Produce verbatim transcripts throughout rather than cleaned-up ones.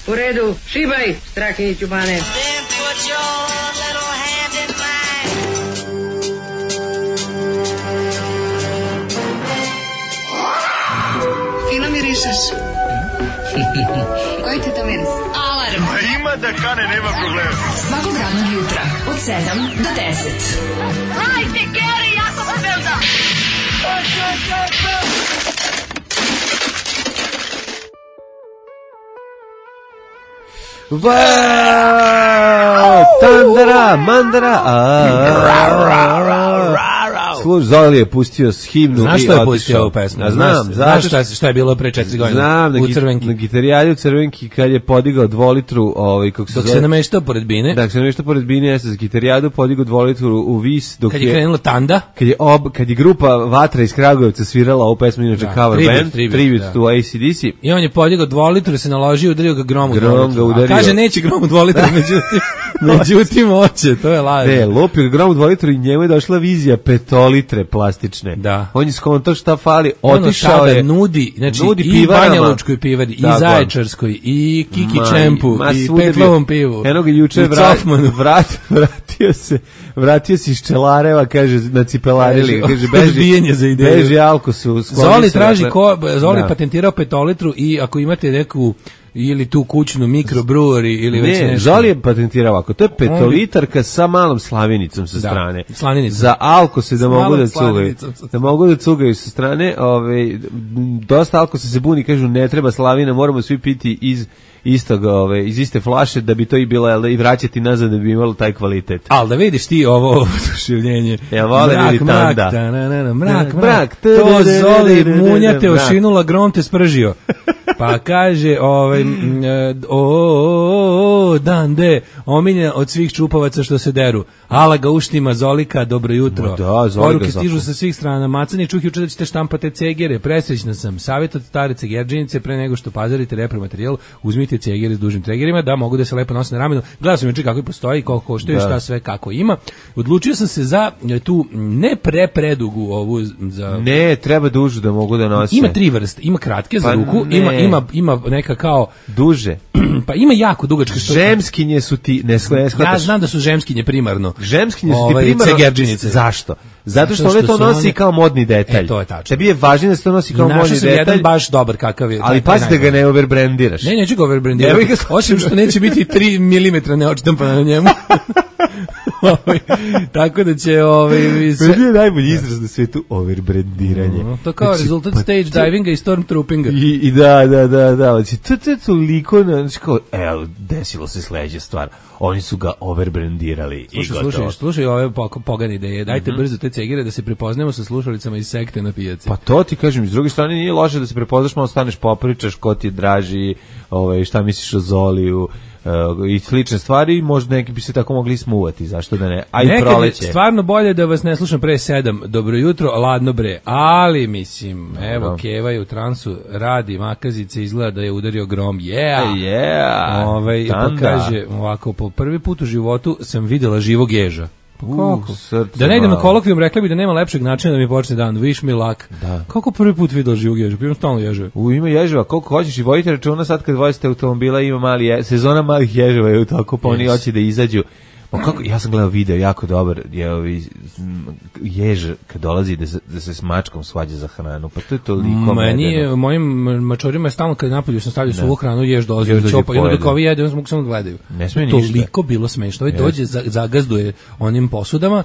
U redu, šibaj, Strahinjić u bane. Fino mirišeš. Koji ti to miris? Alarm. A ima da kane, nema problema. Svakog radnog jutra, od sedam do deset. Hajde, Geri, jako se velda. Wow! Tandara, mandara. Služ, Zoli je pustio s himnu. Znaš što je pustio ovu pesmu? Ja znam. Znaš šta, šta je bilo pre četiri godine? Znam, na, u Crvenki. Na gitarijadi u Crvenki kad je podigao dvolitru, ovaj, kako se dok zove, se nameštao pored Bine. Dok se nameštao pored Bine, jeste za gitarijadu podigao dvolitru u vis. Dok kad je, je krenula Tanda. Kad je, ob, kad je grupa Vatra iz Kragujevca svirala ovu pesmu, inače da, cover tribute, band, tribute, tribute da. to A C D C. I on je podigao dvolitru, se naložio, udario ga grom u Grom dvolitru. ga udario. A kaže, neće grom u dvolitru, međutim, međutim, hoće, to je laž. Ne, lupio ga grom u dvolitru i njemu je došla vizija petolitre plastične. Da. On je skontao šta fali, otišao ono je. nudi, znači nudi i Banja Lučkoj pivari, i Zaječarskoj, i Kiki Ma, Čempu, ma, i svuda Petlovom pivu. Eno ga juče vrat, vrat, vratio se, vratio se iz Čelareva, kaže, na cipelarili, kaže, beži, za ideju. beži Alkosu. Zoli traži, ko, Zoli da. patentirao petolitru i ako imate neku ili tu kućnu mikrobrewery ili već ne, nešto. Zoli je patentirao ovako, to je petolitarka sa malom slavinicom sa da, strane. Slavinicom. Za alkose da mogu da cugaju. Da mogu da cugaju sa strane, ovaj, dosta alkose se buni, kažu ne treba slavina, moramo svi piti iz istog, ove, iz iste flaše da bi to i bilo i vraćati nazad da bi imalo taj kvalitet. Al da vidiš ti ovo oduševljenje. Ja vole vidi Tanda. Mrak, mrak, to Zoli munja te ošinula, grom te spržio. Pa kaže, ovaj, o, dan de, omiljen od svih čupavaca što se deru. Ala ga uštima, Zolika, dobro jutro. Da, poruke stižu sa svih strana. Macani, čuh juče da ćete štampate cegere. Presrećna sam. Savjet od stare cegerđinice, pre nego što pazarite repromaterijal, uzmite cegere s dužim tregerima da mogu da se lepo nose na ramenu. Gledao sam juče kako postoji, koliko koštuje, šta sve kako ima. Odlučio sam se za tu ne pre predugu ovu za ne, treba dužu da mogu da nose. Ima tri vrste, ima kratke za pa ruku, ne. ima ima ima neka kao duže. Pa ima jako dugačke što. Žemskinje su ti ne shvataš. Ja znam da su žemskinje primarno. Žemskinje su ti ovaj, primarno. Cegerđinice. Zašto? Zato što, što one to nosi one kao modni detalj. E, to je tačno. Tebi je važno da se to nosi kao modni detalj. Našao sam jedan baš dobar kakav je. Ali pazi da ga ne overbrandiraš. Ne, neću ga overbrandirati. Osim što neće biti tri milimetra neodštampano na njemu. Tako da će ovaj sve je najbolji izraz na svetu overbrandiranje. No, to kao znači, rezultat pa, stage divinga i stormtroopinga. I, i da, da, da, da. Znači, to je toliko, znači kao, evo, desilo se sledeća stvar. Oni su ga overbrandirali i gotovo. Slušaj, slušaj ove pogane ideje. Dajte mm-hmm. brzo te cegire da se prepoznamo sa slušalicama iz sekte na pijaci. Pa to ti kažem, s druge strane nije loše da se prepoznaš, malo staneš, popričaš ko ti je draži, ovaj, šta misliš o Zoliju, Uh, i slične stvari, možda neki bi se tako mogli smuvati, zašto da ne? A i proleće. Stvarno bolje da vas ne slušam pre sedam. Dobro jutro, ladno bre. Ali mislim, evo no. Keva je u transu, radi makazice, izgleda da je udario grom. Yeah. Yeah. Ovaj pa kaže ovako, po prvi put u životu sam videla živog ježa. Pa kako? Uh, da ne idem na kolokvijum, rekla bi da nema lepšeg načina da mi počne dan. Wish me luck. Da. Kako prvi put videla živog ježa? Pa imam stalno ježeve. U, ima ježeva, koliko hoćeš i vodite računa sad kad vozite automobila ima mali je, sezona malih ježeva je u toku, pa yes. Oni hoće da izađu. Pa kako, ja sam gledao video, jako dobar, je ovi jež kad dolazi da se, da se s mačkom svađa za hranu, pa to je toliko meni, mojim mačorima je stalno kad napolju sam stavljao suvu hranu, jež dolazi od čopa, i onda dok ovi jede, onda mogu samo da gledaju. Ne smije ništa. Toliko bilo smešno, ovaj dođe, zagazduje onim posudama,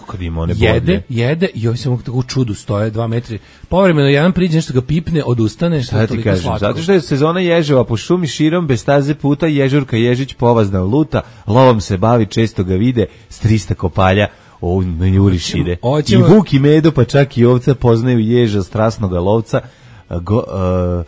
jede, jede, i ovi se mogu tako u čudu stoje, dva metri, povremeno jedan priđe, nešto ga pipne, odustane, što je toliko kažem, slatko. zato što je sezona ježeva po šumi širom, bez staze puta, ježurka Ježić povazna luta, lovom se bavi, često ga vide, s trista kopalja, o, na juriš ide. I Vuk i Medo, pa čak i ovca poznaju ježa strasnoga lovca. Go, uh,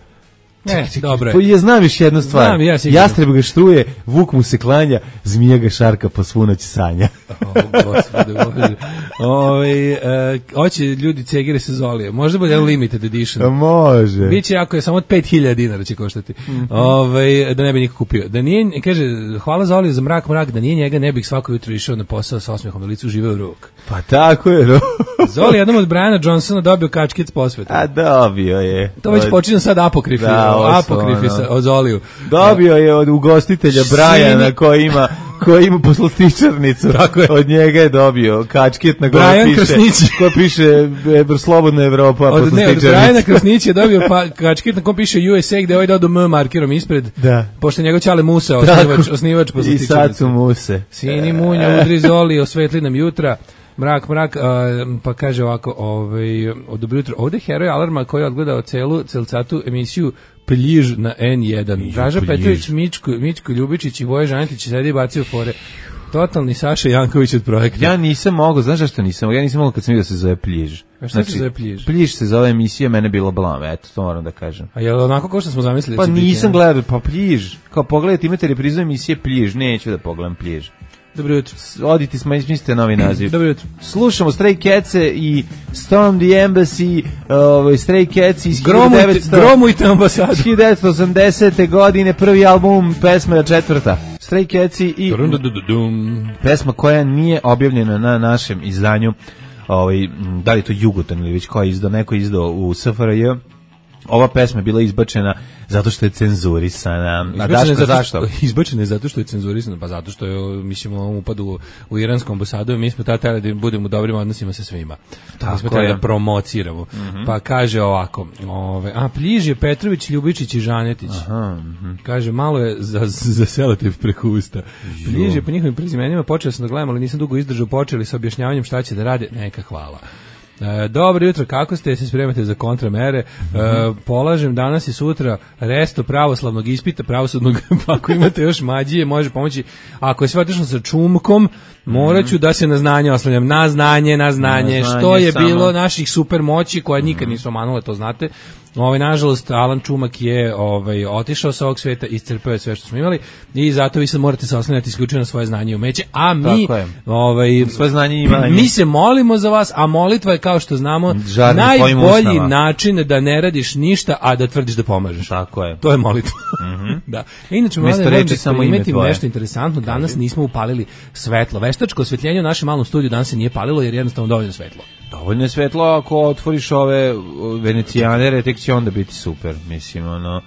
Ne, dobro je. Ja znam još jednu stvar. Znam, ja Jastreb ga štruje, Vuk mu se klanja, zmija ga šarka po svu noć sanja. O, gospode Bože. Ove, e, hoće ljudi cegire se Zolije. Možda bude limited edition. Može. Biće ako je samo od pet hiljada dinara će koštati. Mm-hmm. Ove, da ne bi niko kupio. Da nije, kaže, hvala Zolije za mrak, mrak, da nije njega ne bih svako jutro išao na posao sa osmehom na licu, živeo rok. Pa tako je, rok. Zoli jednom od Briana Johnsona dobio kačkic posveta. A dobio je. To već počinje sad apokrifi, da, apokrifi sa, o Zoliju. Dobio je od ugostitelja Briana koji ima koji ima poslastičarnicu. Od njega je dobio kačket na kojoj piše, Krasnić. Ko piše e, slobodna Evropa, od, poslastičarnica. Ne, od Brajana Krasnić je dobio pa, kačket na kojoj piše U S A gde je ovaj dao M markerom ispred. Da. Pošto njegov ćale Musa, osnivač, osnivač poslastičarnice. I sad su Muse. Sini munja, udri Zoli, osvetli nam jutra. Mrak, mrak, uh, pa kaže ovako, ovaj, od dobro jutro. Ovde je heroj Alarma koji je odgledao celu celcatu emisiju Pljiž na N jedan. Draža Petrović, Mičko, Mičko Ljubičić i Voje Žanetić sedi i bacio fore. Totalni Saša Janković od projekta. Ja nisam mogao, znaš zašto nisam mogao? Ja nisam mogao kad sam vidio da se zove Pljiž. A šta znači, se zove Pljiž? Pljiž se zove emisija, mene bilo blam, eto, to moram da kažem. A je li onako kao što smo zamislili? Pa nisam biti, gledao, pa Pljiž. Kao pogledajte, imate reprizu emisije Pljiž, neću da pogledam Pljiž. Dobro jutro. Odite, smislite novi naziv. Dobro jutro. Slušamo Stray Catse i Storm the Embassy, ovaj Stray Cats iz gromujte, gromujte ambasadu. hiljadu devetsto osamdesete godine, prvi album, pesma četvrta. Stray Cats i pesma koja nije objavljena na našem izdanju, ovaj, da li je to Jugoton ili već ko je izdao, neko je izdao u S F R J. Ova pesma je bila izbačena zato što je cenzurisana. A Daško, zato zašto? Izbačena je zato što je cenzurisana, pa zato što je, mislimo, ovom upadu u, u iranskom ambasadu, mi smo tada da budemo u dobrim odnosima sa svima. Tako mi smo tada da promociramo. Mm-hmm. Pa kaže ovako, ove, a Pljiž je Petrović, Ljubičić i Žanetić. Aha, mm-hmm. Kaže, malo je za, za selativ preko usta. Pljiž je po njihovim prezimenima, počeo sam da gledam, ali nisam dugo izdržao, počeli sa objašnjavanjem šta će da rade, neka hvala. E, dobro jutro, kako ste, se spremate za kontramere? E, polažem danas i sutra resto pravoslavnog ispita, pravosudnog, pa ako imate još mađije, može pomoći. Ako je sve otišlo sa čumkom, morat ću da se na znanje oslanjam. Na znanje, na znanje, na znanje što je samo bilo naših super moći koje nikad nisu omanule, to znate. Ovaj, nažalost, Alan Čumak je ovaj, otišao sa ovog sveta, iscrpeo je sve što smo imali i zato vi sad morate se oslanjati isključivo na svoje znanje i umeće, a mi ovaj, svoje znanje i imanje. Mi se molimo za vas, a molitva je, kao što znamo, žarni najbolji način da ne radiš ništa, a da tvrdiš da pomažeš. Tako je. To je molitva. Mm-hmm. Da. Inače, mlade, reći samo imeti nešto interesantno, danas nismo upalili svetlo. Veštačko osvetljenje u našem malom studiju danas se nije palilo jer jednostavno dovoljno svetlo. Dovoljno je svetlo, ako otvoriš ove venecijanere, tek će onda biti super, mislim, ono,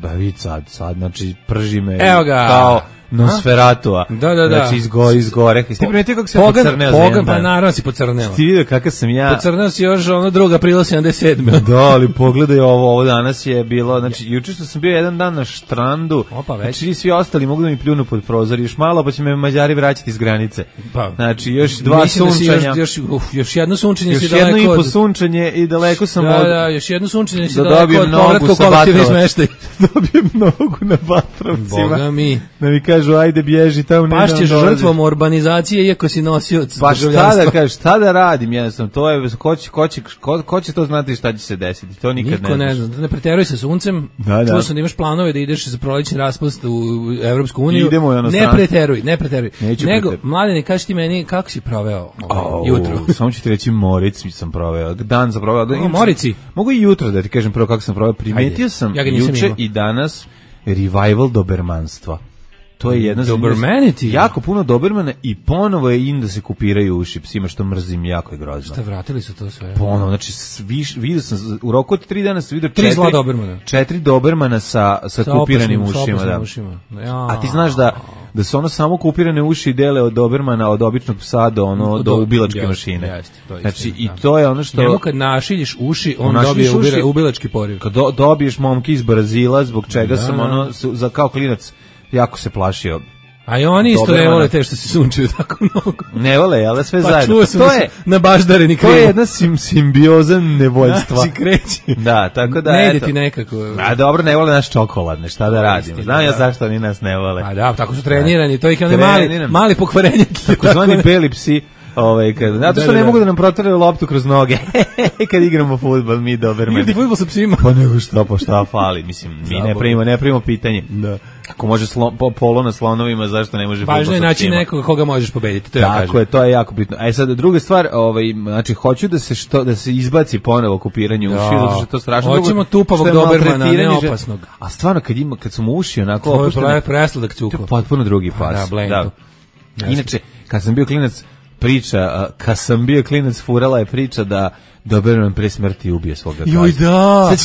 ba vid sad, sad, znači, prži me kao Nosferatua. Da, da, da. Znači, izgo, izgore. Ti primetio kako se pogan, pocrneo pogan, za jedan pa dan? naravno si pocrneo. Ti vidio kakav sam ja? Pocrneo si još ono druga aprila sedamdeset sedme Da, ali pogledaj ovo, ovo danas je bilo, znači, juče što sam bio jedan dan na štrandu, Opa, već. znači, svi ostali mogu da mi pljunu pod prozor, još malo, pa će me Mađari vraćati iz granice. Pa, znači, još dva mislim sunčanja. Da još, još, uf, još jedno sunčanje si još daleko od... Još jedno i po sunčanje i daleko sam da, od... Da, još jedno sunčanje si da daleko od povratka u kolektivni smeštaj. Dobijem nogu na Vatrovcima. Boga mi. Da mi kažu, ajde bježi tamo. Pašćeš žrtvom urbanizacije iako si nosioc pa šta da kažeš, šta da radim, jednostavno, to je, ko će, ko će, ko, ko će to znati šta će se desiti, to nikad Niko ne ne zna. Ne preteruj sa suncem, da, da. čuo sam da imaš planove da ideš za prolećni raspust u Evropsku uniju, idemo ne preteruj, ne preteruj. Neću nego, preteruj. Mladene, kaži ti meni kako si proveo ovaj, oh, jutro. Samo ću ti reći, Moric sam proveo, dan sam proveo. Da, o, Morici? Mogu i jutro da ti kažem prvo kako sam proveo, primetio sam ja juče i danas revival dobermanstva. To je jedna Dobermanity. Jako puno dobermana i ponovo je in da se kupiraju uši psima, što mrzim, jako je grozno. Šta, vratili su to sve? Ponovo, znači viš, vidio sam u roku od tri dana sam vidio četiri zla dobermana. Četiri dobermana sa sa, sa kupiranim opasnim, ušima, da. Ušima. Ja. A ti znaš da da su ono samo kupirane uši dele od dobermana, od običnog psa do ono do, do ubilačke jest, mašine. Jest, to znači jest, i to je ono što njemu kad našiljiš uši, on dobije uši, ubilački poriv. Kad do, dobiješ momke iz Brazila, zbog čega da. sam ono za kao klinac jako se plašio. A i oni isto ne vole te što se sunčaju tako mnogo. Ne vole, ali sve pa zajedno. To je na baždareni krivo. To je jedna sim, simbioza nevoljstva. Znači kreće. Da, tako da ne eto. ide ti nekako. A dobro, ne vole naš čokoladne, šta da radimo. Znam ja zašto oni nas ne vole. A da, tako su trenirani, to ih je mali, mali pokvarenje. Tako zvani beli psi. Ovaj kad zato što da, da, ne mogu da nam proteraju loptu kroz noge kad igramo fudbal mi doberman. Igrati fudbal sa psima. Pa nego šta, pa šta fali, mislim, mi ne primimo, ne primimo pitanje. Da. Ako može slon, po, polo na slonovima, zašto ne može fudbal sa psima? Važno je naći nekoga koga možeš pobediti, to ja kažem. Tako je, to je jako bitno. A sad druga stvar, ovaj znači hoću da se što da se izbaci ponovo kupiranje uši, zato što je to strašno. Hoćemo tupavog dobermana, ne opasnog. A stvarno kad ima kad su mu uši onako opuštene, presladak cuko. Potpuno drugi pas. Da. Inače, kad sam bio klinac priča, kad sam bio klinac, furala je priča da Doberman pre smrti ubije svoga gazdu. Joj da,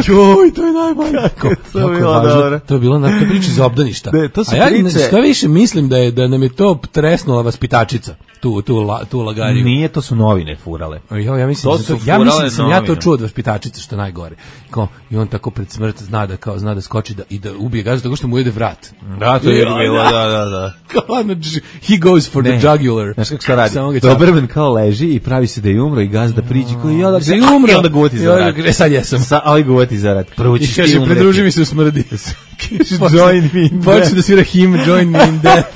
joj, to je najbolje. Kako to je bilo dobro. To je bilo na to priči za obdaništa. De, to su A ja priče... što više mislim da je da nam je to tresnula vaspitačica. Tu tu la, tu lagariju. Nije, to su novine furale. Jo, ja mislim to da su to, ja mislim da sam novine. ja to čuo od vaspitačice, što najgore. Kao i on tako pred smrt zna da kao zna da skoči da i da ubije gazdu tako što mu jede vrat. Da, to je bilo, da, da, da. Kao he goes for ne. the jugular. Znaš kako se radi? Doberman kao leži i pravi se da je umro i gazda priđe kao ja da se umro. I onda guvati za rat. E sad jesam. Sa, ali guvati za rat. Prvo ćeš ti umreti. umreti. Pridruži mi se u smrdi. Join me in Počne da svira him, join me in death.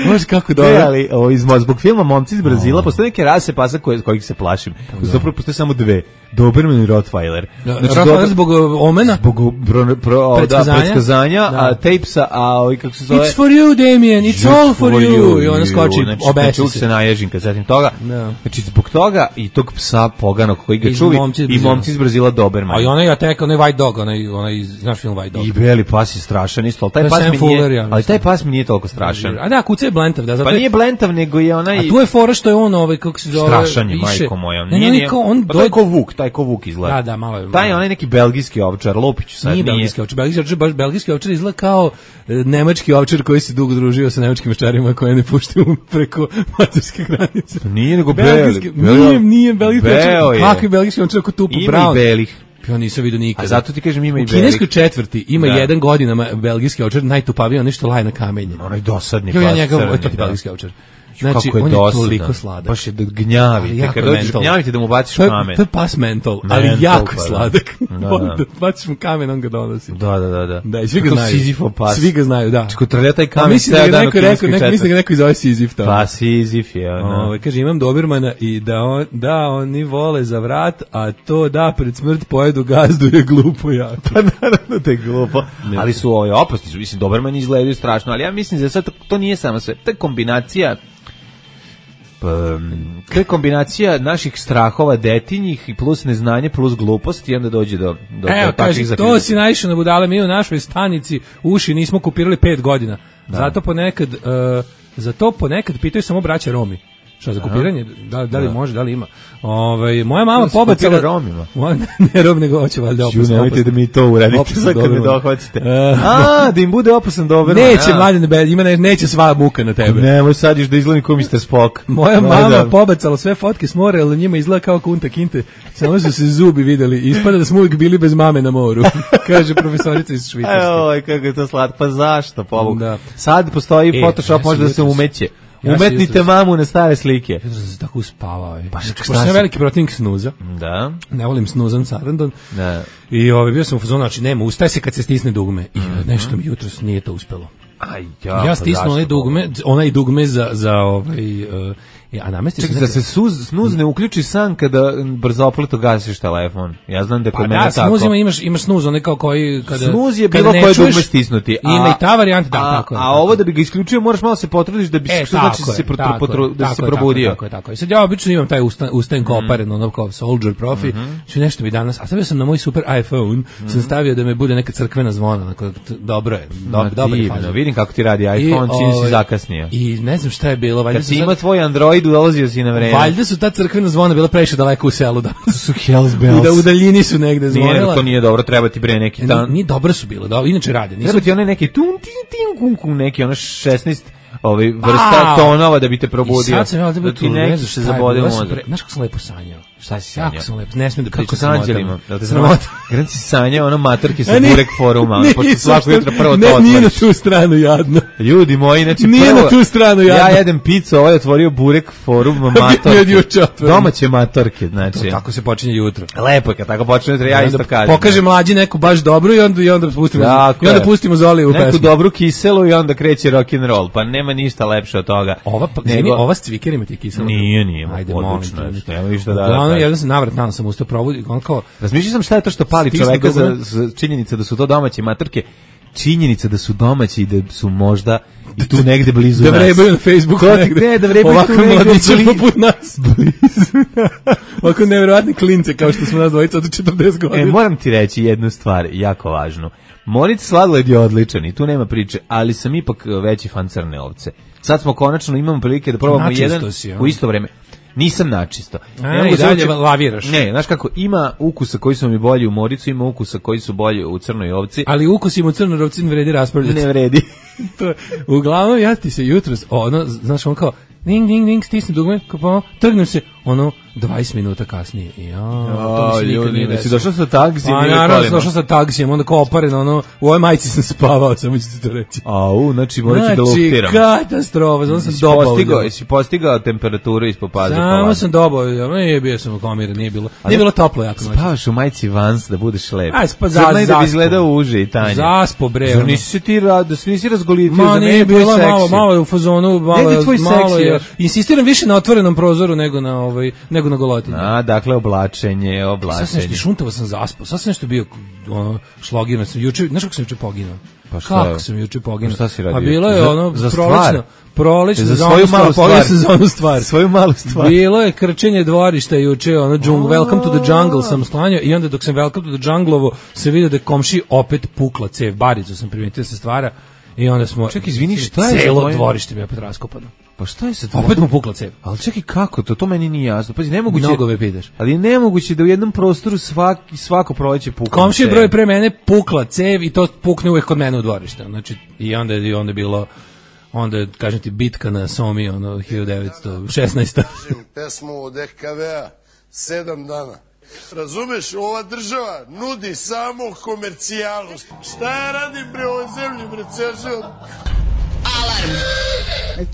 Može kako dobro. Ne, ali o, iz, zbog filma Momci iz Brazila oh. postoje neke rase pasa koje, kojih se plašim. Zapravo postoje samo dve. Doberman i Rottweiler. Da, znači, Rottweiler zbog omena? Zbog bro, pro, predskazanja, da, predskazanja da. A tapesa, a ovi kako se zove... It's for you, Damien, it's, it's all for you. you. I ona skoči, znači, obesi znači, se. se naježim kad zatim toga. No. Znači, zbog toga i tog psa poganog koji ga čuvi i Momci iz Brazila Doberman. A i onaj atek, onaj White Dog, onaj, onaj, znaš film White Dog. I beli pas je strašan isto, ali taj, pas mi, Fuller, nije, ja ali taj pas mi nije toliko strašan. A da, kuca je blentav, da. Pa nije blentav, nego je onaj... A tu je fora što je on, ovaj, kako se zove... Strašan je, majko moja. Ne, ne, on... Pa to je ko Vuk, taj ko Vuk izgleda. Da, da, malo je. Taj je onaj neki belgijski ovčar, Lopiću sad nije. Nije belgijski ovčar, belgijski ovčar, baš belgijski ovčar izgleda kao e, nemački ovčar koji se dugo družio sa nemačkim ovčarima koje ne puštaju preko mađarske granice. Nije nego belgijski. Nije, nije belgijski ovčar. Kakvi belgijski ovčar ako tupu Ima brown. I belih. Ja nisam vidio nikada. A zato ti kažem ima i belih. U kineskoj četvrti ima da. jedan godinama belgijski ovčar, najtupaviji, nešto laje na kamenje. Onaj dosadni pas. Ja njega, to je belgijski ovčar. Znači, kako je on je dosadan. Toliko sladak. Baš je da gnjavi. Kad dođeš gnjaviti da mu baciš to je, kamen. To je pas mental, ali mental, jako pa, sladak. Da, da. da baciš mu kamen, on ga donosi. Da, da, da. da. Da, i svi ga znaju. Sizifov pas. Svi ga znaju, da. Čeko trlja taj kamen. Mislim da ga neko rekao, neko, mislim da ga neko zove Sizif. Pa Sizif je. Ove, kaže, imam Dobermana i da, on, da oni vole za vrat, a to da pred smrt pojedu gazdu je glupo jako. Pa naravno da je glupo. Ne. Ali su ove opasni su, mislim, Dobermani izgledaju strašno, ali ja mislim da sad to nije samo sve. To je kombinacija to je kombinacija naših strahova detinjih i plus neznanje plus glupost i onda dođe do, do, Evo, do takvih zaključaka. To si naišao na budale, mi u našoj stanici uši nismo kupirali pet godina. Da. Zato ponekad, uh, zato ponekad pitaju samo braća Romi. Šta za kopiranje? Da, da li da. može, da li ima? Ovaj moja mama pobacala Romima. Moja ne Rom nego hoće valjda opasno. Nemojte da mi to uradite sad kad me dohvatite. A, da im bude opasan Doberman. Neće mladen bebe, ima ne, neće sva muka na tebe. Nemoj sad iš da izgleda kao mister Spock. Moja mama pobacala sve fotke s mora, al njima izgleda kao Kunta Kinte. Samo su se zubi videli. Ispada da smo uvijek bili bez mame na moru. Kaže profesorica iz Švicarske. Oj, kako je to slatko. Pa zašto, pobog? Da. Sad postoji e, Photoshop, ja može da se umeće. Ja umetnite jutros, mamu na stare slike. Jutros sam se tako uspavao. Pa što sam veliki protivnik snuza. Da. Ne volim snuzan sarandon. Da. I ovaj bio sam u fazonu, znači nema, ustaje se kad se stisne dugme. I mm-hmm. nešto mi jutros nije to uspelo. Aj, ja, ja stisnu onaj dugme, onaj dugme za za ovaj uh, a namesti se da se suz, snuz ne uključi san kada brzopleto gasiš telefon. Ja znam da kod pa mene da, tako. Snuz ima, imaš imaš snuz onaj kao koji kada snuz je bilo koje dugme stisnuti. A, ima i ta varijanta da a, tako. A, a ovo da bi ga isključio moraš malo se potrudiš da bi e, što znači se protru, potru, da tako se probudio. Tako je, tako je. Sad ja obično imam taj ustan usten koparen, mm. ono kao soldier profi. Mm-hmm. Što nešto mi danas, a stavio sam na moj super iPhone, mm-hmm. sam stavio da me bude neka crkvena zvona, onako dobro je. Dobro, dobro je. Vidim kako ti radi iPhone, čini se zakasnio. I ne znam šta je bilo, valjda se ima tvoj Android, dolazio si na vreme. Valjda su ta crkvena zvona bila previše daleko u selu da su Hells Bells. Da u daljini su negde zvonila. Nije, to nije dobro, treba ti bre neki tan. Nije dobro su bilo, da, inače rade. Nisu... Treba ti one neki tum tim tim kum kum neki ono šesnaest ovaj vrsta tonova da bi te probudio. I sad sam ja da ti ne znaš se zabode mozak. Znaš kako sam lepo sanjao. Šta si sanjao? Jako sam lepo, ne smijem da pričam sa anđelima. Da te sramota. Gran si sanjao ono matorke sa burek foruma, pošto svako jutro prvo to otvoriš. Ne, nije na tu stranu jadno. Ljudi moji, znači nije na tu stranu jadno. Ja jedem picu, ovaj otvorio burek forum matorke. Domaće matorke, znači. Tako se počinje jutro. Lepo je kad tako počne jutro, ja isto kažem. Pokaže mlađi neku baš dobru i onda i onda pustimo. I onda pustimo Zoli u pesmu. Neku dobru kiselu i onda kreće rock and roll. Pa nema ništa lepše od toga. Ova nego ova s cvikerima ti kisela. Nije, nije. Ajde, odlično. Nema ništa da. Jedan se navrat dan sam ustao probudi, on kao razmišljao sam šta je to što pali čoveka za, za činjenica da su to domaće matorke. činjenica da su domaći i da su možda i tu negde blizu da nas. Da vrebaju na Facebooku Ko, negde. Ne, da vrebaju ovako tu negde mladića poput nas. Ovako nevjerovatne klince kao što smo nas dvojica od četrdeset godina. E, moram ti reći jednu stvar, jako važnu. Moritz sladoled je odličan i tu nema priče, ali sam ipak veći fan crne ovce. Sad smo konačno, imamo prilike da probamo načisto jedan si, u isto vreme. Nisam načisto. A, i dalje laviraš. Ne, znaš kako, ima ukusa koji su mi bolji u Moricu, ima ukusa koji su bolji u crnoj ovci. Ali ukus im u crnoj ovci ne vredi raspravljati. Ne vredi. To je, uglavnom, ja ti se jutros, ono, znaš, on kao, ding, ding, ding, stisne dugme, kao, trgnem se, ono, dvadeset minuta kasnije. Ja, to mi se nikad nije desilo. Si došao sa taksijem? A, naravno, sam došao sa taksijem, onda kao oparen, ono, u ovoj majici sam spavao, samo ću ti to reći. Au, znači, morat ću da Znači, luktiram. katastrofa, zato sam dobao. Postigao, jesi postigao temperaturu ispod paza? Samo sam dobao, nije bio sam u komiri, nije bilo, nije bilo toplo jako noć. Spavaš u majici Vans da budeš lep. Aj, spa, za, Crnaj da bi zaspo. izgledao uže i tanje. Zaspo, bre. Zar nisi se ti rad, da se nisi razgolitio? Ma, za mene nije je tvoj bilo seksi. malo, malo je u fazonu, malo, Ne, ne, tvoj malo seksi je. još. Insistiram više na otvorenom prozoru nego na ovaj, nego na golotinju. A, dakle, oblačenje, Sad sam oblačenje. nešto šuntavo sam zaspao, sad sam nešto bio ono, šlogiran sam juče, znaš kako sam juče poginuo? Pa šta Kako je? sam juče poginuo? Pa šta si radio? Pa bilo je Za- ono, za prolećno, stvar? prolećno, Za za svoju onu stvar, malu poginuo stvar. sam za onu stvar. Svoju malu stvar. Bilo je krčenje dvorišta juče, ono, džungl, welcome to the jungle sam sklanjao i onda dok sam welcome to the jungle-ovo se vidio da je komši opet pukla cev, baricu sam primetio da se stvara i onda smo... Čekaj, izvini, šta je za Celo tvojim- dvorište mi je opet raskopano. Pa šta je sa tvojim? Opet mu pukla cev. Ali čekaj, kako to? To meni nije jasno. Pazi, nemoguće... Mnogo me pitaš. Ali je nemoguće da u jednom prostoru svaki, svako proleće pukne. Komšije broj pre mene pukla cev i to pukne uvek kod mene u dvorište. Znači, i onda je, i onda je bilo, onda je, kažem ti, bitka na Somi, ono, hiljadu devetsto šesnaesta. Pesmu od E K V-a sedam dana. Razumeš, ova država nudi samo komercijalu. Šta ja radim bre ovoj zemlji, bre, ceo život? Alarm.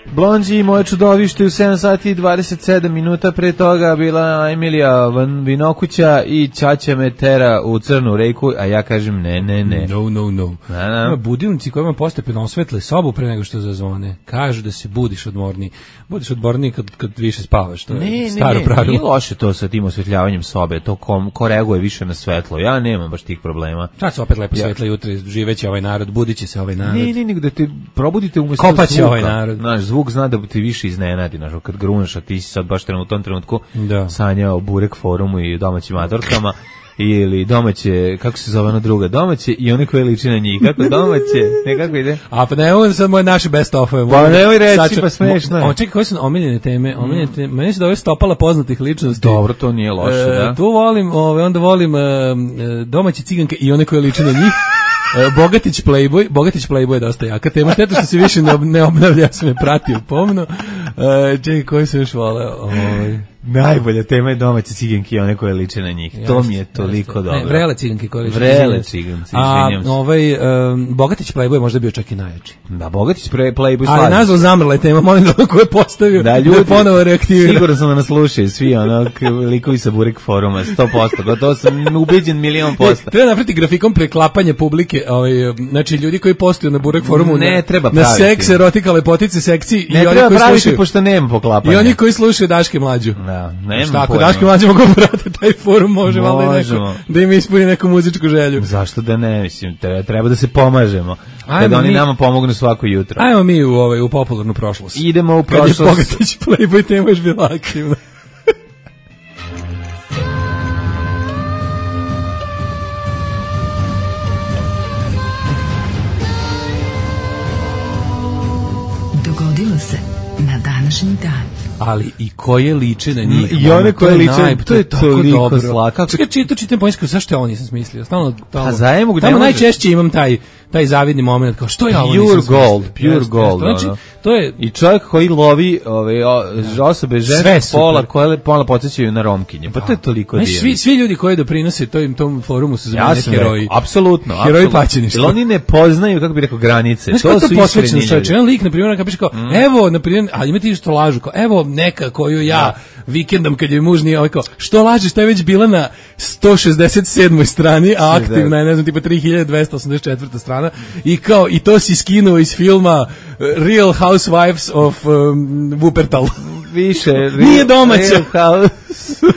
Blondži i moje čudovište u sedam sati i dvadeset sedam minuta, pre toga bila Emilija Van Vinokuća i Ćaća me tera u crnu reku, a ja kažem ne, ne, ne. No, no, no. Na, na. Ima budilnici kojima postepeno osvetle sobu pre nego što zazvone. Kažu da se budiš odmorniji. Budiš odmorniji kad, kad više spavaš. To je Ne, ne, staro ne, pravilo. nije loše to sa tim osvetljavanjem sobe, to kom, ko reaguje više na svetlo, ja nemam baš tih problema. Sad se opet lepo Ja. svetla jutra, živeće ovaj narod, budiće se ovaj narod. Ne, ne, nego da te probudite umesto Kopaće zvuka. ovaj narod. Znaš, zvuk zna da ti više iznenadi, znaš, kad gruneš, a ti si sad baš u tom trenutku Da. sanjao o Burek forumu i domaćim matorkama, ili domaće, kako se zove ona druga, domaće i one koje liči na njih, kako domaće, ne, kako ide? A pa ne, ovo je sad moje naše best of-ove. Pa nemoj reći, Sad ću- pa smešno je. O, čekaj, koje su omiljene teme? Omiljene teme. Meni se da ove stopala poznatih ličnosti. Dobro, to nije loše, E, da. Tu volim, ove, onda volim e, e, domaće ciganke i one koje liče na njih. E, Bogatić Playboy, Bogatić Playboy je dosta jaka tema, šteta što se više ne, ob, ne obnavlja, ja sam je pratio pomno. E, čekaj, koji su još voleo? Ovaj. Najbolja tema je domaće ciganke i one koje liče na njih. To mi je toliko Jeste. dobro. Ne, vrele ciganke koje liče. Vrele izvinjam se. ciganci, A izvinjam se. ovaj, um, Bogatić Playboy je možda bio čak i najjači. Da, Bogatić pre Playboy Ali slaži. nazval zamrla je tema, molim da ko je postavio, Da, ljudi, ponovo reaktivira. Siguran sam da nas slušaju svi, ono, k- likovi sa Burek foruma, sto posto, gotovo sam ubeđen milion posto. Treba napraviti grafikom preklapanje publike, ovaj, znači ljudi koji postoju na Burek forumu Ne na, treba na praviti. seks, erotika, lepotice, sekciji Ne i oni treba koji praviti, slušaju. pošto nema poklapanja. I oni koji slušaju Daške mlađu. Da, nema Šta, ako pojma. Daške mlađe mogu brate taj forum, može valjda i neko Možemo. da im ispuni neku muzičku želju. Zašto da ne, mislim, treba, treba da se pomažemo. Ajmo Kada oni mi- nama pomognu svako jutro. Ajmo mi u, ovaj, u popularnu prošlost. Idemo u Kad je prošlost. Bogatić Playboy, tema još bila aktivna. Dogodilo se na današnji dan. Ali i koje liče na njih. I one koje to je liče, naj- to je tako toliko dobro. slatko. Čekaj, čitam, čitam poljsku, zašto ja ovo nisam smislio? Stalno, tamo, Pa za emo, ne tamo može- najčešće imam taj, taj zavidni moment, kao što ja ovo Pure nisam smislio? gold, pure Jeste, gold, jeste. Znači, ono. to je, I čovjek koji lovi ove, o, osobe Sve ženskog super. pola koje pola podsjećaju na Romkinje. Pa to je toliko znači, divno. svi, svi ljudi koji doprinose tom, tom forumu su za Ja mene sam heroji. rekao, apsolutno. Heroji apsolutno. paćeništva. Jer oni ne poznaju, kako bi rekao, granice. Znaš To kako su to iskreni posvećeno čovječe? ljudi. Jedan lik, na primjer, kad piše kao, evo, na primjer, a ima ti što lažu, kao, evo neka koju ja vikendom kad joj muž nije, ovaj kao, što lažeš, ta je već bila na sto šezdeset sedmoj strani, a aktivna je, ne znam, tipa tri hiljade dvesta osamdeset četvrta strana, i kao, i to si skinuo iz filma uh, Real Housewives of um, Wuppertal. Više. Nije domaća. Real House-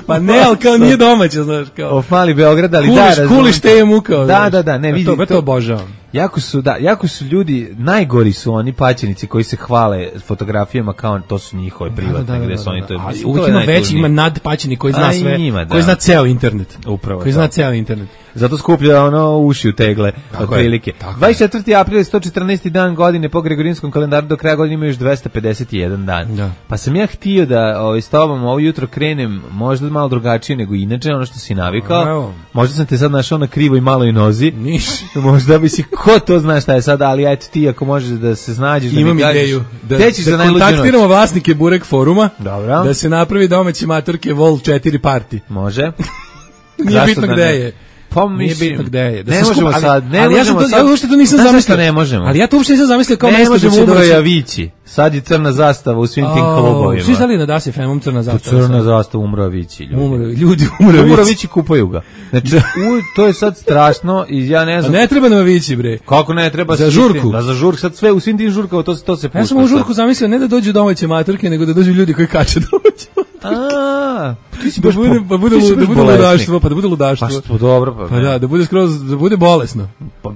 Pa ne, ali kao nije domaća, znaš, kao. Of mali Beograd, ali kuliš, da, razumem. Kuliš te mukao. Da, da, da, ne, vidi. To, to obožavam. Jako su, da, jako su ljudi, najgori su oni paćenici koji se hvale fotografijama kao to su njihove privatne, da, da, da, gde su oni to. Ali uvijek ima veći, ima nadpaćeni koji zna sve, njima, koji zna ceo internet. Upravo. Koji zna ceo internet. Zato skuplja ono uši u tegle, otprilike. dvadeset četvrti april je sto četrnaesti dan godine po Gregorijanskom kalendaru, do kraja godine ima još dvesta pedeset jedan dan. Da. Pa sam ja htio da ovaj, s tobom ovo jutro krenem možda malo drugačije nego inače, ono što si navikao. Evo. Možda sam te sad našao na krivoj maloj nozi. Niš. Možda bi si, ko to zna šta je sada, ali eto ti ako možeš da se snađeš. Imam da mi ideju. Da, da, da kontaktiramo vlasnike Burek foruma. Dobro. Da se napravi domaći matorke Vol četiri party. Može. Nije bitno gde je. Pa nije bitno gde je. Da ne možemo skupa, sad, ne ali možemo ja to, sad. Ja uopšte to nisam zamislio. Ne možemo. Ali ja to uopšte nisam zamislio kao mesto da će doći. Vići. Sad je crna zastava u svim tim klubovima. Svi znali na Da se F M-om crna zastava. Crna zastava umro Vići, ljudi. Umro, ljudi umro Umro Vići, kupaju ga. Znači, u, to je sad strašno i ja ne znam. A ne treba nam Vići, bre. Kako ne treba? Za žurku. Da, za žurku. Sad sve u svim tim žurkama to, to se pušta. Ja sam u žurku zamislio ne da dođu domaće maturke, nego da dođu ljudi koji kače domaće maturke. A, ti si baš bude, pa bude, da bude ludaštvo, pa da bude ludaštvo. Pa što dobro, pa. Pa da, da bude skroz, da bude bolesno.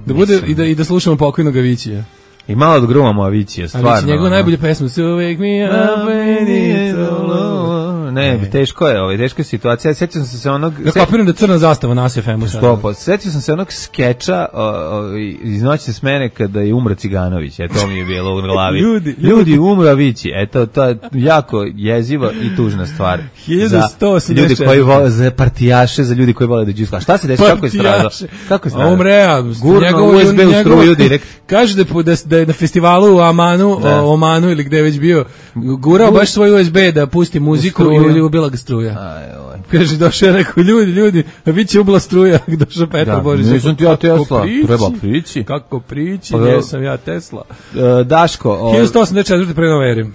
Da bude i da i da slušamo pokojnog Avićija. I malo da grumamo Avićija, stvarno. Ali njegova najbolja pesma su Wake Me Up When It's All Over. Ne, ne, teško je, ovaj, teška je situacija. Sjećam sam se onog... Ja kapiram da crna zastava na S F M-u. Stopo. Sjećam sam se onog skeča o, o, iz Noćne smene kada je umro Ciganović. E, to mi je bilo u glavi. ljudi, ljudi umro Avići. Eto, to je jako jeziva i tužna stvar. hiljadu sto osamdeset četiri. Za ljudi koji vole, za partijaše, za ljudi koji vole da džuska. Šta se desi, kako je stradao? Kako je stradao? Umre, gurno U S B u struju direkt. Kaže da, da je na festivalu u Amanu, o Omanu ili gde je već bio, gurao baš svoj U S B da pusti muziku i ubila ga struja. Kaže, došao je rekao, ljudi, ljudi, a vi će ubila struja, došao Petar Božić. Nisam ti ja Tesla, treba prići. Kako prići, gdje sam ja Tesla. Daško. hiljadu sto osamdeset četvrte pre nove ere.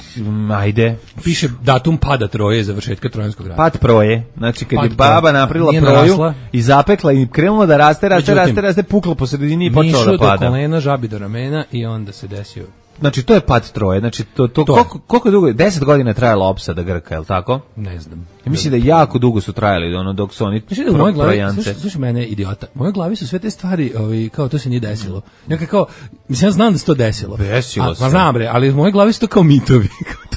Ajde. Piše datum pada Troje, završetka Trojanskog rata. Pad Proje, znači kad je baba napravila Proju i zapekla i krenula da raste, raste, raste, raste, pukla po sredini i počela da pada. Mišu do kolena, žabi do ramena i onda se desio. Znači to je pad Troje, znači to to, to koliko koliko dugo, deset godina je trajala opsada Grka, je l' tako? Ne znam. Ja mislim da jako dugo su trajali ono dok su oni mislim da u mojoj glavi, slušaj, slušaj mene idiota. U mojoj glavi su sve te stvari, ovaj kao to se nije desilo. Ja kao mislim ja znam da se to desilo. Desilo se. Pa znam bre, ali u mojoj glavi su to kao mitovi.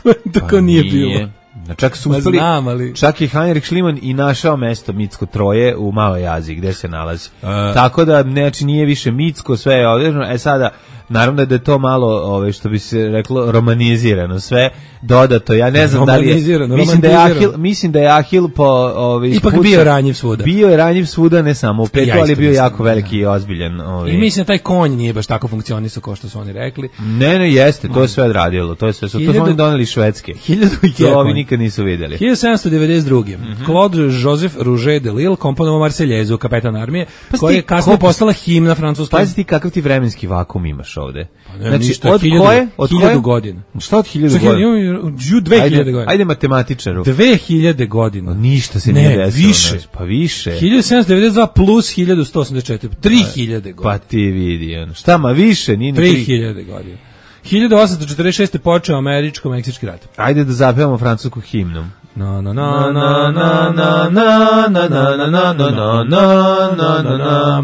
to to kao nije bilo. Čak su uspeli, ali... čak i Heinrich Schliemann i našao mesto mitsko Troje u Maloj Aziji gde se nalazi. Uh, Tako da znači nije više mitsko, sve je određeno. E sada naravno da je to malo, ove, što bi se reklo, romanizirano sve, dodato, ja ne znam da li je, mislim da je Ahil, mislim da je Ahil po, ove, ipak puca, bio ranjiv svuda. Bio je ranjiv svuda, ne samo u petu, ja ali je bio jako veliki i ozbiljan. Ove. I mislim da taj konj nije baš tako funkcionisao kao što su oni rekli. Ne, ne, jeste, to je sve odradilo, to je sve, to su oni doneli švedske. Hiljadu i to ovi nikad nisu vidjeli. hiljadu sedamsto devedeset druge. Mm-hmm. Claude Joseph Rouget de Lille komponovao Marseljezu, kapetan armije, pa koja je kasnije postala himna francuskog. Pazi ti kakav ti vremenski vakum imaš ovde. Pa ne, znači, ništa, od hiljadu, koje? Od hiljadu godina. Šta od hiljadu godina? Dve hiljade godina. Ajde matematičaru. Dve hiljade godina. Ništa se ne, nije desilo. Više. Pa više. hiljadu sedamsto devedeset dva plus hiljadu sto osamdeset četiri. Tri hiljade godina. Pa ti vidi. Šta ma više? Nije tri hiljade godina. hiljadu osamsto četrdeset šeste počeo američko-meksički rat. Ajde da zapevamo francusku himnu. Na na na na na na na na na na na na na na na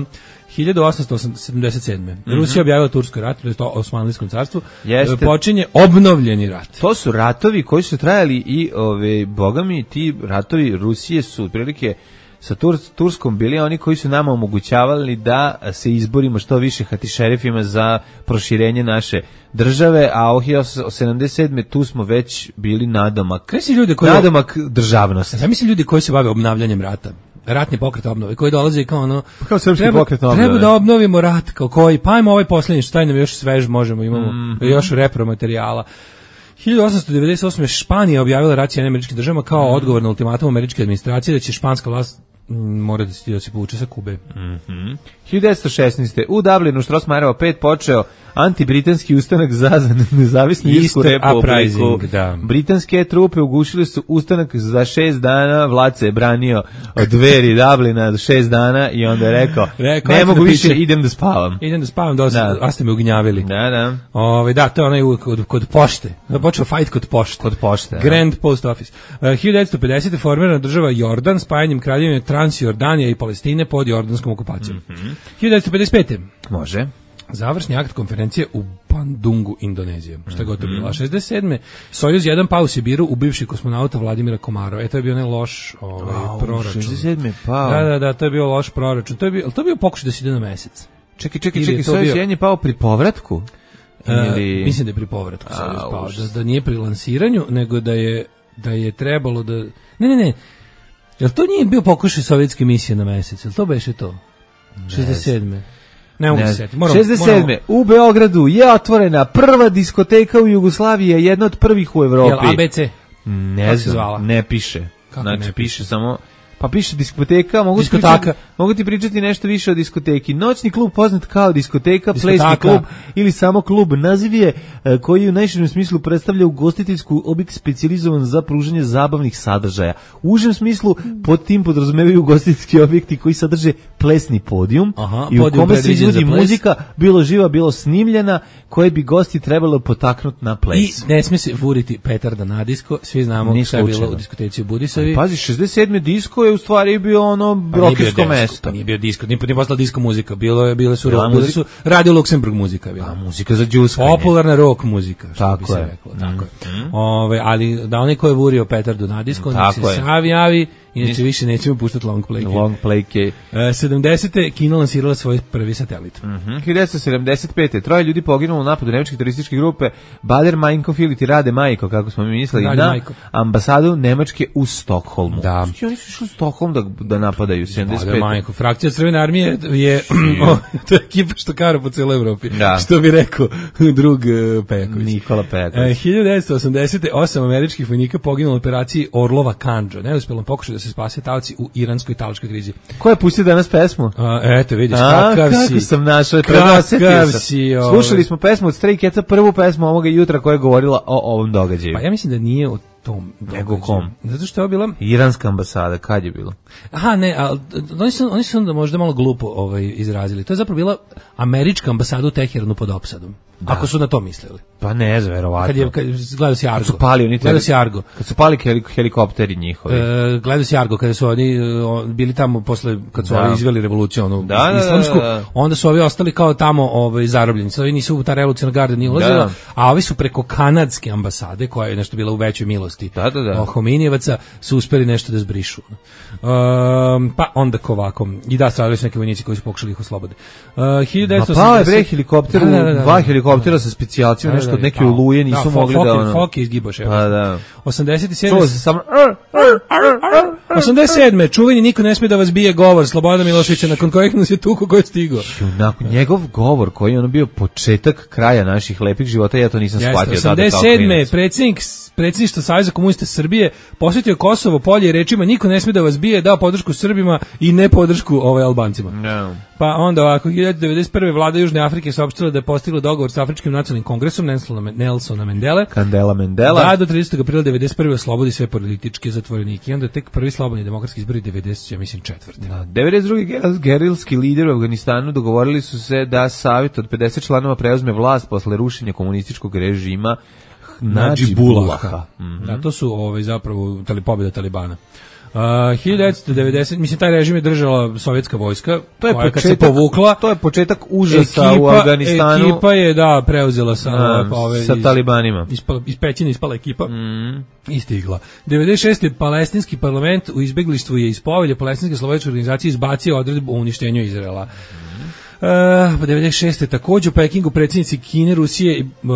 hiljadu osamsto sedamdeset sedme. Mm-hmm. Rusija objavila Turski rat, to je to Osmanlijskom carstvu. Jeste. Počinje obnovljeni rat. To su ratovi koji su trajali i ove bogami ti ratovi Rusije su otprilike sa Tur, Turskom bili oni koji su nama omogućavali da se izborimo što više hatišerifima za proširenje naše države, a u hiljadu osamsto sedamdeset sedme tu smo već bili nadomak, Kaj si ljudi koji, nadomak državnosti. Ja mislim ljudi koji se bave obnavljanjem rata. Ratni pokret obnove, koji dolaze kao ono, kao srpski treba, pokret obnove. Treba da obnovimo rat, kao koji, pa ajmo ovaj posljednji, šta nam još svež možemo, imamo mm-hmm. još repromaterijala. hiljadu osamsto devedeset osme. Španija objavila rat Sjedinjenim Američkim Državama kao odgovor na ultimatum američke administracije da će španska vlast mora da se, da se povuče sa Kube. Mm-hmm. hiljadu devetsto šesnaeste. u Dublinu Strossmayerova pet počeo antibritanski ustanak za nezavisnu Irsku republiku. Da. Britanske trupe ugušile su ustanak za šest dana, vlad se je branio od dveri Dublina šest dana i onda je rekao, rekao ne mogu da više, idem da spavam. Idem da spavam, da, da. A ste me ugnjavili. Da, da. Ove, da, to je onaj kod, kod pošte. Da počeo fight kod pošte. Kod pošte. Grand Post Office. Uh, hiljadu devetsto pedesete. formirana država Jordan spajanjem kraljevine Transjordanija i Palestine pod jordanskom okupacijom. Mm-hmm. hiljadu devetsto pedeset pete. Može. Završni akt konferencije u Bandungu, Indonezija. Šta god to bilo. A šezdeset sedme. Sojuz jedan pao u Sibiru u bivši kosmonauta Vladimira Komarova. E, to je bio onaj loš ovaj, oh, proračun. šezdeset sedme pao. Da, da, da, to je bio loš proračun. To je bio, to je bio pokušaj da se ide na mesec. Čekaj, čekaj, čekaj, Sojuz jedan je pao pri povratku? Ili... Uh, mislim da je pri povratku Sojuz pao. Da, da nije pri lansiranju, nego da je, da je trebalo da... Ne, ne, ne. Jel to nije bio pokušaj sovjetske misije na mesec? Jel to beše to? šezdeset sedme. Ne mogu se setiti. šezdeset sedme. Moramo... U Beogradu je otvorena prva diskoteka u Jugoslaviji, jedna od prvih u Evropi. Jel A B C? Ne znam, ne piše. Kako znači, ne piše samo... Pa piše diskoteka, mogu ti, pričati, mogu ti pričati nešto više o diskoteki. Noćni klub poznat kao diskoteka, diskoteka. Plesni klub ili samo klub. Naziv je koji u najširem smislu predstavlja ugostiteljsku objekt specijalizovan za pružanje zabavnih sadržaja. U užem smislu pod tim podrazumevaju ugostiteljski objekti koji sadrže plesni podijum. Aha, i u kome se izvodi muzika, bilo živa, bilo snimljena, koje bi gosti trebalo potaknuti na ples. I ne smije se vuriti petarda na disko, svi znamo šta je bilo u diskoteci u Budisavi. Pazi, šezdeset sedme disko je u stvari bio ono rokersko mesto. Pa nije bio disko, nije, nije postala disko muzika, bilo je, bile su, ja, bile su Radio Luksemburg muzika. Bila. A muzika za džuskanje. Popularna rock muzika, što tako bi se je. reklo. Tako mm. je. Ove, ali da onaj ko je vurio petardu na disko, nek se savi javi, inače više nećemo puštati long playke. Long playke. E, sedamdesete. Kina lansirala svoj prvi satelit. Mm-hmm. hiljadu devetsto sedamdeset pete. Troje ljudi poginulo u napadu nemačke terorističke grupe Bader Meinhof ili ti Rade Majko, kako smo mi mislili, Rade na Majko. Ambasadu Nemačke u Stokholmu. Da. Znači, oni su išli u Stokholm da, da napadaju sedamdeset pete. Bader Meinhof. Frakcija Crvene armije je o, to je ekipa što kara po cijeloj Evropi. Da. Što bi rekao drug uh, Pejaković. Nikola Pejaković. E, hiljadu devetsto osamdesete. osam američkih vojnika poginulo u operaciji Orlova Kandža. Neuspjelom pokušaju da se spase talci u iransko-italičkoj krizi. Ko je pustio danas pesmu? A, eto, vidiš, kakav si. Kako sam našao, kakav si. Ove. Slušali smo pesmu od Stray Catsa, prvu pesmu ovoga jutra koja je govorila o ovom događaju. Pa ja mislim da nije o tom događaju. Nego kom? Zato što je bila... Iranska ambasada, kad je bilo? Aha, ne, a, oni su, oni su onda možda malo glupo ovaj, izrazili. To je zapravo bila američka ambasada u Teheranu pod opsadom. Da. Ako su na to mislili. Pa ne znam, verovatno. Kad je, kad, gledao si Argo. Kad su pali, oni gledao si Argo. Kad su pali helikopteri njihovi. E, gledao si Argo, kada su oni bili tamo posle, kad su da. ovi izveli revoluciju, onu da, islamsku, da, da, da. onda su ovi ostali kao tamo ovaj, zarobljeni. Ovi nisu u ta revolucionarna garda nije ulazila, da. A ovi su preko kanadske ambasade, koja je nešto bila u većoj milosti da, da, da. Hominijevaca, su uspeli nešto da zbrišu. Um, pa onda ovako. I da, stradali su neki vojnici koji su pokušali ih oslobode. Uh, hiljadu devetsto osamdeset. Ma pa je bre helikopter, da, da, da, da. dva helikoptera sa specijalcijom, nešto od neke oluje nisu da, mogli Foki, da ono. Foki izgibaš, evo. Pa da. osamdeset sedme. Čuo se samo osamdeset sedme. Čuveni niko ne smije da vas bije govor Slobodana Miloševića, nakon kojeg nas je tuko koji je stigao. Nakon njegov govor koji je ono bio početak kraja naših lepih života, ja to nisam shvatio. osamdeset sedme. predsjednik predsjedništva Saveza komunista Srbije posjetio Kosovo polje i rečima niko ne smije da vas bije, dao podršku Srbima i ne podršku ovaj Albancima. No. Pa onda ovako, hiljadu devetsto devedeset prve. vlada Južne Afrike saopštila da je postigla dogovor sa Afričkim nacionalnim kongresom Nelsona, Nelsona Mandele. Kandela Mandela. Da, do tridesetog aprila devedeset prve. oslobodi sve političke zatvorenike. I onda tek prvi slobodni demokratski izbori devedeset, ja mislim, četvrte. Da, devedeset druge. gerilski lideri u Afganistanu dogovorili su se da savjet od pedeset članova preuzme vlast posle rušenja komunističkog režima Nadžibullaha. Mm-hmm. Da, to su ovaj, zapravo tali, pobjeda Talibana. Uh, hiljadu devetsto devedeset. Mislim, taj režim je držala sovjetska vojska, to je koja početak, kad se povukla. To je početak užasa ekipa, u Afganistanu. Ekipa je, da, preuzela sa, da, pa, ove, sa iz, talibanima. Iz, iz Pećine ispala ekipa. Mm. I stigla. devedeset šeste. palestinski parlament u izbeglištvu je iz povelje palestinske slobodačke organizacije izbacio odredbu o uništenju Izraela. Uh, devedeset šeste takođe u Pekingu predsjednici Kine, Rusije, uh,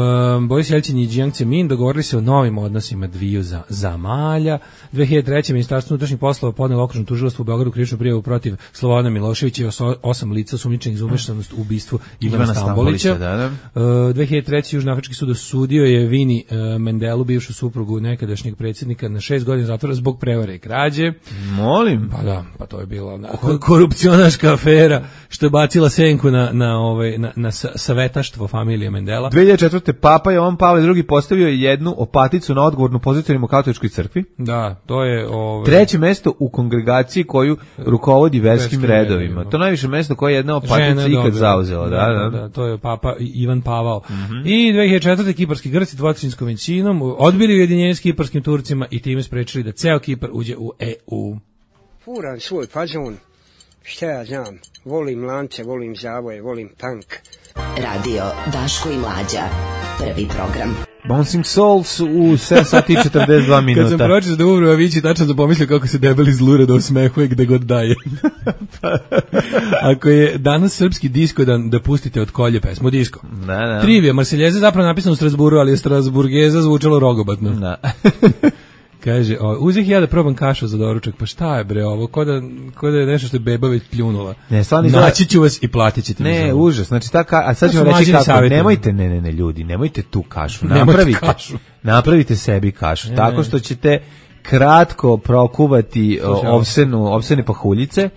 Boris Jelcin i Jiang Zemin dogovorili se o novim odnosima dviju za, zamalja. dve hiljade treće. Ministarstvo unutrašnjih poslova podnelo okružno tužilaštvo u Beogradu krivičnu prijavu protiv Slobodana Miloševića i oso, osam lica sumnjičenih za umešanost u ubistvu Ivana, Ivana Stambolića. Da, da. Uh, dve hiljade treće. Južnoafrički sud osudio je Vini uh, Mendelu, bivšu suprugu nekadašnjeg predsjednika, na šest godina zatvora zbog prevare i krađe. Molim. Pa da, pa to je bila korupcionaška afera što je bacila senku na, na, ovaj, na, na savetaštvo familije Mendela. dve hiljade četvrte. Papa Jovan Pavle drugi postavio jednu opaticu na odgovornu poziciju u katoličkoj crkvi. Da, to je... Ovaj... Treće mesto u kongregaciji koju rukovodi verskim redovima. redovima. To je najviše mesto koje je jedna opatica ikad zauzela. Da, da, da. da, to je Papa Ivan Pavao. Mm-hmm. I dve hiljade četvrte. Kiparski Grci dvotrećinskom većinom odbili ujedinjenje s kiparskim Turcima i time sprečili da ceo Kipar uđe u E U. Furan svoj fazon, šta ja znam, volim lance, volim zavoje, volim tank. Radio Daško i Mlađa, prvi program. Bouncing Souls u sedam sati i četrdeset dva minuta. Kad sam pročitao da Umro Avići, tačno sam pomislio kako se debeli zlure da osmehuje gde god daje. Ako je danas srpski disko dan, da pustite od Kolje pesmu disko. Da, da. Trivija, Marseljeza zapravo napisano u Strasburu, ali je Strasburgeza zvučalo rogobatno. Da. Kaže, uzeh ja da probam kašu za doručak, pa šta je bre ovo, ko da, ko da je nešto što je beba već pljunula. Ne, stvarno naći ću vas i platit ćete. Ne, užas, znači ta ka, a sad ćemo reći kako, savjetima. Nemojte, ne, ne, ne, ljudi, nemojte tu kašu, napravite, kašu. napravite sebi kašu, ne, tako što ćete kratko prokuvati Slušaj, ovsenu, ovsene pahuljice,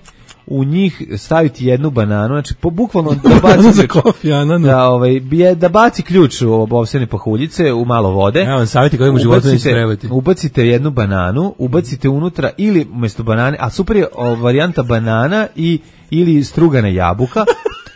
u njih staviti jednu bananu, znači po bukvalno da baci ključ, da ovaj da baci ključ u ovsene pahuljice u malo vode. Ja vam savjeti kojim u životu neće trebati. Ubacite jednu bananu, ubacite unutra ili umjesto banane, a super je o, varijanta banana i ili strugana jabuka.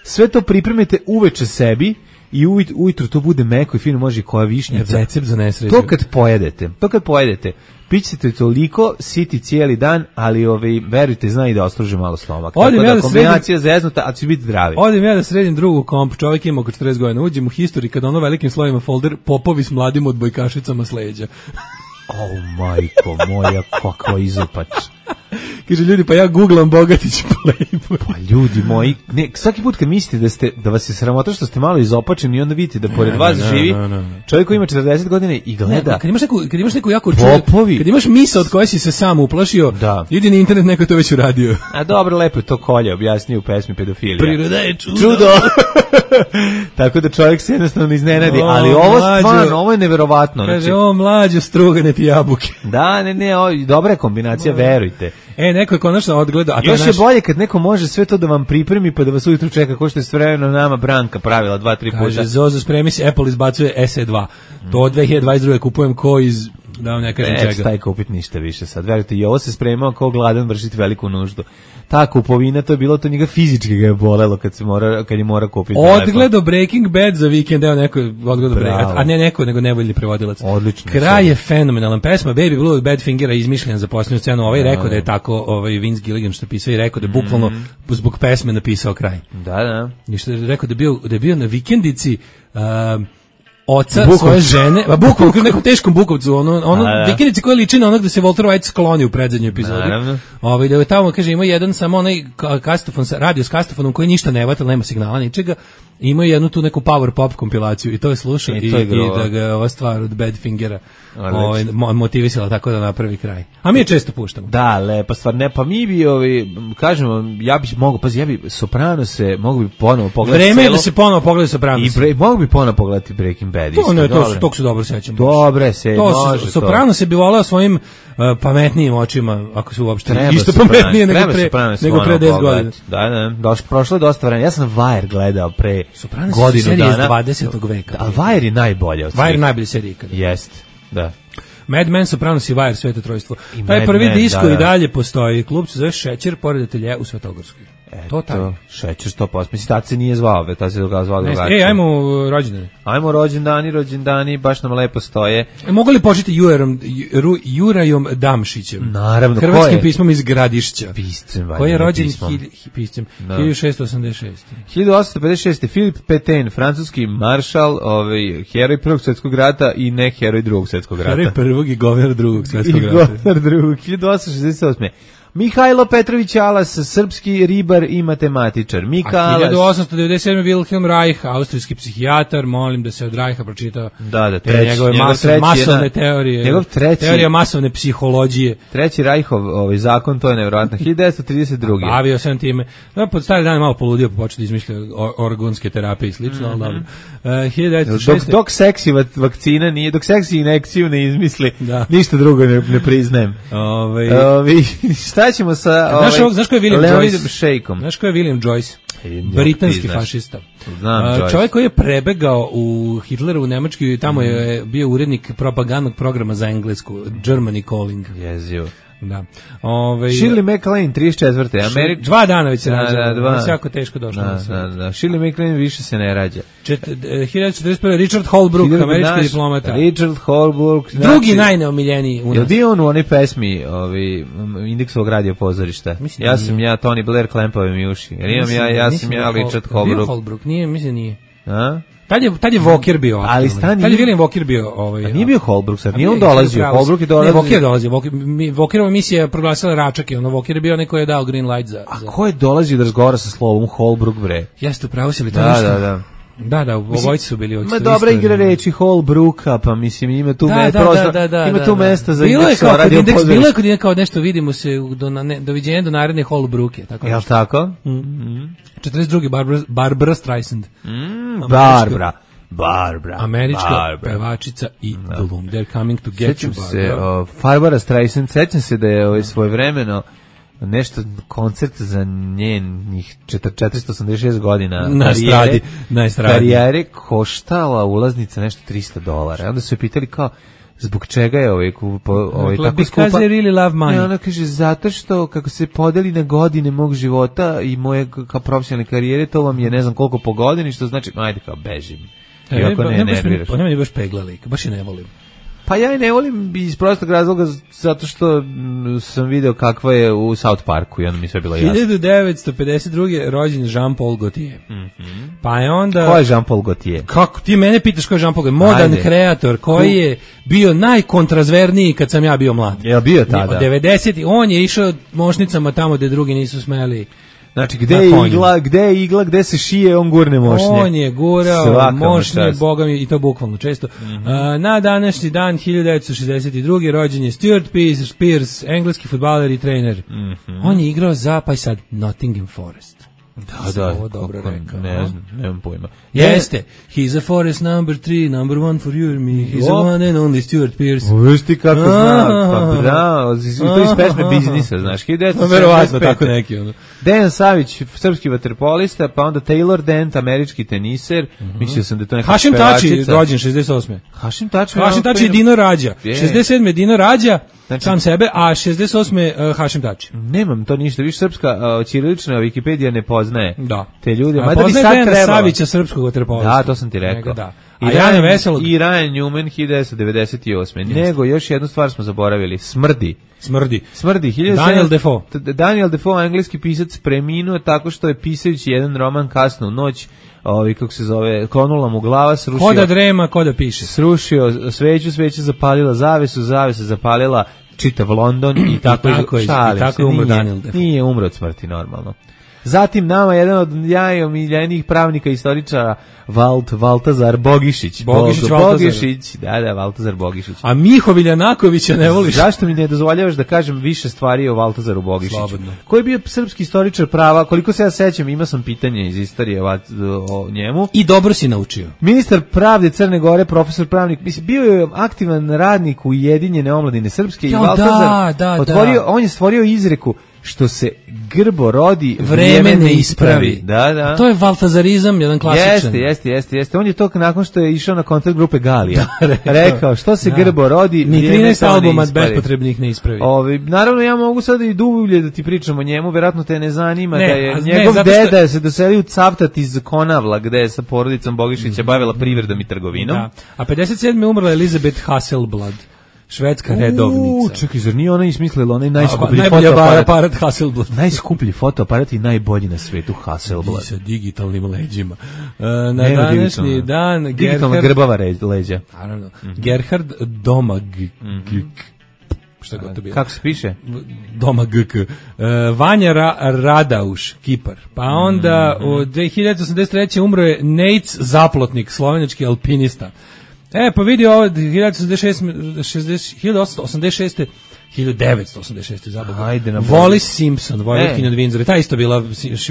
Sve to pripremite uveče sebi i ujutru to bude meko i fino, može i koja višnjica. Recept za nesreću. To kad pojedete, to kad pojedete, pićete toliko, siti cijeli dan, ali ovaj, verujte, zna i da ostruži malo stomak. Tako da, ja da kombinacija sredim, zeznuta, a će biti zdravi. Odim ja da sredim drugu komp, čovjek ima oko četrdeset godina, uđem u history, kada ono velikim slovima folder, popovi s mladim odbojkašicama s leđa. O, majko moja, kakva izopać. Kaže ljudi, pa ja googlam Bogatić Playboy. Pa ljudi moji, ne, svaki put kad mislite da ste da vas je sramota što ste malo izopačeni i onda vidite da pored ne, vas ne, živi ne, ne, ne. čovjek koji ima četrdeset godina i gleda. Ne, kad imaš neku, kad imaš neku jako čudu, kad imaš misao od koje si se sam uplašio, da. Idi na internet, neko je to već uradio. A dobro, lepo je to Kolje objasnio u pesmi Pedofilija. Priroda je čudo. Čudo. Tako da čovjek se jednostavno iznenadi, o, ali ovo mlađo, stvarno, ovo je neverovatno. Kaže, znači, o mlađo, strugane ti jabuke. Da, ne, ne, o, dobra je kombinacija, verujte. E, neko je konačno odgledao. Još naš... je bolje kad neko može sve to da vam pripremi pa da vas ujutru čeka, ko što je s vremenom nama Branka pravila dva, tri puta. Kaže, Zozo, spremi se, Apple izbacuje S E dva. To od dve hiljade dvadeset druge kupujem ko iz... Da vam ne kažem čega. Ne, staj kupit ništa više sad. Verujte, i ovo se spremao kao gladan vršiti veliku nuždu. Ta kupovina, to je bilo, to njega fizički ga je bolelo kad, se mora, kad je mora kupiti. Odgledao Breaking Bad za vikend, evo neko odgledao Breaking, a ne neko, nego nevoljni prevodilac. Odlično. Kraj je fenomenalan. Pesma Baby Blue od Badfingera izmišljena za posljednju scenu. Ovaj rekao da je tako, ovaj Vince Gilligan što pisao i rekao da je bukvalno mm. zbog pesme napisao kraj. Da, da. I što je rekao da je bio, da je bio na vikendici, um, oca Bukovcu. Svoje žene, a bukvalno u nekom teškom Bukovcu, ono ono vikendici koja liči na onog da se Walter White skloni u predzadnjoj epizodi. Ovaj da je tamo kaže ima jedan samo onaj kastofon sa radio s kastofonom koji ništa ne vata, nema signala ničega. Ima jednu tu neku power pop kompilaciju i to je slušao i, i, i da ga ova stvar od Badfingera ovaj motivisala tako da napravi kraj. A mi je često puštamo. Da, lepa stvar. Ne, pa mi bi ovi kažemo, ja bih mogao, pazi, ja bi Soprano se mogu bi ponovo pogledati. Vreme je da se ponovo pogleda Soprano. I bre, mogu bi ponovo pogledati Breaking Bad. To ne, to to se dobro sećam. Dobre se, to može. Soprano se bi voleo svojim uh, pametnijim očima, ako su uopšte treba isto pametnije nego pre nego pre deset godina. Da, da, došlo prošlo je dosta vremena. Ja sam Wire gledao pre Soprano godinu dana dvadesetog veka. A Wire je najbolja od svih. Wire najbolja serija ikada. Jeste, da. Mad Men, Sopranos i Wire, Sveto trojstvo. Taj prvi Man, disko da, da. I dalje postoji. Klub se zove Šećer, pored atelje u Svetogorskoj. To taj. Šećer sto posto. Mislim, tad se nije zvao, tad se ga zvao drugačije. E, ajmo rođendani. Ajmo rođendani, rođendani, baš nam lepo stoje. E, mogu li početi Jurajem, Jurajom Damšićem? Naravno, hrvatskim pismom iz Gradišća. Piscem, koji je rođen piscem hiljadu šeststo osamdeset šeste. hiljadu osamsto pedeset šeste. Filip Pétain, francuski maršal, ovaj heroj Prvog svjetskog rata i ne heroj Drugog svjetskog rata. Heroj prvog i govnar Drugog svjetskog rata. I govnar Drugog. hiljadu osamsto šezdeset osme. Mihajlo Petrović Alas, srpski ribar i matematičar. Mika A Alas. hiljadu osamsto devedeset sedme. Wilhelm Reich, austrijski psihijatar, molim da se od Reicha pročita Da, da, te treći, njegove njegov mas, treći masovne je na- teorije. njegov treći- Teorija masovne psihologije. Treći Rajhov ovaj zakon, to je nevjerojatno. hiljadu devetsto trideset druge. Bavio sam time. No, pod stari dan je malo poludio, pa počeo da izmišlja o- organske terapije i slično, ali dobro. Uh, hiljadu devetsto Dok, šeste. dok seksi vak- vakcina nije, dok seksi inekciju ne izmisli, Da. ništa drugo ne, ne priznajem. Ovaj, Ovi, šta ćemo sa Znaš, ovaj, ovog- znaš ko je William Leonidom Joyce? Šejkom? Znaš ko je William Joyce? E, njog Britanski ti znaš. fašista. Znam, A, Joyce. čovjek koji je prebegao u Hitleru u Nemačkoj i tamo je bio urednik propagandnog programa za englesku, Germany Calling. Jezio. Da. Ove, Shirley MacLaine, trideset četvrte. Američ... Dva dana već se Da, rađa. da, dva. Da, jako teško došlo Da, na sve. da, da. Shirley MacLaine više se ne rađa. Čet, e, hiljadu četrdeset prve. Richard Holbrooke, Hiljadu američki naš- diplomata. Richard Holbrooke. Drugi znači- najneomiljeniji u Jel nas. bio on u onoj pesmi ovi, Indeksovog radio pozorišta? Mislim Ja da sam nije. ja, Tony Blair, klempave mi uši. Jer imam Mislim ja, da- ja mislim sam da ja, je Hol- Richard Bio Holbrooke. Holbrooke, nije, mislim da nije. A? Tad je, tad je Walker bio aktualan. Ali stani- Tad je William Walker bio ovaj. A nije bio Holbrooke sad, nije on A dolazio. pravo si. Holbrooke je dolazio. Ne, Walker je dolazio. Walker, mi- Walkerova misija je proglasila Račak i ono Walker je bio neko je dao green light za. A za... ko je dolazio da razgovara sa slovom Holbrooke, bre? Jeste, upravo si li to Da, nešto? da, da. Da, da, obojice su bili. Ma dobra igra reči Holbrooka, pa mislim ima tu Da, me, da, prostor, da, da, ima da, tu da. mesta za bilo je indeks kao kod radio indeks, pozorišta. bilo je kod indeks kao nešto vidimo se u- do, na, ne, doviđenja do naredne Holbrooke, tako Jel nešto. tako? četrdeset druge. Barbara, Barbara Streisand. Barbara. Barbara. Američka Barbara. pevačica i glum. They're coming to get Sećam you, se, Barbara. o, Barbara Streisand, sećam se da je ovaj svojevremeno nešto koncert za njenih četiristo osamdeset šest godina Na karijere- estradi, na estradi. karijere koštala ulaznica nešto tristo dolara. Onda su je pitali kao zbog čega je ovaj, kupo, ovaj Rekla, tako because skupa. I really love money. I ona kaže, zato što kako se podeli na godine mog života i moje k- kao profesionalne karijere, to vam je ne znam koliko po godini, što znači, ajde kao bežim. E, Iako ba- ne baš mi- nerviraš. Pa nema ni baš pegla lik, baš je ne volim. Pa ja je ne volim iz prostog razloga zato što mm, sam video kakva je u South Parku i onda mi sve bilo jasno. hiljadu devetsto pedeset druge. rođen Jean-Paul Gaultier. Pa je onda... Ko je Jean-Paul Gaultier? Kako ti mene pitaš ko je Jean-Paul Gaultier? Modern Ajde. kreator koji je bio najkontrazverniji kad sam ja bio mlad. Je li bio tada? devedeset on je išao mošnicama tamo gde drugi nisu smeli. Znači, gde Na je konju. igla, gde je igla, gde se šije, on gurne mošnje. On je gurao Svaka mu mošnje, čast. boga mi, i to bukvalno često. A, na današnji dan, hiljadu devetsto šezdeset druge. rođen je Stuart Pearce, Pearce, engleski fudbaler i trener. On je igrao za, pa i sad, Nottingham Forest. Da, sam da, ovo dobro kako- rekao, ne a? znam, nemam pojma. Jeste. He's a Forest number three, number one for you and me. He's a O. one and only Stuart Pearce. Viš ti kako zna, pa A. bravo, iz- to iz pesme biznisa, znaš, hiljadu devetsto Pa sedamdeset verovatno pete. tako neki ono. Dejan Savić, srpski vaterpolista, pa onda Taylor Dent, američki teniser, mislio sam da je to neka Hašim Tači, pevačica. rođen šezdeset osme. Hašim Tači. Hašim Tači je Dino Rađa. Je. šezdeset sedme Dino Rađa, Znači- sam sebe, a šezdeset osme uh, Hašim Tači. Nemam to ništa, više srpska uh, ćirilična Wikipedija ne poznaje Da. te ljude. A Mada bi poznaje sad Dejana trebalo. Savića, srpskog vaterpolista. Da, to sam ti rekao. Njega da. I A Jana Ryan, Veselog, i Ryan Newman hiljadu devetsto devedeset osme. Nego, još jednu stvar smo zaboravili. Smrdi. smrdi. Smrdi. hiljadu Daniel sedamsto Defoe. T- Daniel Defoe, engleski pisac, preminuo tako što je pisajući jedan roman kasno u noć, ovaj, kako se zove, klonula mu glava, srušio... Ko da drema, ko da piše. Srušio sveću, sveća zapalila zavesu, zavesa zapalila čitav London i tako, tako je- i šalim tako se, je umro nije- Daniel Defoe. Nije umro od smrti normalno. Zatim nama jedan od najomiljenijih pravnika i istoričara Valt, Valtazar Bogišić. Bogišić, Bog- Valtazar. Bogišić, da, da, Valtazar Bogišić. A Miho Viljanakovića ne voliš? Zašto mi ne dozvoljavaš da kažem više stvari o Valtazaru Bogišiću? Slobodno. Koji je bio srpski istoričar prava, koliko se ja sećam, imao sam pitanje iz istorije o, o njemu. I dobro si naučio. Ministar pravde Crne Gore, profesor pravnik, mislim, bio je aktivan radnik Ujedinjene omladine srpske i Jo, Valtazar da, da, otvorio, da. on je stvorio izreku što se grbo rodi, Vreme ne ispravi. Da, da. To je valtazarizam, jedan klasičan. Jeste, jeste, jeste, jeste. On je to nakon što je išao na koncert grupe Galija. rekao. rekao, što se Da. grbo rodi, Ni vrijeme trinaest to ne albuma ispravi. bespotrebnih ne ispravi. Ovi, naravno ja mogu sada i dublje da ti pričam o njemu, verovatno te ne zanima Ne, da je a ne, njegov zato što- deda se doselio u Cavtat iz Konavla, gde je sa porodicom Bogišića bavila privredom i trgovinom. Da. A pedeset sedme umrla Elizabeth Hasselblad, švedska redovnica. U, čekaj, zar nije ona ismislila onaj najskuplji Najbolja fotoaparat? aparat Hasselblad. Najskuplji fotoaparat i najbolji na svetu Hasselblad. I sa digitalnim leđima. E, na Nema današnji digitalno. dan Digitalna Gerhard, grbava re- leđa. naravno, Gerhard Domag. Šta god to bilo. Kako se piše? Doma G K. Uh, Vanja Ra Radauš, Kipar. Pa onda mm. od dve hiljade osamdeset treće umro je Nejc Zaplotnik, slovenački alpinista. E, pa vidi ovo, hiljadu osamsto osamdeset šeste hiljadu devetsto osamdeset šeste Wallis Simpson, vojvođkinja od Windsora, ta isto bila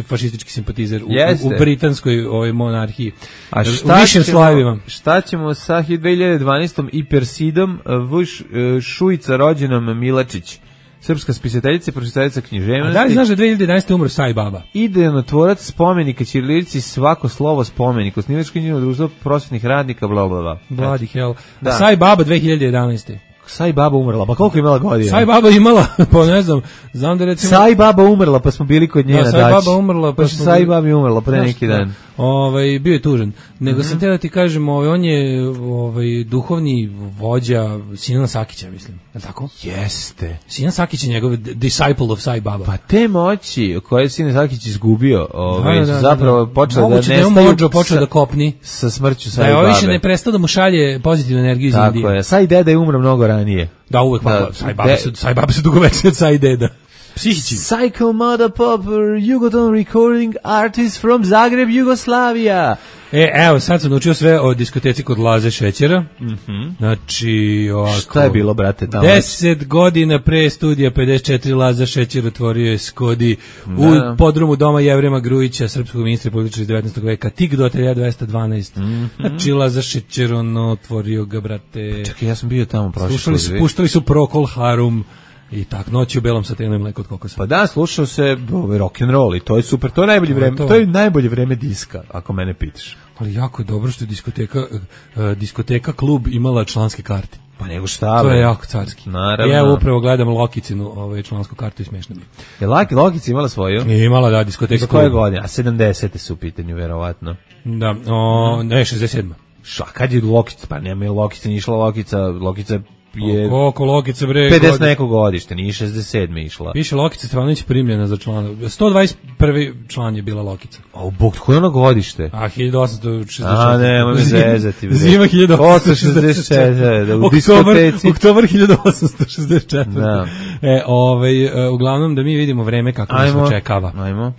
fašistički simpatizer u, u, u britanskoj ovoj monarhiji. A šta ćemo, šta ćemo sa dve hiljade dvanaestom i Persidom Vuš Šujica rođenom Milačić? Srpska spisateljica i pročitateljica književnosti. A da li znaš da dve hiljade jedanaeste umro Sai Baba? Ideonotvorac spomenika ćirilici, svako slovo spomenik, osnivačko književno društvo prosvetnih radnika, bla bla bla. Bloody hell. Da. Sai Baba dve hiljade jedanaeste Sai Baba umrla, pa koliko je imala godina? Sai Baba imala, pa ne znam, znam da recimo... Sai Baba umrla, pa smo bili kod nje na daći. Da, Sai Baba umrla, pa, pa smo... Sai Baba umrla pre neki dan. Ovaj, bio je tužan. Nego mm-hmm. sam te da ti kažem, ovaj, on je ovaj, duhovni vođa Sinana Sakića, mislim. Je li tako? Jeste. Sinan Sakić je njegov disciple of Sai Baba. Pa te moći koje je Sinan Sakić izgubio, ovaj, da, da, zapravo da. počeo da nestaju... Moguće da je počeo da kopni. Sa smrću Sai Babe. Da je više ne prestao da mu šalje pozitivnu energiju iz Indije. Tako je. Sai deda je umro mnogo ranije. Da, uvek, da, pa, Sai Baba su, Sai Baba su dugovečni od Sai deda. Psihički. Psycho Mother Popper, Jugoton recording artist from Zagreb, Jugoslavia. E, evo, sad sam naučio sve o diskoteci kod Laze Šećera. Mm-hmm. Znači, ovako... Šta je bilo, brate, tamo? Deset godina pre studija pedeset četiri Laza Šećer otvorio je Skodi u da. podrumu Doma Jevrema Grujića, srpskog ministra političara iz devetnaestog veka, tik do ateljeja dvesta dvanaest. Mm-hmm. Znači, Laza Šećer, ono, otvorio ga, brate... Pa čekaj, ja sam bio tamo prošli. Slušali su, puštali su Procol Harum, i tak, noći u belom satenu i mleko od kokosa. Pa da, slušao se ovaj, rock and roll i to je super, to je najbolje vreme, to. to je najbolje vreme diska, ako mene pitaš. Ali jako je dobro što je diskoteka, uh, diskoteka klub imala članske karte. Pa nego šta? To je jako carski. Naravno. Ja upravo gledam Lokicinu, ovaj člansku kartu i smešno mi. Je Laki Lokica imala svoju? Je imala, da, diskoteka klub. Koje godine? A sedamdesete su u pitanju, verovatno. Da, o, ne, šezdeset sedma Ša, kad je Lokica? Pa nema je Lokica, nije išla Lokica, Lokica je oko Lokice bre pedeset neko godište, nije šezdeset sedme išla. Piše Lokica Stefanović primljena za člana. sto dvadeset prvi član je bila Lokica. A u bog, koje ono godište? A hiljadu osamsto šezdeset četiri A ne, ma me zezati. Zima hiljadu osamsto šezdeset četiri Da, u diskoteci. Oktobar hiljadu osamsto šezdeset četiri Da. E, ovaj, uglavnom da mi vidimo vreme kako nas očekava. Ajmo.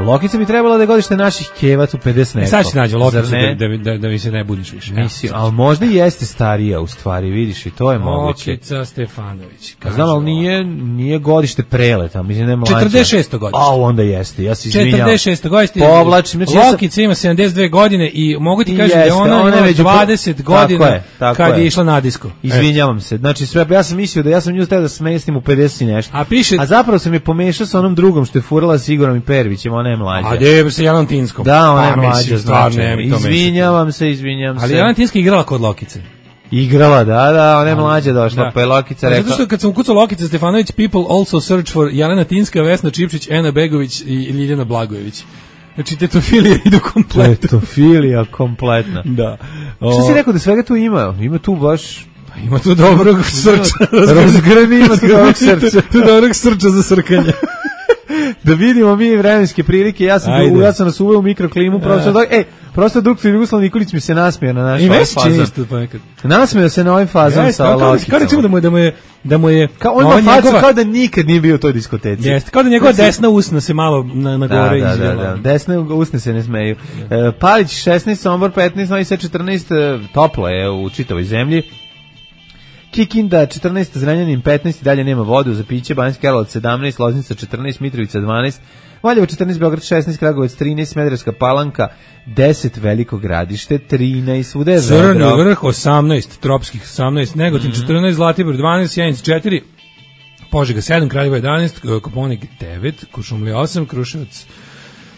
Lokica bi trebala da je godište naših kevac u pedeset neko. Sad će nađe Lokica da, da, da, da mi se ne budiš više. Mislim, ali možda i jeste starija u stvari, vidiš, i to je moguće. Lokica Stefanović. Znam, ali nije, nije godište preleta, mislim, ne mlađa. četrdeset šesto godište. A, onda jeste, ja se izvinjam. četrdeset šesto godište. Povlačim. Znači, Lokica ima sedamdeset dve godine i mogu ti kažem da je ona, ona ima dvadeset godina tako je, tako kad je. je išla na disko. Izvinjavam se, znači sve, ja sam mislio da ja sam nju htio da smestim u pedeset i nešto. A, piše, a zapravo sam je pomešao sa onom drugom što je furala s Igorom i Pervićem, ona je mlađa. A gdje se Jelena Tinskom? Da, ona je mlađa, znači. Izvinjavam se, izvinjavam se. Ali Jelena Tinska igrala kod Lokice. Igrala, da, da, ona je mlađa došla, da. Pa je Lokica rekla... Zato što kad sam ukucao Lokica Stefanović, people also search for Jelena Tinska, Vesna Čipčić, Ena Begović i Ljiljana Blagojević. Znači, tetofilija idu kompletno. Tetofilija kompletna. Da. O... Što si rekao da svega tu ima? Ima tu baš... Pa ima tu dobrog srča. Razgrani ima tu dobrog srča. Tu dobrog srča za srkanje. Da vidimo mi vremenske prilike, ja sam, du, ja sam nas uveo u mikroklimu, prosto dok, ej, prosto doktor Jugoslav Nikolić mi se nasmija na naš ovaj fazon. Isto pa nekad. Nasmija se na ovaj fazon yes, sa Lokicom. Kao recimo da mu je, da mu je, da mu je, kao on ima facu kao da nikad nije bio u toj diskoteci. Jeste, kao da njegova desna usna se malo na, na gore da, izvela. Da, da, da, desne usne se ne smeju. Yeah. E, Palić šesnaest, Sombor petnaest, Novi Sad četrnaest, toplo je u čitavoj zemlji. Kikinda četrnaest, Zrenjanin petnaest, dalje nema vodu za piće, Banjski Karlovac sedamnaest, Loznica četrnaest, Mitrovica dvanaest, Valjevo četrnaest, Beograd šesnaest, Kragujevac trinaest, Smederevska Palanka deset, Veliko Gradište trinaest, svuda je Crni vrh osamnaest, Tropskih osamnaest, Negotin mm-hmm. četrnaest, Zlatibor dvanaest, Sjenica četiri, Požega sedam, Kraljevo jedanaest, Koponik devet, Kuršumlija osam, Kruševac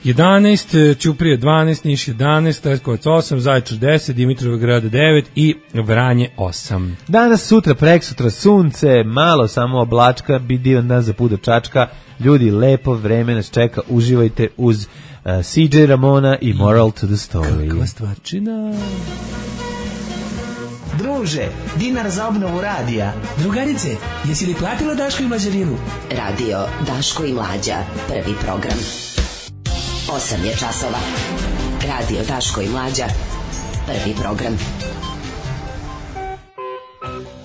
jedanaest, Ćuprija dvanaest, Niš jedanaest, Leskovac osam, Zaječar deset, Dimitrovgrad devet i Vranje osam. Danas, sutra, preksutra sunce, malo samo oblačka, bi divan dan za pudo čačka. Ljudi, lepo vreme nas čeka, uživajte uz uh, C J Ramona i Moral to the Story. Kakva stvarčina. Druže, dinar za obnovu radija. Drugarice, jesi li platila Daško i Mlađarinu? Radio Daško i Mlađa, prvi program. osam je časova. Radio Daško i Mlađa. Prvi program.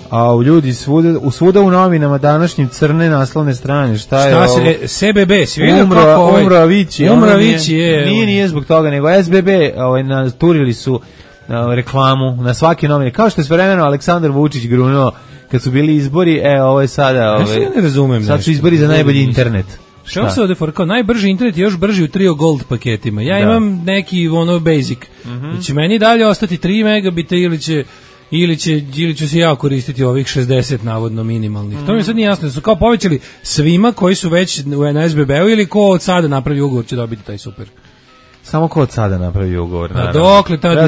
A u ljudi svuda, u svuda u novinama današnjim crne naslovne strane, šta je šta ovo? se, S B B, svi vidio Umro, kako ovaj... Umro Avići. Umro Avići je... Nije, nije zbog toga, nego S B B ovaj, naturili su ovaj, reklamu na svake novine. Kao što je svojevremeno Aleksandar Vučić grunuo kad su bili izbori, e, ovo je sada... Ovaj, ja ne razumem sad su izbori za najbolji internet. Šta se ovde forkao? Najbrži internet je još brži u Trio Gold paketima. Ja da. imam neki ono basic. Mm-hmm. Znači meni dalje ostati tri megabita ili će ili će ili ću se ja koristiti ovih šezdeset navodno minimalnih. Mm. To mi sad nije jasno, da su kao povećali svima koji su već u N S B B-u ili ko od sada napravi ugovor će dobiti taj super. Samo ko od sada napravi ugovor. A dokle ta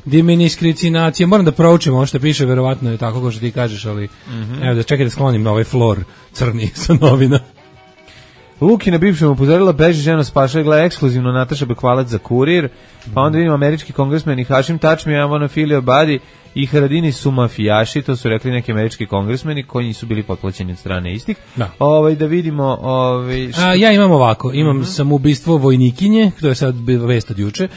diminiskricinacija, moram da proučim ovo što piše, verovatno je tako kao što ti kažeš, ali mm-hmm. evo da čekaj da sklonim na ovaj flor crni sa novina. Lukina bivšem upozorila beži ženo spašaj, gleda ekskluzivno Nataša Bekvalac za Kurir, pa onda vidimo američki kongresmeni Hašim Tačmi, Amona Filio Badi i Haradini su mafijaši, to su rekli neki američki kongresmeni koji su bili potplaćeni od strane istih. Da, ovaj, da vidimo... Ovaj, A, ja imam ovako, imam mm-hmm. samoubistvo vojnikinje, to je sad vest od juče. Uh,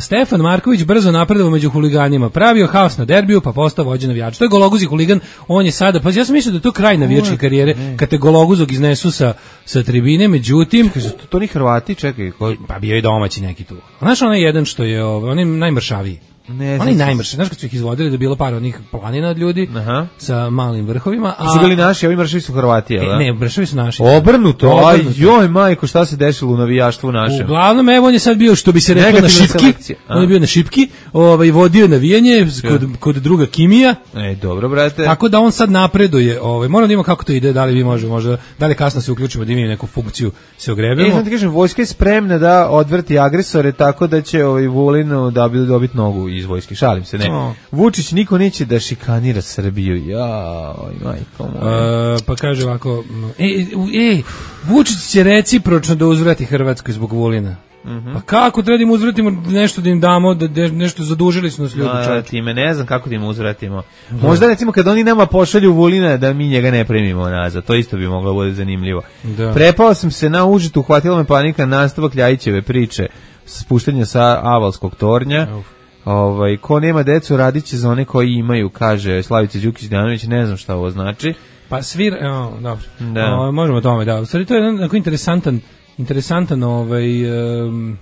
Stefan Marković brzo napredovao među huliganima, pravio haos na derbiju, pa postao vođa navijača. To je gologuzi huligan, on je sada, pa ja sam mislio da je to kraj navijačke karijere, kad te gologuzog iznesu sa, sa tribine, međutim... Čekaj, to, to ni Hrvati, čekaj. Ko... Pa bio i domaći neki tu. Znaš onaj jedan što je, on je najmršaviji. Ne, oni najmrše, znaš kad su ih izvodili da je bilo par onih planina od ljudi. Aha. Sa malim vrhovima. A su bili naši, ovi mršavi su Hrvati, jel da? Ne, mršavi su naši. Obrnuto, aj joj majko, šta se dešilo u navijaštvu našem? Uglavnom, evo on je sad bio, što bi se reklo, na šipki. On je bio na šipki, ovaj, vodio navijanje kod, kod druga Kimija. E, dobro, brate. Tako da on sad napreduje. Ovaj, moramo da imamo kako to ide, da li vi možemo, možda, da li kasno se uključimo, da imamo neku funkciju, se ogrebemo. E, znam ti kažem, vojska je spremna da odvrti agresore, tako da će ovaj Vulin da bi dobiti nogu iz vojske. Šalim se, ne. Oh. Vučić niko neće da šikanira Srbiju. Ja, oj, majko moja. Uh, pa kaže ovako, e, e, Vučić će recipročno da uzvrati Hrvatskoj zbog Vulina. Mm-hmm. Pa kako treba da im uzvratimo nešto da im damo, da, da nešto zadužili su nas ljudi. A, time ne znam kako da im uzvratimo. Da. Možda recimo kad oni nama pošalju Vulina da mi njega ne primimo nazad, to isto bi moglo bude zanimljivo. Da. Prepao sam se na užitu, uhvatila me panika, nastavak Ljajićeve priče, spuštanja sa Avalskog tornja. Uf. Ovaj, ko nema decu radit će za one koji imaju, kaže Slavica Đukić-Dejanović, ne znam šta ovo znači. Pa svir, evo, dobro, da. O, možemo o tome, da. U stvari to je jedan interesantan, interesantan ovaj, um,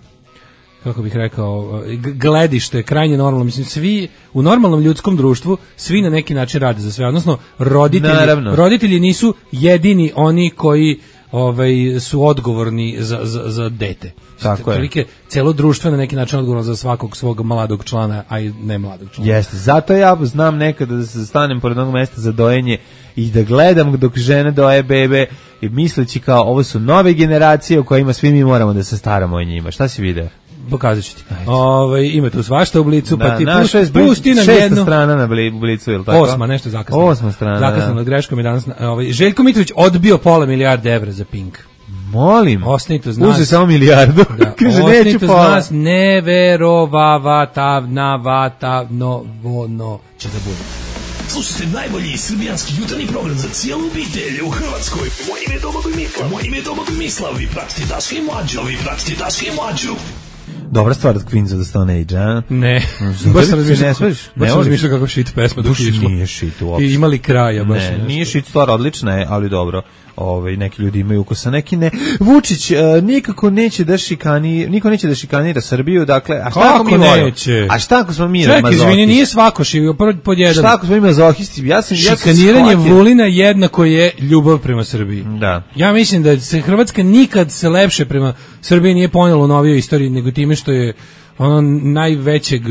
kako bih rekao, gledište, krajnje normalno. Mislim, svi u normalnom ljudskom društvu, svi na neki način rade za sve. Odnosno, roditelji, roditelji nisu jedini oni koji ovaj, su odgovorni za, za, za dete. Tako je. Celo društvo na neki način odgovorno za svakog svog mladog člana, a i ne mladog člana. Jeste, zato ja znam nekada da se stanem pored onog mesta za dojenje i da gledam dok žene doje bebe i misleći kao ovo su nove generacije u kojima svi mi moramo da se staramo o njima. Šta si video? Pokazat ću ti. Ove, ima tu svašta u Blicu, da, pa ti pusti, pusti nam šesta jednu. Šesta strana na Blicu, ili tako? Osma, nešto zakasno. Osma strana, zakasno, da. greškom je danas. Ovaj, Željko Mitrović odbio pola milijarde evra za Pink. Molim. Osnito znas. Uze samo milijardu. Da, kaže, neću pola. Znas neverovatavnavatavno vono će da bude. Slušajte najbolji srbijanski jutarnji program za cijelu obitelj u Hrvatskoj. Moje ime je Domagoj Mislav. Moje ime je Domagoj Mislav. Vi pratite Daška i Mlađu. Vi pratite Daška i Mlađu. Dobra stvar od Queens of the Stone Age, a? Ne. Baš sam razmišljao, baš sam razmišljao kako shit pesma dok je išlo. Nije shit uopšte. I imali kraja baš. Ne, nije shit stvar, odlična je, ali dobro. Ovaj, neki ljudi imaju ukusa, neki ne. Vučić uh, nikako neće da šikani, niko neće da šikanira Srbiju, dakle, a šta ako mi neće? A šta ako smo mi mazohisti? Čekaj, izvini, nije svako šivio pod jedan. Šta ako smo mi mazohisti? Ja sam, ja sam šikaniranje Vulina jednako je ljubav prema Srbiji. Da. Ja mislim da se Hrvatska nikad se lepše prema Srbiji nije ponijela u novijoj istoriji, nego time što je ono najvećeg,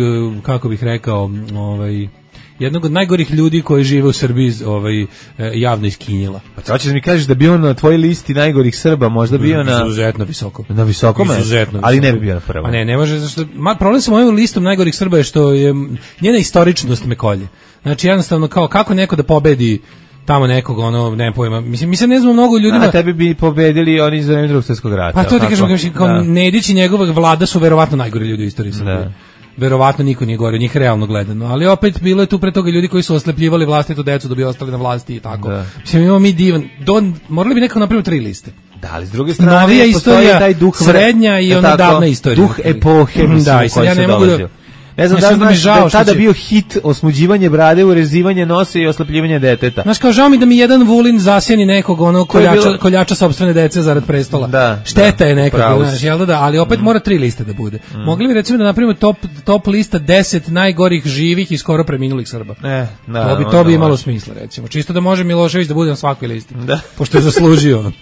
kako bih rekao, ovaj... jednog od najgorih ljudi koji žive u Srbiji ovaj, javno iskinjila. Pa to ćeš mi kažeš da bi on na tvojoj listi najgorih Srba možda bio na... Izuzetno visoko. Na visokom? Izuzetno ali visoko. Ne bi bio na prvom. Pa ne, ne može, zašto... Ma, problem sa mojom listom najgorih Srba je što je njena istoričnost me kolje. Znači, jednostavno, kao kako neko da pobedi tamo nekog, ono, ne pojma. Mislim, mi se ne znamo mnogo ljudima... A tebi bi pobedili oni za vreme Drugog svjetskog rata. Pa to ti kažem, kao da. Nedić i njegova vlada su verovatno najgori ljudi u istoriji Srbije. Da. Verovatno niko nije gore, njih realno gledano, ali opet bilo je tu pre toga ljudi koji su oslepljivali vlastitu decu da bi ostali na vlasti i tako. Da. Mislim, imamo mi divan, don, morali bi nekako napraviti tri liste. Da, ali s druge strane novija istorija, taj duh srednja i ona davna istorija. Duh epohe, mislim, da, i sad ja ne mogu da... Ne znam da znaš da je tada bio hit osmuđivanje brade, urezivanje nosa i oslepljivanje deteta. Znaš, kao žao mi da mi jedan Vulin zasjeni nekog ono koljača, bilo... koljača sopstvene dece zarad prestola. Da, šteta da, je nekako, znaš, jel da, ali opet mm. mora tri liste da bude. Mm. Mogli bi recimo da napravimo top, top lista deset najgorih živih i skoro preminulih Srba. E, da, to bi, to bi imalo može. Smisla, recimo. Čisto da može Milošević da bude na svakoj listi. Da. Pošto je zaslužio. uh,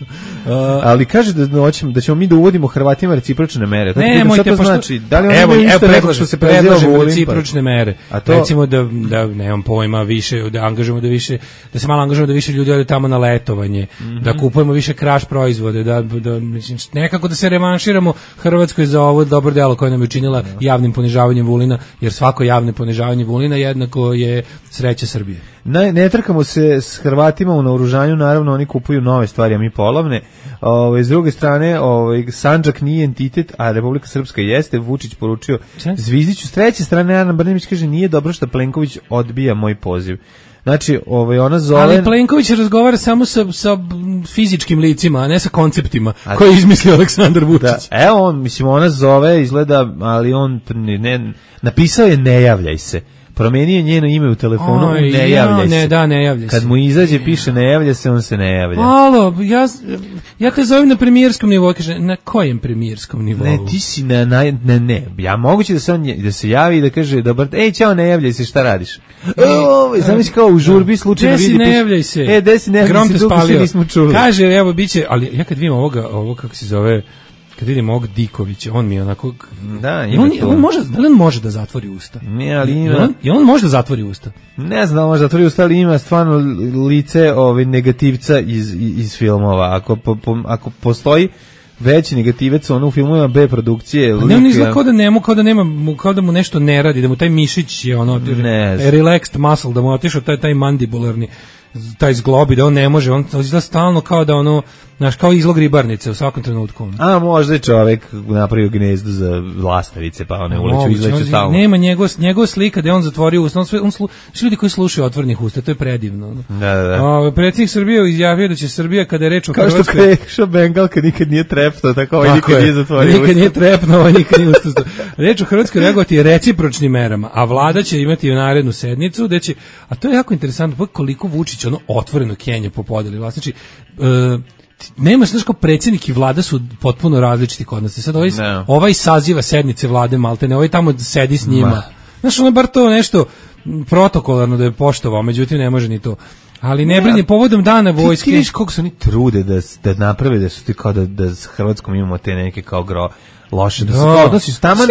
ali kaže da, hoćemo, da ćemo mi da uvodimo Hrvatima recipročne mere. Ne, mojte, to pošto... znači? Da li oni evo, imaju isto neko što se preziva recipročne mere. A to... Recimo da, da nemam pojma više, da angažujemo da više, da se malo angažujemo da više ljudi ode tamo na letovanje, mm-hmm. da kupujemo više kraš proizvode, da, da mislim, nekako da se revanširamo Hrvatskoj za ovo dobro delo koje nam je učinila no. javnim ponižavanjem Vulina, jer svako javno ponižavanje Vulina jednako je sreća Srbije. Ne, ne trkamo se s Hrvatima u naoružanju, naravno oni kupuju nove stvari, a mi polovne. Ove, s druge strane, ove, Sandžak nije entitet, a Republika Srpska jeste. Vučić poručio Zvizdiću. S treće strane, Ana Brnabić kaže, nije dobro što Plenković odbija moj poziv. Znači, ovaj, ona zove... Ali Plenković razgovara samo sa, sa fizičkim licima, a ne sa konceptima a... koje je izmislio Aleksandar Vučić. Da, evo on, mislim, ona zove, izgleda, ali on ne, napisao je ne javljaj se. Promenio njeno ime u telefonu, Oj, ne javljaj ja, ne, se. Da, ne javljaj Kad se. mu izađe, piše ne javlja se, on se ne javlja. Alo, ja, ja te zovem na premijerskom nivou, kaže, na kojem premijerskom nivou? Ne, ti si na, na ne, ne, ja moguće da se on, da se javi i da kaže, dobar, ej, čao, ne javljaj se, šta radiš? O, zamisli kao u žurbi slučajno vidi. Desi ne javljaj se. E, desi ne javljaj se, dugo se nismo čuli. Kaže, evo, biće, ali ja kad vidim ovoga, ovo kako se zove, kad vidim ovog Dikovića, on mi je onako... Da, ima on, to. On može, da li on može da zatvori usta? Ne, ali ima... I on, i on može da zatvori usta? Ne znam da može da zatvori usta, ali ima stvarno lice ove, negativca iz, iz filmova. Ako, po, po, ako postoji veći negativac, ono u filmovima B produkcije... Pa ne, on izgleda kao da, nema, kao, da nema, kao da mu nešto ne radi, da mu taj mišić je ono... Ne relaxed muscle, da mu otišao taj, taj mandibularni... taj zglobi, da on ne može, on izgleda stalno kao da ono, znaš, kao izlog ribarnice u svakom trenutku. A možda je čovek napravio gnezdo za lastavice, pa one uleću, izleću stalno. Nema njegov, njegov slika da je on zatvorio usta, on, sve, on slu, ljudi koji slušaju otvornih usta, to je predivno. Da, da, da. O, predsjednik Srbije izjavio da će Srbija, kada je reč o kao Hrvatskoj... Kao što Krešo Bengalka nikad nije trepnuo, tako ovaj nikad nije zatvorio usta. Nikad nije trepnuo, ovaj nikad nije usta. Reč o Hrvatskoj reagovati recipročnim merama, a vlada će imati narednu sednicu, da će, a to je jako interesantno, koliko Vučić ono otvoreno Kenja po podeli vlasti. Znači, e, nema, znaš, kao predsjednik i vlada su potpuno različiti kod nas. Sad ovaj, no. ovaj saziva sednice vlade Maltene, ovaj tamo sedi s njima. Ma. Znaš, ono je bar to nešto protokolarno da je poštovao, međutim ne može ni to. Ali ne brini, povodom dana vojske... Ti, ti viš koliko su oni trude da, da naprave, da su ti kao da, da s Hrvatskom imamo te neke kao gro... loše, da se kao odnosi s taman,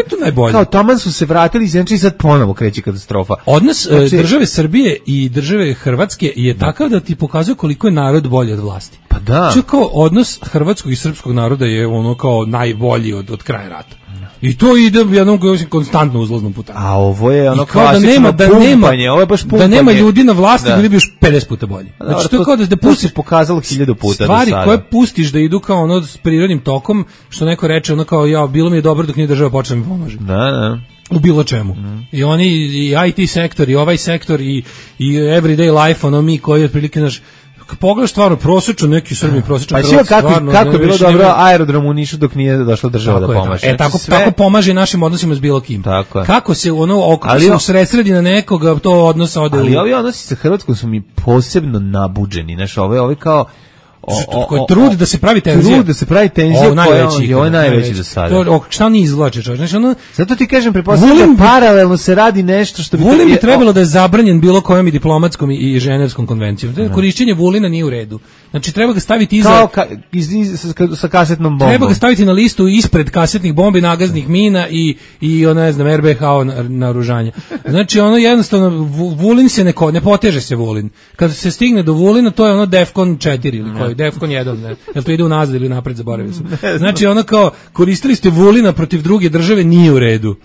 kao taman su se vratili znači i sad ponovo kreće katastrofa. Odnos znači, države Srbije i države Hrvatske je da. takav da ti pokazuje koliko je narod bolji od vlasti. Pa da. Znači kao odnos hrvatskog i srpskog naroda je ono kao najbolji od, od kraja rata. I to ide jednom konstantno uzlaznom putanju. A ovo je ono kao da nema, da pumpanje, nema, ovo je baš pumpanje. Da nema ljudi na vlasti, da. bili bi još pedeset puta bolji. Znači, znači to je kao da, da pustiš, se pokazalo hiljadu puta stvari do sada. Koje pustiš da idu kao ono s prirodnim tokom, što neko reče, ono kao, ja, bilo mi je dobro dok nije država počela mi pomaže. Da, da. U bilo čemu. Mm. I oni, i I T sektor, i ovaj sektor, i, i everyday life, ono mi koji otprilike, naš, pogledaš stvarno prosječno neki Srbi prosječno. Pa sve kako stvarno, kako je bilo dobro nema... aerodrom u Nišu dok nije došla država tako da pomaže. E tako sve... tako pomaže našim odnosima s bilo kim. Tako kako se ono oko ali, se usredsredi na nekoga to odnosa ode. Ali u... ovi odnosi sa Hrvatskom su mi posebno nabuđeni, znači ove ove kao O, o, koji trudi da se pravi tenzija. Trudi da se pravi tenzija, ovo najveći, je ovo najveći do sada. To šta ni izvlače, čovjek. Znači ono, zato ti kažem, pretpostavljam da paralelno se radi nešto što bi Vulin bi trebalo da je zabranjen bilo kojom i diplomatskom i, i ženevskom konvencijom. No. Korišćenje Vulina nije u redu. Znači treba ga staviti iza kao ka, iz, iz, sa, sa kasetnom bombom. Treba ga staviti na listu ispred kasetnih bombi, nagaznih mina i i ona ne znam R B H naoružanja. Znači ono jednostavno Vulin se ne ne poteže se Vulin. Kad se stigne do Vulina to je ono Defcon četiri ili koji Defcon jedan, ne. Jel to ide unazad ili napred, zaboravio sam. Znači ono kao koristili ste Vulina protiv druge države, nije u redu.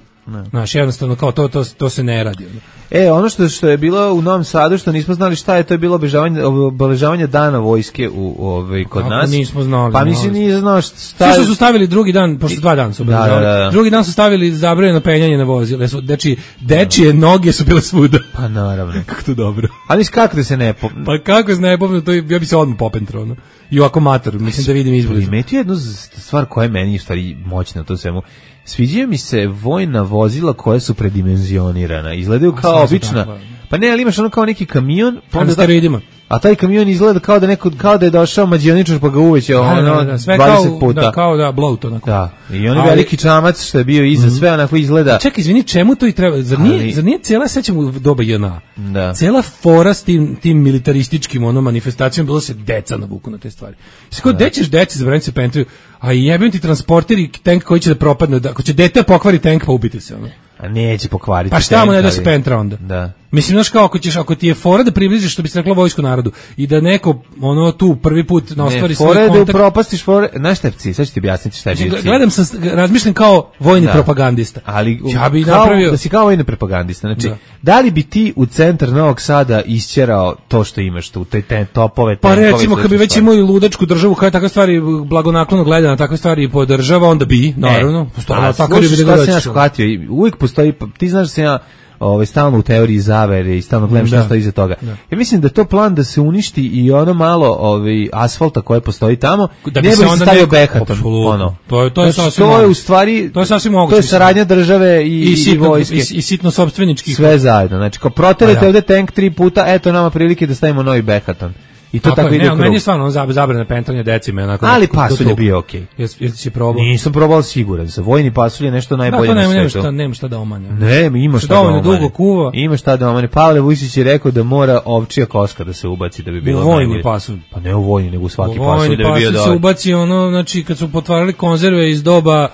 Znaš, jednostavno kao to, to, to se ne radi. E, ono što, što je bilo u Novom Sadu, što nismo znali šta je, to je bilo obeležavanje, obeležavanje dana vojske u, u, ovaj, kod kako nas. Nismo znali. Pa mislim nije znao šta... Što su stavili drugi dan, pošto dva dana su obeležavali. Da, da, da. Drugi dan su stavili zabranjeno penjanje na vozile. Znači, dečije noge su bile svuda. Pa naravno. Kako to dobro. Ali kako da se ne... Po... Pa kako se ne popne, to ja bi se odmah popentro, ono. i ovako mator, mislim da vidim izbliza. Primetio jednu stvar koja je meni u stvari moćna u tom svemu. Sviđaju mi se vojna vozila koja su predimenzionirana. Izgledaju kao obična. Pa ne, ali imaš ono kao neki kamion, pa onda steroidima. A taj kamion izgleda kao da neko kao da je došao mađioničar pa ga uvećao ono da, da, da, sve dvadeset kao, puta. Da, kao da bloat onako. Da. I on je veliki čamac što je bio iza mm-hmm. sve onako izgleda. Čekaj, izvini, čemu to i treba? Zar nije, ali, zar nije cijela sećamo u doba J N A? Da. Cijela fora s tim, tim militarističkim ono manifestacijom bilo se deca navuku na te stvari. Sve kao, gde ćeš deci zabraniti se pentriju, a jebem ti transporter i tank koji će da propadne, da, ako će dete pokvari tank pa ubiti se ono. A neće pokvariti. Pa šta mu ne da se pentra onda? Da. Mislim, znaš kao, ako, ćeš, ako ti je fora da približiš, što bi se reklo, vojsku narodu i da neko, ono, tu prvi put na ostvari svoj kontakt... Ne, fora je da upropastiš fore... Znaš šta je cilj? Sad ću ti objasniti šta je bio cilj. Gledam, sam, razmišljam kao vojni da. propagandista. Ali ja bi kao, napravio... da si kao vojni propagandista. Znači, da. da li bi ti u centar Novog Sada isćerao to što imaš tu, te, te topove, pa tenkove... Pa recimo, kad bi već imao i ludačku državu koja takve stvari blagonaklono gleda na takve stvari i podržava, onda bi, naravno. E, a, slušaj, šta sam ja shvatio, uvijek postoji, ti znaš da sam ja ovaj stalno u teoriji zavere i stalno gledam šta stoji iza toga. Da. Ja mislim da je to plan da se uništi i ono malo ovaj asfalta koje postoji tamo, da ne bi se stavio Behaton, ono. To je to je znači, to je u stvari to je sasvim moguće. To je saradnja države i i, sitno, i vojske i, i sitno sopstveničkih sve zajedno. Znači, kao proterete ovde tank tri puta, eto nama prilike da stavimo novi Behaton. I to tako, tako ide u krug. Meni je stvarno zabrana pentranja decime. Onako, ali pasulj je bio okej. Okay. Jesi si probao? Nisam probao siguran. Za vojni pasulj je nešto najbolje da, na svetu. Nema šta, nema šta da omane. Ne, ima šta da omane. Dugo kuva. Ima šta da omane. Pavle Vujčić je rekao da mora ovčija koska da se ubaci da bi bilo najbolje. U vojni najbolje. pasulj. Pa ne u vojni, nego u svaki u pasulj da bi bio dobro. se ubaci ono, znači kad su potvarali konzerve iz doba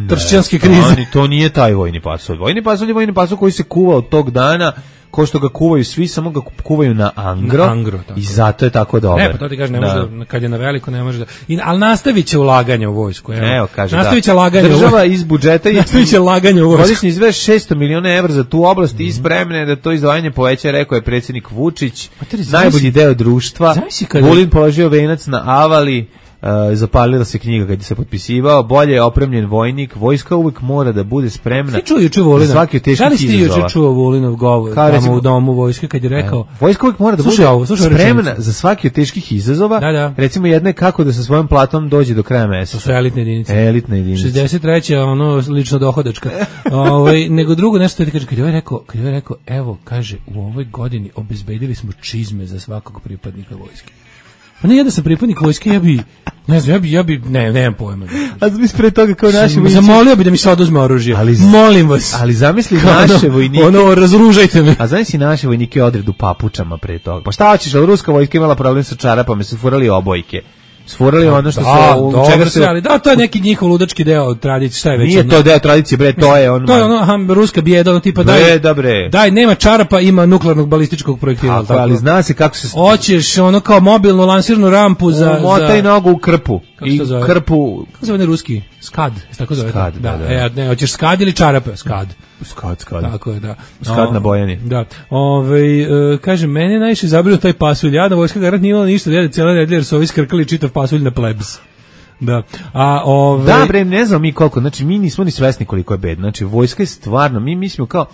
tršćanske krize. Ne, to nije taj vojni pasulj. Vojni pasulj je vojni pasulj koji se kuva od tog dana, ko što ga kuvaju svi, samo ga kuvaju na angro, na angro i zato je tako dobro. Ne, pa to ti kaže, ne može da, kad je na veliko ne može da... I, ali nastavit će ulaganje u vojsku. Evo, evo kaže, nastavit će da. laganje Država iz budžeta i nastavit će laganje u vojsku. Godišnji izveš šesto miliona evra za tu oblast i spremne da to izdvajanje poveća, rekao je predsjednik Vučić, najbolji deo društva. Vulin položio venac na Avali, Uh, zapalila se knjiga kad je se potpisivao, bolje je opremljen vojnik, vojska uvijek mora da bude spremna. Ti čuo juče Volina? Za svaki od teških izazova. Da li ste juče čuo Volinov govor tamo recimo, u domu vojske kad je rekao? E, vojska uvijek mora da slušaj, bude ovo, slušaj, spremna rečenicu. Za svaki od teških izazova. Da, da. Recimo jedna je kako da sa svojom platom dođe do kraja meseca. To su elitne jedinice. Elitne jedinice. šezdeset treća ono lično dohodačka. Ovaj nego drugo nešto ti kaže kad je ovaj rekao, kad je ovaj rekao, evo kaže u ovoj godini obezbedili smo čizme za svakog pripadnika vojske. Pa ne, ja da sam pripadnik vojske, ja bi, ne znam, ja bi, ja bi, ne, nemam pojma. A zamisli pre toga kao naši vojnici. Zamolio bi da mi se oduzme oružje, ali, molim vas. Ali zamisli naše ono, vojnike. Ono, razružajte me. A zamisli naše vojnike odredu papučama pre toga. Pa šta hoćeš, ali ruska vojska imala problem sa čarapama, su furali obojke. Sfurali ono što da, se u dobro čega se ali da to je neki njihov ludački deo tradicije, šta je već. Nije ono, to deo tradicije, bre, to je on. To je ono aha, ruska bijeda, ono tipa daj. Bre, da bre. Daj, nema čarapa, ima nuklearnog balističkog projektila, tako. Ali zna se kako se hoćeš ono kao mobilnu lansirnu rampu za motaj za... nogu u krpu. I krpu. Kako se zove ruski? Skad, tako zove. Skad, da, da. da. E, ne, hoćeš skad ili čarape? Skad. Skad, skad. Tako je, da. Skad o, na Bojani. Da. Ovaj uh, kaže mene najviše zabrio taj pasulj. Ja da vojska garant nije imala ništa, da je cijela nedelja jer su ovi skrkali čitav pasulj na plebs. Da. A ovaj Da, bre, ne znam mi koliko, znači mi nismo ni svesni koliko je bedno. Znači vojska je stvarno, mi mislimo kao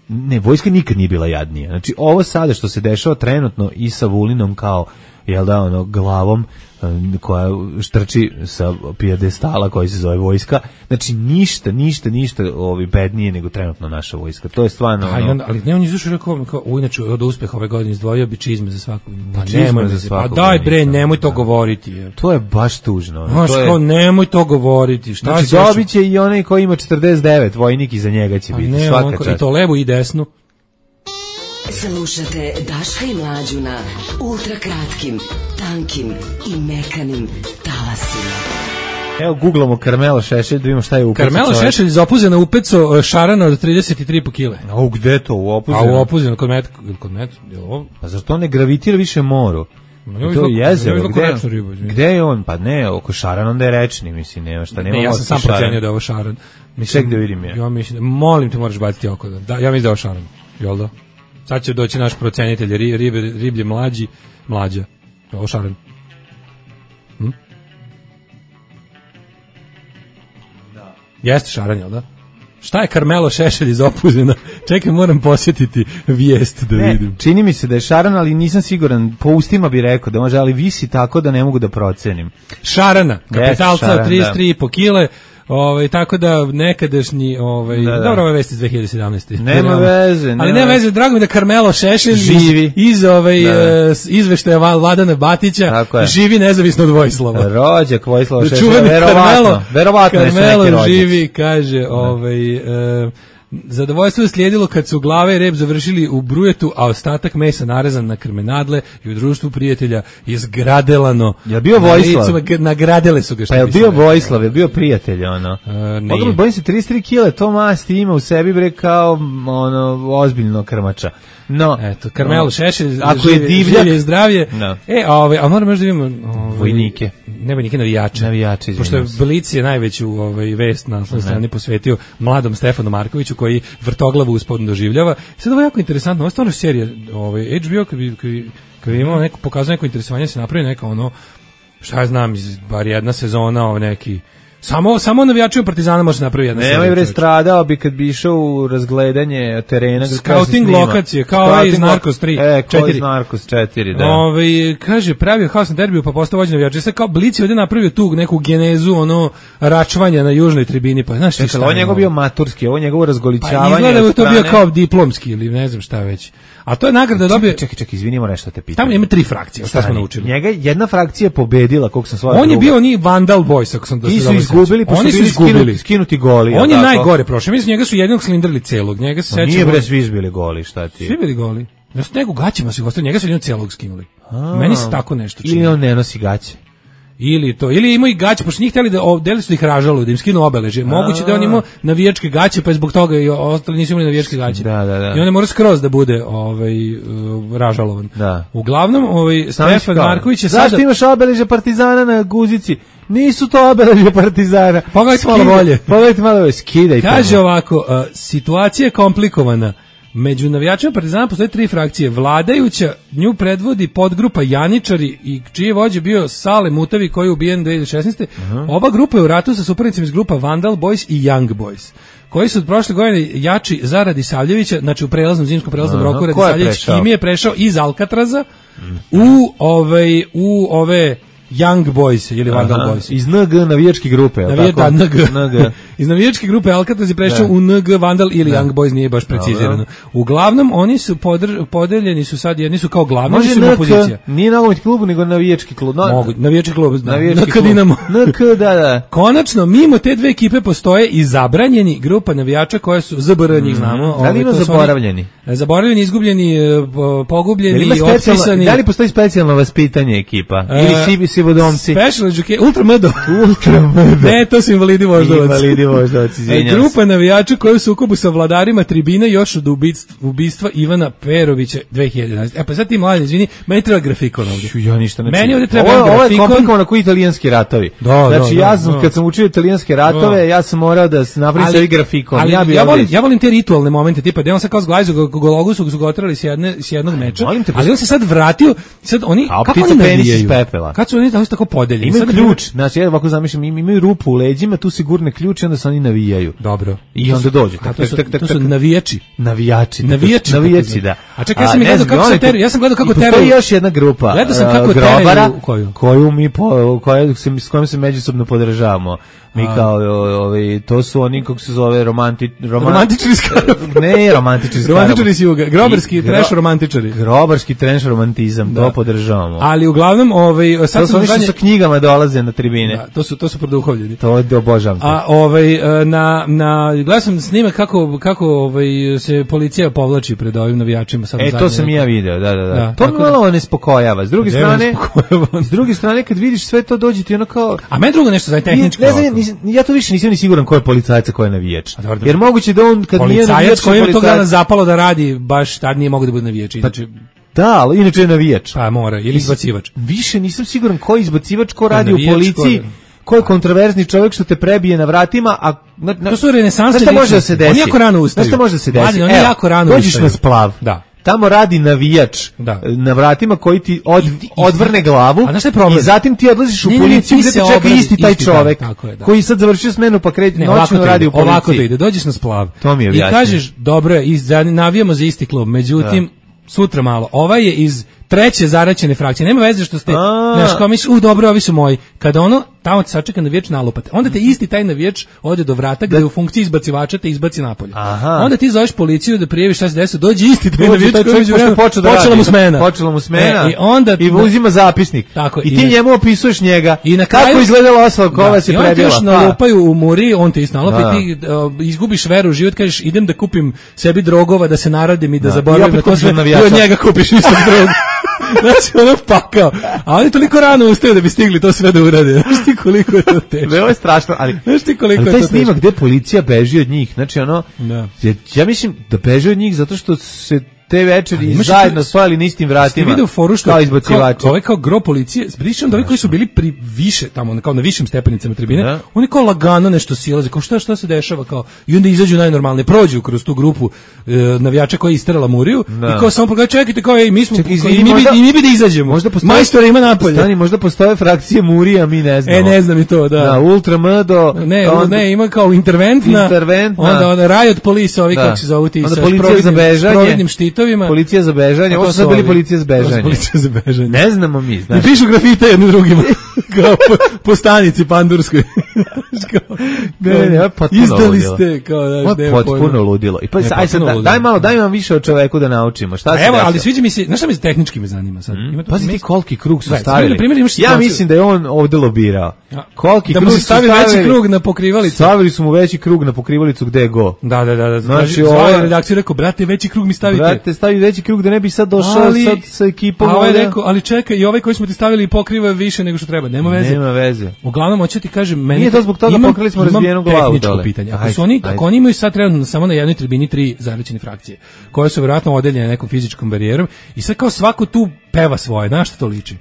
ne, vojska nikad nije bila jadnija. Znači ovo sada što se dešava trenutno i sa Vulinom kao jel da ono glavom koja štrči sa pijedestala koji se zove vojska, znači ništa, ništa, ništa ovi bednije nego trenutno naša vojska. To je stvarno. Da, ono... on, ali ne on izvušao rekao kao u inače od uspeha ove godine izdvojio bi čizme za svakog. Pa nemoj za svakog. Pa daj bre, nemoj to da. govoriti. Je. To je baš tužno. Znaš, to je kao nemoj to govoriti. Šta znači dobiće i onaj koji ima četrdeset devet, vojnik iza njega će biti ne, svaka on, čast. I to levo i desno. Slušate Daška i Mlađu na ultrakratkim, tankim i mekanim talasima. Evo googlamo Karmelo Šešelj, da vidimo šta je upeco. Karmelo Šešelj iz Opuzena upeco šarana od trideset tri kile. A u gde to? U Opuzenu? A u Opuzenu, kod Met, kod Met, je ovo? Pa zašto on ne gravitira više moru? No, to je jezero, gde, ribu, gde je on? Pa ne, oko šaran, onda je rečni, mislim, nema šta, nema. Ne, ja sam sam procenio da je ovo šaran. Mislim, ček da vidim ja. Ja mislim, molim te, moraš baciti oko. Da, ja mislim da je ovo šaran, jel da? Sad će doći naš procenitelj ribe, riblje mlađi, mlađa. Ovo šaran. Hm? Da. Jeste šaran, jel da? Šta je Karmelo Šešelj iz Opuzena? Čekaj, moram posjetiti vijest da ne, vidim. Čini mi se da je šarana, ali nisam siguran. Po ustima bi rekao da može, ali visi tako da ne mogu da procenim. Šarana, kapitalca, yes, šaran, trideset tri i po kile. Ovaj tako da nekadašnji ovaj da, da. Dobro, ove vesti iz dve hiljade sedamnaeste. Nema veze, nema. Ali nema veze, drago mi da Karmelo Šešelj živi iz, iz ovaj da. uh, izveštaja Vladana Batića živi nezavisno od Vojislava. Rođak Vojislava da Šešelja, verovatno. Verovatno je neki rođac. Karmelo živi, kaže, da. ovaj uh, zadovoljstvo je slijedilo kad su glave i rep završili u brujetu, a ostatak mesa narezan na krmenadle i u društvu prijatelja je zgradelano. Je bio Vojislav? Na nagradele su ga. Pa je bio Vojislav, je bio prijatelj, ono. Uh, Odmah, bojim se, trideset tri kile, to masti ima u sebi, bre, kao, ono, ozbiljno krmača. No, eto, Karmelo no, Šešelj, ako je divljak, je zdravlje. No. E, a ovaj, a moram možda vidimo ovaj, vojnike. Ne vojnike, navijače. Navijače, pošto je Blic je najveću ovaj vest na svojoj strani posvetio mladom Stefanu Markoviću koji vrtoglavu uspodno doživljava. Sad ovo je jako interesantno, ovo je stvarno serija, ovaj H B O kad bi kad bi imao neko pokazao neko interesovanje se napravi neka ono šta ja znam, iz bar jedna sezona o neki Samo samo navijači Partizana može napraviti jedna serija. Nemoj bre, stradao bi kad bi išao u razgledanje terena, scouting lokacije, kao ovaj iz Narcos tri, e, četiri. Iz Narcos četiri, da. Ovaj kaže pravio haos na derbiju, pa postao vođa navijača. Sad kao Blic je ovde napravio tu neku genezu, ono račvanja na južnoj tribini, pa znaš ti šta. Ovo njegov bio maturski, ovo njegovo razgolićavanje. Pa izgleda da je to bio kao diplomski ili ne znam šta već. A to je nagrada dobio. Čekaj, čekaj, izvinimo nešto te pitam. Tamo ima tri frakcije, šta smo naučili. Njega jedna frakcija pobedila, koliko sam shvatio. On je bio ni Vandal Boys, ako sam da se dobro sećam. Izgubili, pa oni su bili skinuti, skinuti goli. On je najgore prošao. Mislim njega su jednog cilindrali celog. Njega se sećam. Nije bre svi izbili goli, šta ti? Svi bili goli. Ja s nego gaćima su ostali, njega su jednog celog skinuli. Meni se tako nešto čini. Ili on ne nosi gaće. Ili to, ili imaju i gaće, pošto njih hteli da, deli su da ih ražaluju, da im skinu obeležje. Moguće da on imao navijačke gaće, pa je zbog toga i ostali nisu imali navijačke gaće. Da, da, da. I on ne mora skroz da bude ovaj, uh, ražalovan. Da. Uglavnom, ovaj, Stefan Marković je sada... Zašto imaš obeležje Partizana na guzici? Nisu to obeležje Partizana. Pogledajte malo bolje. Pogledajte malo bolje, skidaj. Kaže ovako, uh, situacija je komplikovana. Među navijačima Partizana postoje tri frakcije. Vladajuća, nju predvodi podgrupa Janičari i čiji je vođa bio Sale Mutavi koji je ubijen dve hiljade šesnaeste. Uh-huh. Ova grupa je u ratu sa suparnicima iz grupa Vandal Boys i Young Boys, koji su od prošle godine jači za Radisavljevića, znači u prelaznom zimskom prelaznom uh-huh. roku Radisavljević Kimi je prešao iz Alcatraza uh-huh. u ovaj u ove Young Boys ili Vandal Boys. Iz N G navijačke grupe, je Navije, tako? Da, N G. N G. Iz navijačke grupe Alcatraz je prešao u N G Vandal ili da. Young Boys, nije baš precizirano. Da, da. Uglavnom, oni su podr, podeljeni su sad, jedni su kao glavni, oni su N K, opozicija. Nije nogometni klub, nego navijački klub. No, Mogu, navijački klub, da. Navijački N K Dinamo. N K, da, da. Konačno, mimo te dve ekipe postoje i zabranjeni grupa navijača koje su, Z B R njih znamo. Da li ima zaboravljeni? Zaboravljeni, izgubljeni, pogubljeni, otpisani. Da li postoji specijalno vaspitanje ekipa? Ili sivi sivodomci? Special education, Ultra M D O. Ultra M D O. Ne, to su invalidi voždovac. Invalidi voždovac, izvinjam se. Grupa navijača koji su u sukobu sa vladarima tribine još od ubistva, ubistva Ivana Perovića dve hiljade jedanaeste. E pa sad ti mladen, izvini, meni treba grafikon ovdje. Ja ništa ne Meni ovdje treba ovo, grafikon. Ovo je komplikovano kao italijanski ratovi. Da, znači da, ja sam, da, kad sam učio italijanske ratove, da. ja sam morao da se napravim sebi grafikon. Ali ja, bi ja, volim, ja volim te ritualne momente, tipa da on sad kao zglajzu, Gologu su ga otrali s, jedne, s jednog meča, ali on se sad vratio, sad oni, a kako oni navijaju? Kad su oni tako, tako podeljeni? Imaju ključ, znači ja ovako zamišljam, imaju rupu u leđima, tu sigurne ključ i onda se oni navijaju. Dobro. I onda dođu. Tak, to, su, tak, tak, to su navijači. Navijači. Navijači. Navijači, da. A čekaj, ja sam gledao kako se teru, ja sam gledao kako teru. Postoji još jedna grupa. Gledao sam kako grobara, koju? Koju mi, po, koju se, s kojom se međusobno podržavamo. Mi kao, ovaj, to su oni, kako se zove, romanti, roman... romantičari skarab. Ne, romantičari skarab. Romantičari si juga, grobarski gro... trash romantičari. Grobarski trash romantizam, da. To podržavamo. Ali uglavnom, ovaj, sad to su oni što sa knjigama dolaze na tribine. Da, to su, to su produhovljeni. To obožavam te. A ovaj, na, na, gledao sam snimak kako, kako ovaj, se policija povlači pred ovim navijačima. Sad e, to sam ja video, da, da, da. da to me malo ne spokojava. S druge strane, s druge strane, kad vidiš sve to, dođe ti ono kao... A meni drugo nešto za tehničko. Ja to više nisam ni siguran ko je policajac, ko je navijač. Jer moguće da on kad policajac nije navijač, koji je tog dana zapalo da radi, baš tad nije mogao da bude navijač. Inače, da, ali inače je navijač. Pa mora, ili izbacivač. Više nisam siguran ko je izbacivač, ko radi u policiji. Ko je kontroverzni čovjek što te prebije na vratima, a na, na, to su renesansne ličnosti. Može da se desi. On jako rano ustaju. Šta može da se desi? Mladen, on jako rano dođeš na splav. Da. tamo radi navijač da. na vratima koji ti od, I, i, odvrne glavu i zatim ti odlaziš u ne, policiju gde te čeka obradi, isti taj isti čovek tako je, da. koji sad završio smenu pa kreće noćno radi u policiji. Ovako to ide, dođeš na splav to mi je i kažeš, dobro je, navijamo za isti klub, međutim, da. sutra malo, ovaj je iz treće zaraćene frakcije, nema veze što ste, znaš, kao misliš, u dobro, ovi su moji, kada ono, tamo te sačeka navijač nalupate, onda te isti taj navijač ode do vrata gde da. u funkciji izbacivača te izbaci napolje. Aha. Onda ti zoveš policiju da prijaviš šta se desilo, dođe isti taj navijač koji je počela mu smena. Počela mu smena e, i, onda, i uzima zapisnik. Tako, I ti i njemu opisuješ njega. I na kraju, kako izgledala osoba koja vas je prebila. I onda ti još nalupaju u muri, on te isto nalupa i ti uh, izgubiš veru u život, kažeš idem da kupim sebi drogova, da se naradim i da, da. zaboravim na to sve. I od njega kupiš isto drogu. Znači, ono pakao. A oni toliko rano ustaju da bi stigli to sve da urade. Znaš ti koliko je to teško. Ovo je strašno, ali, znaš ti koliko ali je taj to snimak gde policija beži od njih, znači ono, da. ja, ja mislim da beži od njih zato što se te večeri zajedno stojali na istim vratima. Vidio foru što kao izbacivači. Kao, ovaj kao gro policije, pričam da ovi koji su bili pri više tamo kao na višim stepenicama tribine, da. oni kao lagano nešto silaze, kao šta šta se dešava kao i onda izađu najnormalnije, prođu kroz tu grupu e, navijača koji isterala Muriju da. i kao samo pogledaj čekajte kao ej mi smo Ček, izvini, i, mi možda, bi, i mi bi da izađemo. Možda postoje majstor ima napolje. Stani, možda postoje frakcije Murija, mi ne znamo. E ne znam i to, da. Da, Ultra M do ne, on, ne, ima kao interventna. Interventna. Onda onda Riot Police, ovi kako se zovu ti sa providnim štitovima. Policija za bežanje, ovo su sad bili policija za bežanje. Policija za bežanje. Ne znamo mi, znaš. I pišu grafite jednim drugima, kao po, po stanici pandurskoj. kao, ne, ne, ne, potpuno izdali ludilo. ste, kao, znaš, ne, potpuno ludilo. I pa, ne, aj sad, da, daj malo, daj vam više o čoveku da naučimo. Šta se evo, ali sviđa mi se, znaš šta mi se tehnički me zanima sad? Mm. Pazi ti koliki krug su da, stavili. Primjer, ja mislim da je on ovde lobirao. Koliki da krug mu se stavi veći krug na pokrivalicu. Stavili su mu veći krug na pokrivalicu gde go. Da, da, da. Znači, ova redakcija rekao, brate, veći krug mi stavite. Brate, stavi veći krug da ne bi sad došao ali, sad sa ekipom. A ovaj rekao, ali čekaj, i ovaj koji smo ti stavili pokriva više nego što treba. Nema veze. Nema veze. Uglavnom, hoću ti kažem, meni nije to zbog toga imam, pokrili smo razbijenu glavu. Tehničko pitanje. Ako su oni, ako oni imaju sad trenutno samo na jednoj tribini tri zaraćene frakcije, koje su verovatno odeljene nekom fizičkom barijerom i sad kao svako tu peva svoje, na šta to liči?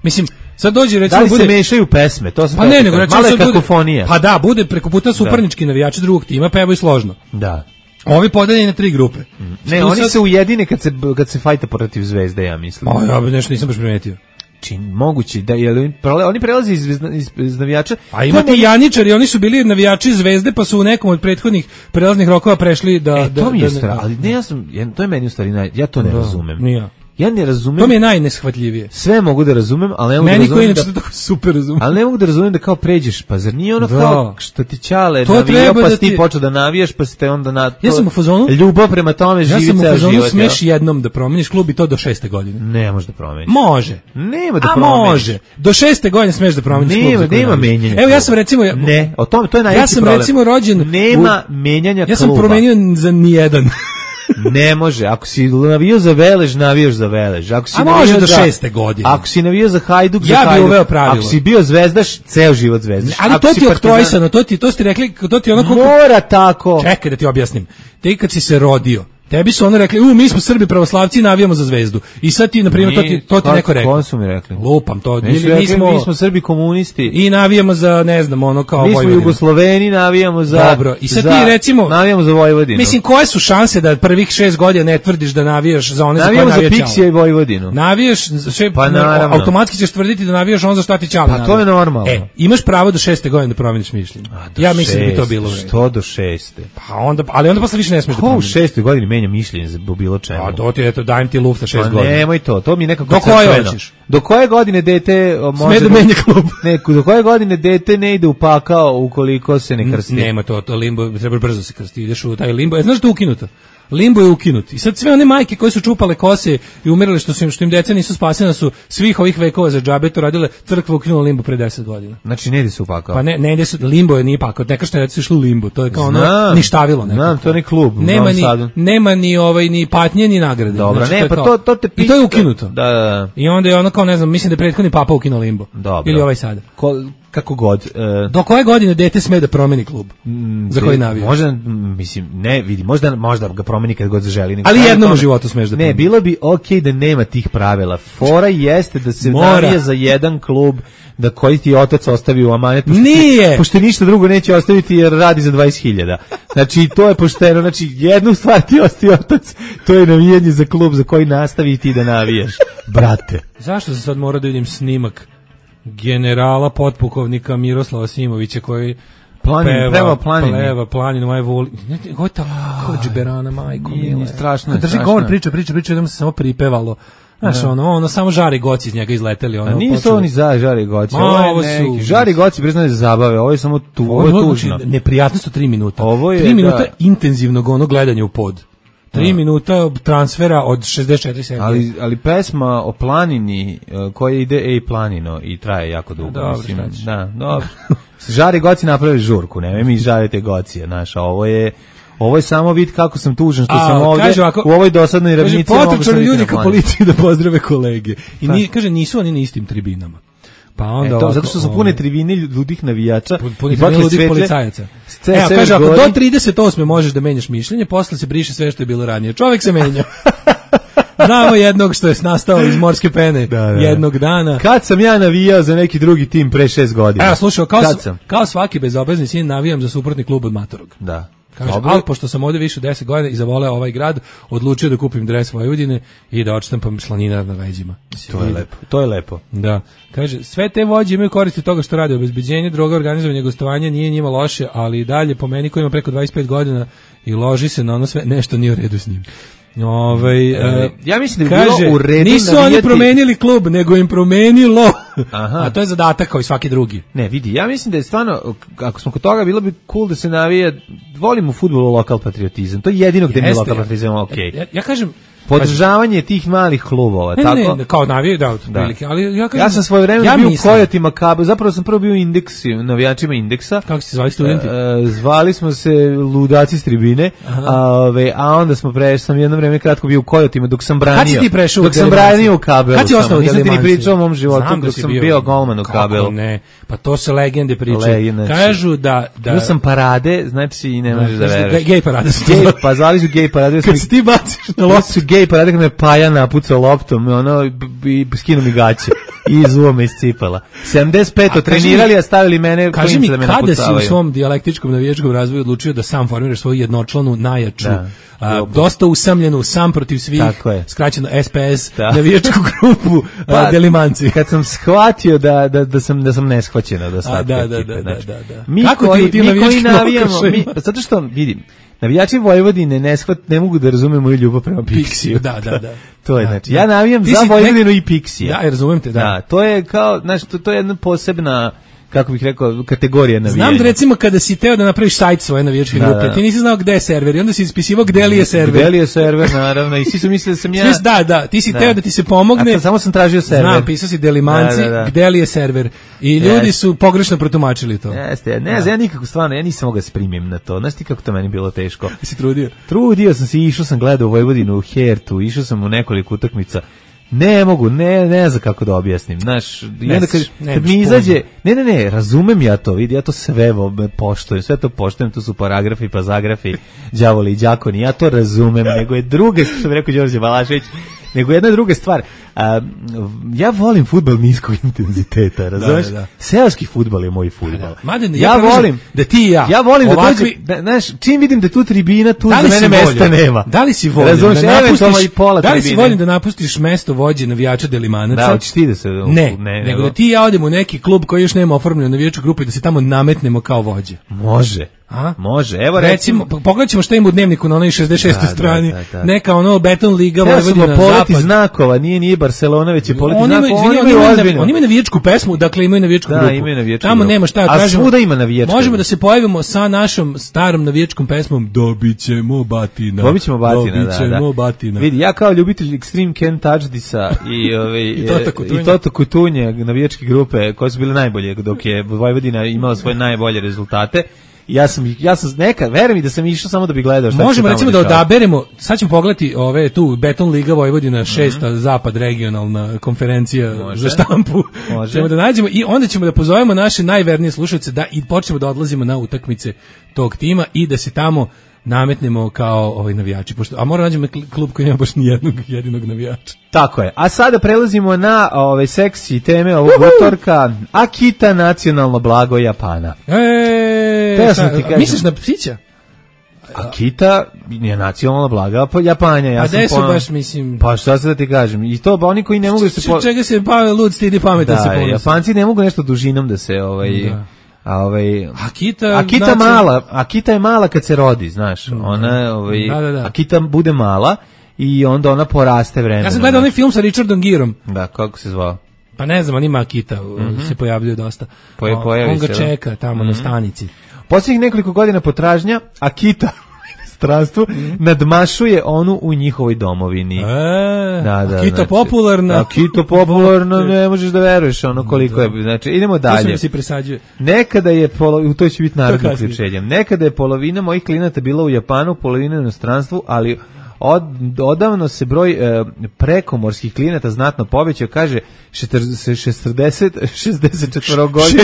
Mislim, sad dođe recimo da li bude se mešaju pesme, to se pa ne, nego recimo sad kakofonija. Pa da, bude preko puta suparnički navijači drugog tima pevaju složno. Da. Ovi podeljeni na tri grupe. Mm. Ne, oni sad se ujedine kad se kad se fajta protiv Zvezde, ja mislim. O, ja nešto nisam baš primetio. Čin moguće da je oni prelaze iz, iz, iz navijača. A ima ti Janičari, oni su bili navijači Zvezde, pa su u nekom od prethodnih prelaznih rokova prešli da e, da to mi je da, stra, ali ne ja sam, to je meni u stvari, ja to ne da, razumem. Nije. Ja ne razumem. To mi je najneshvatljivije. Sve mogu da razumem, ali ne mogu meni da razumem. Meni koji da, tako super razumem. Ali ne mogu da razumem da kao pređeš, pa zar nije ono da. kao što ti ćale to navijao, pa da ti ti počeo da navijaš, pa ste onda na to. Ja sam u fazonu. Ljubav prema tome živi ceo život. Ja sam u fazonu smeš jednom da promeniš klub i to do šeste godine. Ne može da promeniš. Može. Nema da A promeniš. može. Do šeste godine smeš da promeniš klub. Nema, nema menjanja. Evo ja sam recimo ne, o tome to je najveći ja sam problem. recimo rođen nema menjanja kluba. Ja sam promenio za nijedan. Ne može, ako si navio za Velež, navijaš za Velež. Ako si a može do šeste godine. Ako si navio za Hajduk, za ja Hajduk. Ja bih uveo pravilo. Ako si bio zvezdaš, ceo život zvezdaš. Ali ako to ti je oktrojsano, to ti, to ste rekli, to ti ono kako... Mora tako. Čekaj da ti objasnim. Ti kad si se rodio, tebi su ono rekli, u, mi smo Srbi pravoslavci i navijamo za Zvezdu. I sad ti, na primjer, to ti, to ti neko rekao. Ko su mi rekli? Lupam to. Mi, mi, rekli, smo, mi smo Srbi komunisti. I navijamo za, ne znam, ono kao mi Vojvodinu. Mi smo Jugosloveni, navijamo za... Dobro, i sad za, ti recimo... Navijamo za Vojvodinu. Mislim, koje su šanse da prvih šest godina ne tvrdiš da navijaš za one navijamo za koje navijaš Navijamo za Pixija i Vojvodinu. Navijaš, sve, pa naravno. Automatski ćeš tvrditi da navijaš on za šta ti ćale. Pa navijaš. to je normalno. E, imaš pravo do šeste godine da promeniš mišljenje. Ja mislim da bi to bilo vreme. Što do šeste? Pa onda, ali onda posle više ne smiješ da promeniš. Ko u šestoj godini menja mišljenje za bilo čemu? A to ti eto dajem ti lufta šest godina. Nemoj to, to mi nekako do koje hoćeš? Do koje godine dete može da menja klub? Ne, do koje godine dete ne ide u pakao ukoliko se ne krsti? Nema to, to limbo treba brzo se krsti. Ideš u taj limbo. E, znaš da je ukinuto? Limbo je ukinut. I sad sve one majke koje su čupale kose i umirale što su im, što im deca nisu spasena su svih ovih vekova za džabe to radile, crkva ukinula limbo pre deset godina. Znači ne ide se u pakao. Pa ne, ne ide se, limbo je nije pakao. Neka što je deca išlo u limbo. To je kao ono ništavilo neko. Znam, to je ne klub. Nema ni, nema ni ovaj ni patnje ni nagrade. Dobro, znači, ne, to pa to to te pita. I to je ukinuto. Da, da, da. I onda je ono kao ne znam, mislim da je prethodni papa ukinuo limbo. Dobro. Ili ovaj sada. Ko, kako god. Uh, Do koje godine dete sme da promeni klub mm, za koji navija? Možda, mislim, ne, vidi, možda, možda ga promeni kad god zaželi. Ali jednom u životu smeš da promeni. Ne, bilo bi okej da nema tih pravila. Fora jeste da se navija za jedan klub da koji ti otac ostavi u amanet. Pošto Nije! Ti, pošto ništa drugo neće ostaviti jer radi za dvadeset hiljada. Znači, to je pošteno. Znači, jednu stvar ti ostavi otac, to je navijanje za klub za koji nastavi ti da navijaš. Brate. Zašto se sad mora da vidim snimak generala potpukovnika Miroslava Simovića koji Planin, peva, prema planini. Pleva, planinu, aj voli. Ovo je ta kođberana, majko mila. Strašno je, drži strašno. govor, priča, priča, priča, jednom se samo pripevalo. Znaš, ne. ono, ono, samo žari goci iz njega izleteli. Ono, A nisu počeli. oni za žari goci. Ma, ovo je ovo neki, su- žari goci, priznaju za zabave, ovo je samo tu, ovo je tužno. Znači, neprijatnost od tri minuta. Ovo je, tri minuta da. intenzivnog ono gledanja u pod. Tri Da. minuta transfera od šezdeset četiri serije. Ali, ali pesma o planini uh, koja ide ej planino i traje jako dugo. Dobro, mislim, šta ćeš. da, dobro. Žari goci napravili žurku, ne mi žarite gocije, znaš, a ovo je ovo je samo vid kako sam tužan što A, sam ovde kaže ovako, u ovoj dosadnoj Kaže, ravnici. mogu sam potrčali biti ljudi na ka planini. policiji da pozdrave kolege. I Pa. ni, kaže, nisu oni na istim tribinama. Pa onda E, to, ovako, zato što su ovaj, pune tribine ludih navijača puni i tribine bakle ludih svetlje. policajaca. Sve- Evo, sve kaže, ako gori. do trideset osme možeš da menjaš mišljenje, posle se briše sve što je bilo ranije. Čovjek se menja. Znamo jednog što je nastao iz morske pene Da, da. jednog dana. Kad sam ja navijao za neki drugi tim pre šest godina? Evo, slušaj, kao, Kad s- sam? kao svaki bezobrazni sin navijam za suprotni klub od Matorog. Da. Kaže, Dobro. ali pošto sam ovdje više od deset godina i zavoleo ovaj grad, odlučio da kupim dres Vojvodine i da odštampam slaninar na leđima. To je lepo. To je lepo. Da. Kaže, sve te vođe imaju koristi od toga što rade. Obezbeđenje, droga, organizovanje, gostovanja nije njima loše, ali i dalje po meni koji ima preko dvadeset pet godina i loži se na ono sve, nešto nije u redu s njim. Ovaj E, e, ja mislim da bi kaže, bilo u redu nisu oni navijati- promenili klub, nego im promenilo. Aha. A to je zadatak kao i svaki drugi. Ne, vidi, ja mislim da je stvarno, ako smo kod toga, bilo bi cool da se navija, volimo u fudbalu lokal patriotizam, to je jedino gde mi je Jeste, lokal ja. patriotizam, ok. Ja, ja kažem, Podržavanje tih malih klubova, ne, tako? ne, kao navije, da, Da. otprilike, ali ja kažem, Ja sam svoje vreme ja bio u mislim- Kojotima Kabel, zapravo sam prvo bio u Indeksu, navijačima Indeksa. Kako ste se zvali studenti? E, e, zvali smo se ludaci s tribine, a, ove, a onda smo prešli, sam jedno vreme kratko bio u Kojotima dok sam branio. Kad si ti prešao u Dok sam Delimanci? branio u Kabelu. Kad si samo, ostao u nisam ti ni Delimanci? pričao o mom životu Znam da dok si sam bio. bio golman u Kako Kabelu. ne? Pa to se legende pričaju. Legende, znači. Kažu da... da Bio sam parade, znači i ne možeš da Kažu veruješ. Gej parade su to Gej, zvali. pa zvali su gej parade. Kad se ti baciš na Loptu su gej parade kad me Paja napucao loptom, ono, i skinu mi gaće i izuo me iz cipala. sedamdeset pet A kaži trenirali, mi- a stavili mene Kaži mi, klince da me kada si u napucavaju. svom dijalektičkom navijačkom razvoju odlučio da sam formiraš svoju jednočlanu najjaču, Da. a, Dobro. dosta usamljenu, sam protiv svih, Tako je. skraćeno S P S, Da. navijačku grupu Pa, a, Delimanci. Kad sam shvatio da, da, da sam da sam neshvaćen od A, ostatka da, da, ekipe, da, znači. da, da. Mi Kako ti koji, u tim mi koji navijačkim navijamo, mi, okršajima? pa zato što vidim, navijači Vojvodine ne shvat, ne mogu da razume moju ljubav prema Pixiju. Da, da, da. To je Da, znači. da. Ja navijam Ti za si Vojvodinu nek- i Pixija. Da, ja razumem te, da. Da, to je kao, znači, to, to je jedna posebna, kako bih rekao, kategorija navijanja. Znam da recimo kada si teo da napraviš sajt svoje navijačke Da, grupe, da. ti nisi znao gde je server i onda si ispisivao gde li je server. Gde li je server, naravno, i svi su mislili da sam ja... Svi- Da, da, ti si Da. teo da ti se pomogne. A to samo sam tražio server. Znam, pisao si Delimanci, Da, da, da. gde li je server. I ljudi Jeste. su pogrešno protumačili to. Jeste, ja, ne znam, ja nikako stvarno, ja nisam mogao da se primim na to. Znaš ti kako to meni bilo teško? Si trudio? Trudio sam se, išao sam gledao u Vojvodinu, u Hertu, išao sam u nekoliko utakmica. Ne mogu, ne, ne znam kako da objasnim, znaš, i Ne onda kad, znaš, kad nemaš mi izađe, ne, ne, ne, razumem ja to, vidi, ja to sve vo- poštujem, sve to poštujem, tu su paragrafi, pazagrafi, đavoli i đakoni, ja to razumem, nego je druga, što bi rekao Đorđe Balašević, nego jedna druga stvar, a, ja volim fudbal niskog intenziteta, razumeš? da, da. Seoski fudbal je moj fudbal. Mada, ja ja predlažem volim, da ti i ja ja volim da ovakvi- dođe, da, znaš, čim vidim da tu tribina, tu Da za li si mene mesta voljan? nema. Da li si voljan Razumeš, da eventualno i napustiš, pola da li si tribine. voljan da napustiš mesto vođe navijača Delimanaca? Da, hoćeš ti da se... Ne, nego da ti i ja odemo u neki klub koji još nema oformljenu navijačku grupu i da se tamo nametnemo kao vođe. Može. A? Može. Evo Recimo, recimo, pogledat ćemo šta ima u dnevniku na onoj šezdeset šestoj Da, da, strani. da, da. Neka ono Beton Liga, ja sam Vojvodina, poleti Zapad. znakova, nije nije Barcelona, već je poleti Oni imaju, znakova, izvini, oni oni imaju imaju, ozbiljno. oni imaju navijačku pesmu, dakle imaju navijačku Da, grupu. imaju navijačku Tamo grupu. nema šta da A kažemo. svuda ima navijačka Možemo grupa. da se pojavimo sa našom starom navijačkom pesmom Dobićemo batina. Dobićemo batina, da, Dobićemo da. batina. Vidi, ja kao ljubitelj Extreme Can't Touch This-a i, ovaj, I Tota Kutunja. i Tota Kutunja, navijačke grupe koje su bile najbolje dok je Vojvodina imala svoje najbolje rezultate, Ja sam, ja sam neka, verujem mi da sam išao samo da bi gledao šta možemo se recimo tamo da dešava. odaberemo, sad ćemo pogledati ove tu Beton Liga Vojvodina šesta mm-hmm. zapad regionalna konferencija Može. za štampu. Može. Ćemo da nađemo i onda ćemo da pozovemo naše najvernije slušalce da i počnemo da odlazimo na utakmice tog tima i da se tamo nametnemo kao ovaj navijači, pošto, a moramo nađemo klub koji nema baš ni jednog jedinog navijača. Tako je. A sada prelazimo na ove seksi teme ovog utorka. Akita, nacionalno blago Japana. E, sa, misliš na psića? Akita je nacionalna blaga pa Japanja. Ja a sam su baš, mislim... Pa šta se da ti kažem? I to ba oni koji ne mogu da se... Po... Čega se pa lud stidi pametan da, se ponosi. Japanci ne mogu nešto dužinom da se... Ovaj, da. A ovaj Akita, Akita znači... mala, Akita je mala kad se rodi, znaš. Ona ovaj da, da, da. Akita bude mala i onda ona poraste vremenom. Ja sam gledao onaj film sa Richardom Gerom. Da, kako se zvao? Pa ne znam, on ima Akita, mm-hmm. se pojavljuje dosta. Poje, pojavi on ga se, čeka tamo mm-hmm. na stanici. Posljednjih nekoliko godina potražnja Akita stranstvu mm. nadmašuje onu u njihovoj domovini. E, da, da, Akita znači, popularna. Akita popularna, ne možeš da veruješ ono koliko da. je. Znači, idemo dalje. To se presađuje. Nekada je, polo, to će biti narodno uključenje, nekada je polovina mojih klijenata bila u Japanu, polovina u inostranstvu, ali od, odavno se broj e, prekomorskih klijenata znatno povećao, kaže šesdeset šezdeset četvorogodišnji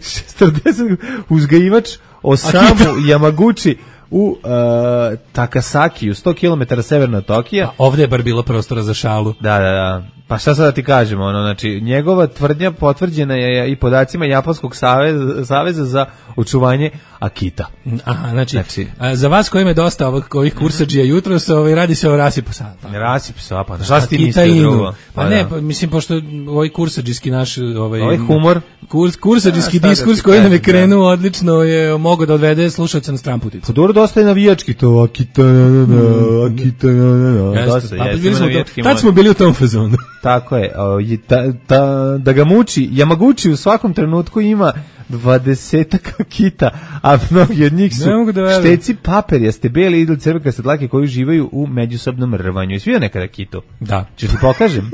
šesdeset uzgajivač Osamu Yamaguchi u uh, Takasakiju, sto kilometara severno od Tokija. A ovdje je bar bilo prostora za šalu. Da, da, da. Pa šta sad da ti kažemo, ono, znači, njegova tvrdnja potvrđena je i podacima Japanskog saveza, saveza za očuvanje Akita. Aha, znači, znači a, za vas kojima je dosta ovih, ovih kursadžija jutros, ovaj, radi se o rasipu sapa. Rasipu sapa, šta si ti mislio drugo? Pa, pa ne, da. pa, mislim, pošto ovaj kursadžijski naš... Ovaj, ovaj humor? Kurs, kursadžijski ja, diskurs koji nam je krenuo odlično je mogao da odvede slušalca na stramputicu. Pa dobro, dosta je navijački to, Akita, na, na, Akita, na, na, na. Dosta, pa, jesmo navijački. Tad smo bili u tom fazonu. Tako je, o, ta, ta, da ga muči, Yamaguchi u svakom trenutku ima dvadesetak Akita, a mnogi od njih su da šteci paperjaste, beli idol crvekaste dlake koji uživaju u međusobnom rvanju. Jesi vidio nekada Akitu? Da. Češ ti pokažem?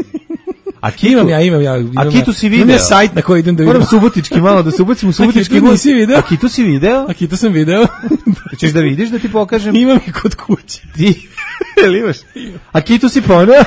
Akitu, imam ja, imam ja. Imam Akitu si video. Imam ja sajt na koji idem da vidim. Moram subotički malo, da se ubacim u subotički. Akitu nisi video? Akitu si video? Akitu sam video. Ćeš da vidiš da ti pokažem? Imam i kod kuće. Ti, ili imaš? Akitu si poneo?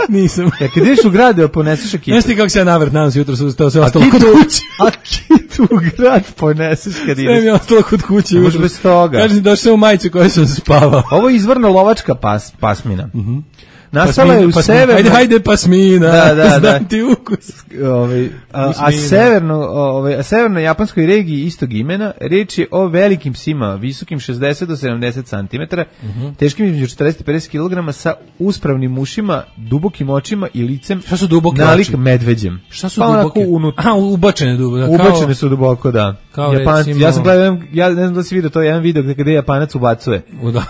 Nisam. Ja kad ideš u grad da poneseš Akitu. Znaš ti kako se ja navrt danas jutro su to sve ostalo kod kuće. Akitu u grad poneseš kad ideš. Sve mi je ostalo kod kuće. Može bez toga. Kažem došao u majicu koju sam spavao. Ovo je izvorno lovačka pas, pasmina. Mhm. Mm Nastala pasmina, je u pasmina. severno... Ajde, hajde, pasmina. Da, da, znam ti ukus. Ove, a, a, severno, ove, a severno japanskoj regiji istog imena reč je o velikim psima, visokim šezdeset do sedamdeset centimetara, uh-huh. teškim između četrdeset do pedeset kilograma, sa uspravnim ušima, dubokim očima i licem. Šta su duboki nalik oči? Medveđem. Šta su pa duboki? Unutra. Aha, ubačene duboko. Ubačene su duboko, da. Kao Japanci, recimo... ja sam gledao, ja ne znam da si vidio to, jedan video gde Japanac ubacuje. U da,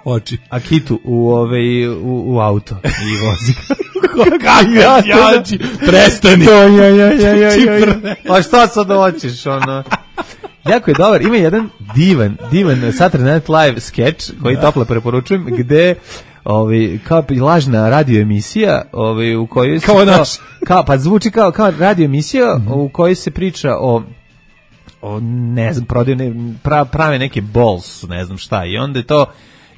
oči. Akitu u, ove, u, u auto i vozi. Jači, prestani. Ja, ja, ja, ja, ja, ja. A šta sad hoćeš, ono? Jako je dobar, ima jedan divan, divan Saturday Night Live sketch koji toplo preporučujem, gde ovaj kao lažna radio emisija, ovaj u kojoj se kao, kao, kao pa zvuči kao kao radio emisija mm-hmm. u kojoj se priča o o ne znam, prodaju ne, pra, prave neke balls, ne znam šta, i onda je to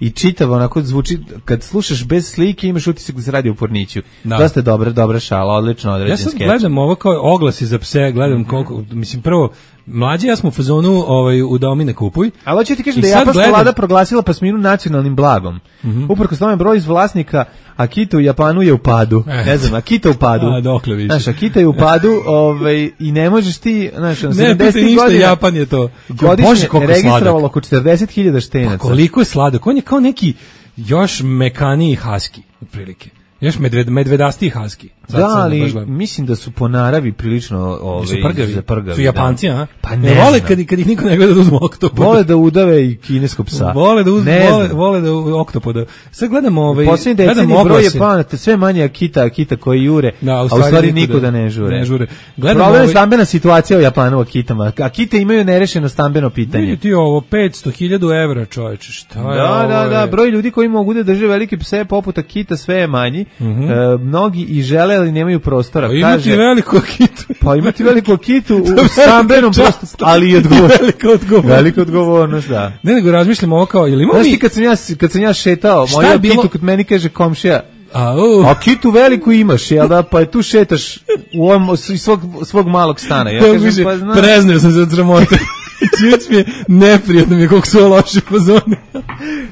i čitavo onako zvuči, kad slušaš bez slike imaš utisak da se radi u porniću. Da. Dosta je dobra, dobra šala, odlično određen skeč. Ja sad gledam ovo kao oglasi za pse, gledam koliko, mislim prvo, mlađi ja smo u fazonu ovaj, u domi ne kupuj. Ali hoću ti kažem da je japanska gledam... vlada proglasila pasminu nacionalnim blagom. Mm-hmm. Uprkos tome broj iz vlasnika Akita u Japanu je u padu. Eh. Ne znam, Akita u padu. A dokle više. Znaš, Akita je u padu ovaj, i ne možeš ti, znaš, ne, sedamdesetih godina, Japan je to. Godišnje registrovalo oko četrdeset hiljada štenaca. Pa koliko je sladak, on je kao neki još mekaniji husky, otprilike. Još medved, medvedasti husky. Da, ali mislim da su po naravi prilično ove, su prgavi. prgavi. Su Japanci, da. a? Pa ne, ne vole kad, kad ih niko ne gleda da uzmu oktopoda. Vole da udave i kineskog psa. Vole da uzmu, vole, vole da oktopoda. Sad gledamo ovaj... Posljednji deceniji broj Japana, sve manje Akita, Akita koji jure, da, a u stvari, a u stvari niko da ne žure. Ne žure. Problem je ovaj... stambena situacija u Japanu u Akitama. Akite imaju nerešeno stambeno pitanje. Vidi ti ovo, petsto hiljada evra, čoveče, šta je da, ovo? Da, da, broj ljudi koji mogu da drže velike pse poput Akita sve je manji. Mm-hmm. E, mnogi i žele žele, ali nemaju prostora. Pa imati Kaže, veliku akitu. Pa imati veliku akitu u stambenom prostoru, ali i odgovornost. Velika odgovornost. Velika odgovornost, da. Ne, nego razmišljam ovo kao, ili imamo Znaš mi... ti kad sam ja, kad sam ja šetao, Šta moju je bilo? akitu, kad meni kaže komšija, A, uh. akitu veliku imaš, jel da, pa je tu šetaš u ovom, iz svog, svog malog stana. Ja kažem, pa znam. Prezneo sam se od sramote. Čuć mi je neprijatno mi je koliko su ovo loši fazoni.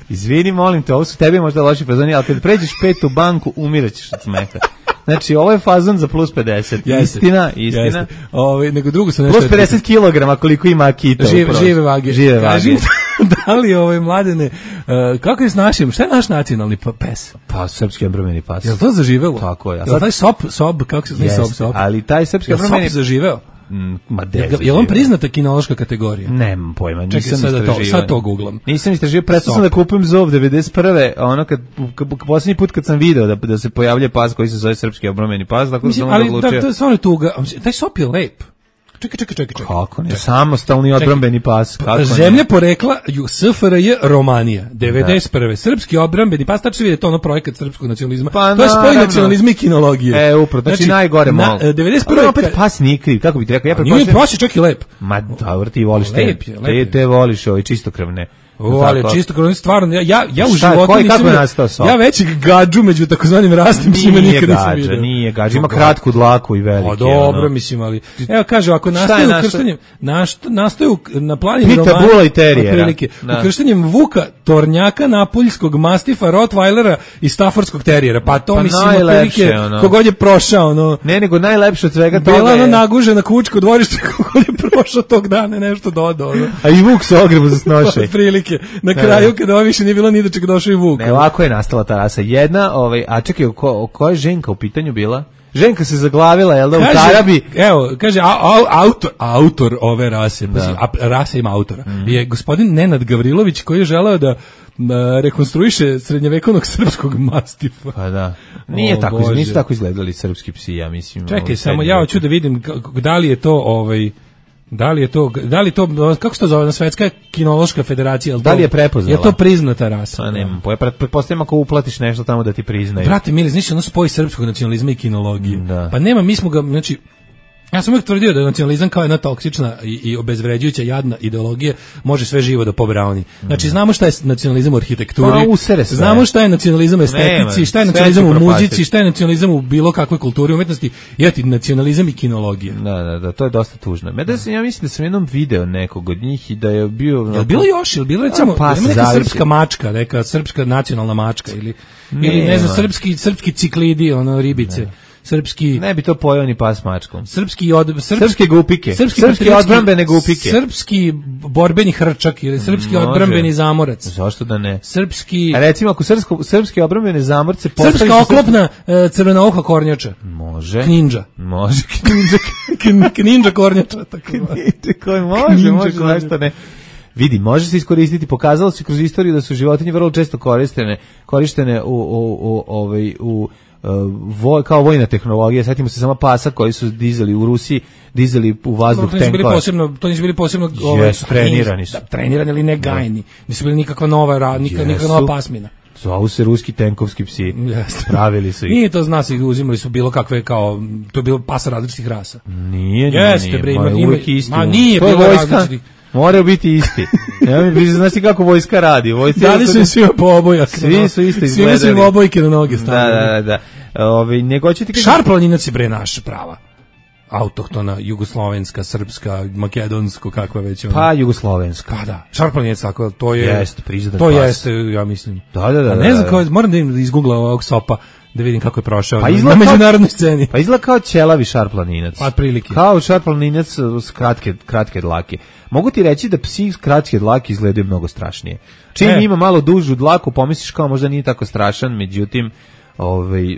Izvini, molim te, ovo su tebi možda loši fazoni, ali kad pređeš petu banku, umiraćeš od smeha. Znači, ovo je fazon za plus pedeset. Jeste, istina, istina. Jeste. Ove, nego drugo sam nešto... Plus pedeset kilograma koliko ima akita. Žive, žive vage. Žive vage. Kažim, da li ove mladene, uh, kako je s našim, šta je naš nacionalni pes? Pa, srpski odbrambeni pas. Je li to zaživelo? Tako je. Je li taj sop, sob, kako se zove sop, sop? Ali taj srpski odbrambeni... Je sop zaživeo? Mm, ma de, je, je on priznata kinološka kategorija? Nemam pojma, nisam Čekaj, sad to, sad to googlam. Nisam istražio, prestao sam da kupujem zov devedeset prve, ono kad, kad, posljednji put kad sam video da, da se pojavlja pas koji se zove srpski obrameni pas, dakle mislim, sam ali odlučio. Da, to je stvarno tuga, taj sop je lep. Čekaj, čekaj, čekaj, čekaj. Kako ne, samostalni odbrambeni pas. Kako Zemlja ne? Porekla S F R J Romanija, devedeset prve. Da. Srpski odbrambeni pas, tačno vidite ono projekat srpskog nacionalizma. Pa, to je spoj nacionalizma i kinologije. E, upravo, znači, znači najgore na, mogu. devedeset prve. Ali opet pas nije kriv, kako bih ti rekao. Ja nije pas je čak i lep. Ma, dobro, ti voliš te. Lep je, lep te, te voliš ovaj čistokrvne. O, ali čisto kroz stvarno ja ja ja u Šta, životu koji, nisam vidio, ja većeg gadžu među takozvanim rasnim psima nikad nisam vidio. Nije gadža, ima kratku dlaku i veliki. O, dobro, ono. Mislim, ali evo kaže ako nastaje ukrštanjem nastaje na planini Pita Bula i terijera. Ukrštanjem Vuka, Tornjaka, Napoljskog mastifa, Rottweilera i Staffordskog terijera. Pa to pa mislim otprilike kogod je prošao, no. Ne, nego najlepše od svega toga. Bila ona nagužena kućka u dvorištu kogod je prošao tog dana nešto dodao. A i Vuk se ogrebu za snoše. Otprilike. Na kraju kada ovo više nije bilo ni do čega došao i Vuk. Ne, ovako je nastala ta rasa. Jedna, ovaj, a čekaj, ko, ko je Ženka u pitanju bila? Ženka se zaglavila, jel da, kaže, u Tarabi? Evo, kaže, a, a, autor, autor ove rase, da. A, rasa ima autora, mm. je gospodin Nenad Gavrilović koji je želeo da a, rekonstruiše srednjevekovnog srpskog mastifa. Pa da. Nije o, tako, Bože. Nisu tako izgledali srpski psi, ja mislim. Čekaj, samo ja hoću da vidim da li je to ovaj... Da li je to, da li to, kako se to zove, Svetska kinološka federacija? Da li je prepoznala? Je to priznata rasa? Pa nema, pretpostavljam ako uplatiš nešto tamo da ti priznaju. Brate, mili, znači ono spoj srpskog nacionalizma i kinologije. Da. Pa nema, mi smo ga, znači, ja sam uvijek tvrdio da nacionalizam kao jedna toksična i, i obezvređujuća jadna ideologija može sve živo da pobrauni. Znači, znamo šta je nacionalizam u arhitekturi, pa, znamo šta je nacionalizam u estetici, šta je nacionalizam u muzici, šta je nacionalizam u bilo kakvoj kulturi i umetnosti, i eto, nacionalizam i kinologija. Da, da, da, to je dosta tužno. Mada sam, ja mislim da sam jednom video nekog od njih i da je bio... Je li bilo još, je li bilo recimo, pa, ima neka srpska mačka, neka srpska nacionalna mačka, ili, ne, ili ne znam, srpski, srpski ciklidi, ono, ribice. Ne. Srpski ne bi to pojeo ni pas mačkom. Srpski od srpski, srpske gupike. Srpski, srpski odbrambene gupike. Srpski borbeni hrčak ili srpski Može. odbrambeni zamorac. Zašto da ne? Srpski. A recimo ako srpsko srpski odbrambene zamorce postaviš srpska oklopna srpski... crvenoka kornjača. Može. Kninđa. Može. Kninđa. Kninđa kornjača tako. Koji može, može, zašto ne? Vidi, može se iskoristiti, pokazalo se kroz istoriju da su životinje vrlo često korištene, korištene u u u ovaj u Voj, kao vojna tehnologija, sjetimo se samo pasa koji su dizali u Rusiji, dizali u vazduh no, tenkova. Posebno, to nisu bili posebno ovaj, yes, trenirani su. Da, trenirani ili ne gajni. Nisu bili nikakva nova, ra, nikakva, nikakva nova pasmina. Zovu se ruski tenkovski psi. Yes. Pravili su ih. Nije to zna se, uzimali su bilo kakve kao, to je bilo pasa različitih rasa. Nije, nije, Jeste, nije. Bre, Ma, ima, uvijek isti. Ma nije to bilo vojska, različitih. Moraju biti isti. Ja mi znaš ti kako vojska radi. Vojska da li su im svi obojak? Svi su isto Svi izgledali. su im obojke na noge stavili. Da, da, da. Ove, nego ću ti kažem... Šarplaninac je bre naša prava. Autohtona, jugoslovenska, srpska, makedonsko, kakva već ona. Pa jugoslovenska. Pa da, Šarplaninac tako, to je... Jeste, priznat To pas. jeste, ja mislim. Da, da, da. A ne znam kao, moram da im izgooglam ovog sopa, da vidim kako je prošao pa na međunarodnoj sceni. Pa izgleda kao ćelavi šarplaninac. Pa prilike. Kao šarplaninac s kratke, kratke dlake. Mogu ti reći da psi s kratke dlake izgledaju mnogo strašnije. Čim e. ima malo dužu dlaku, pomisliš kao možda nije tako strašan, međutim, ovaj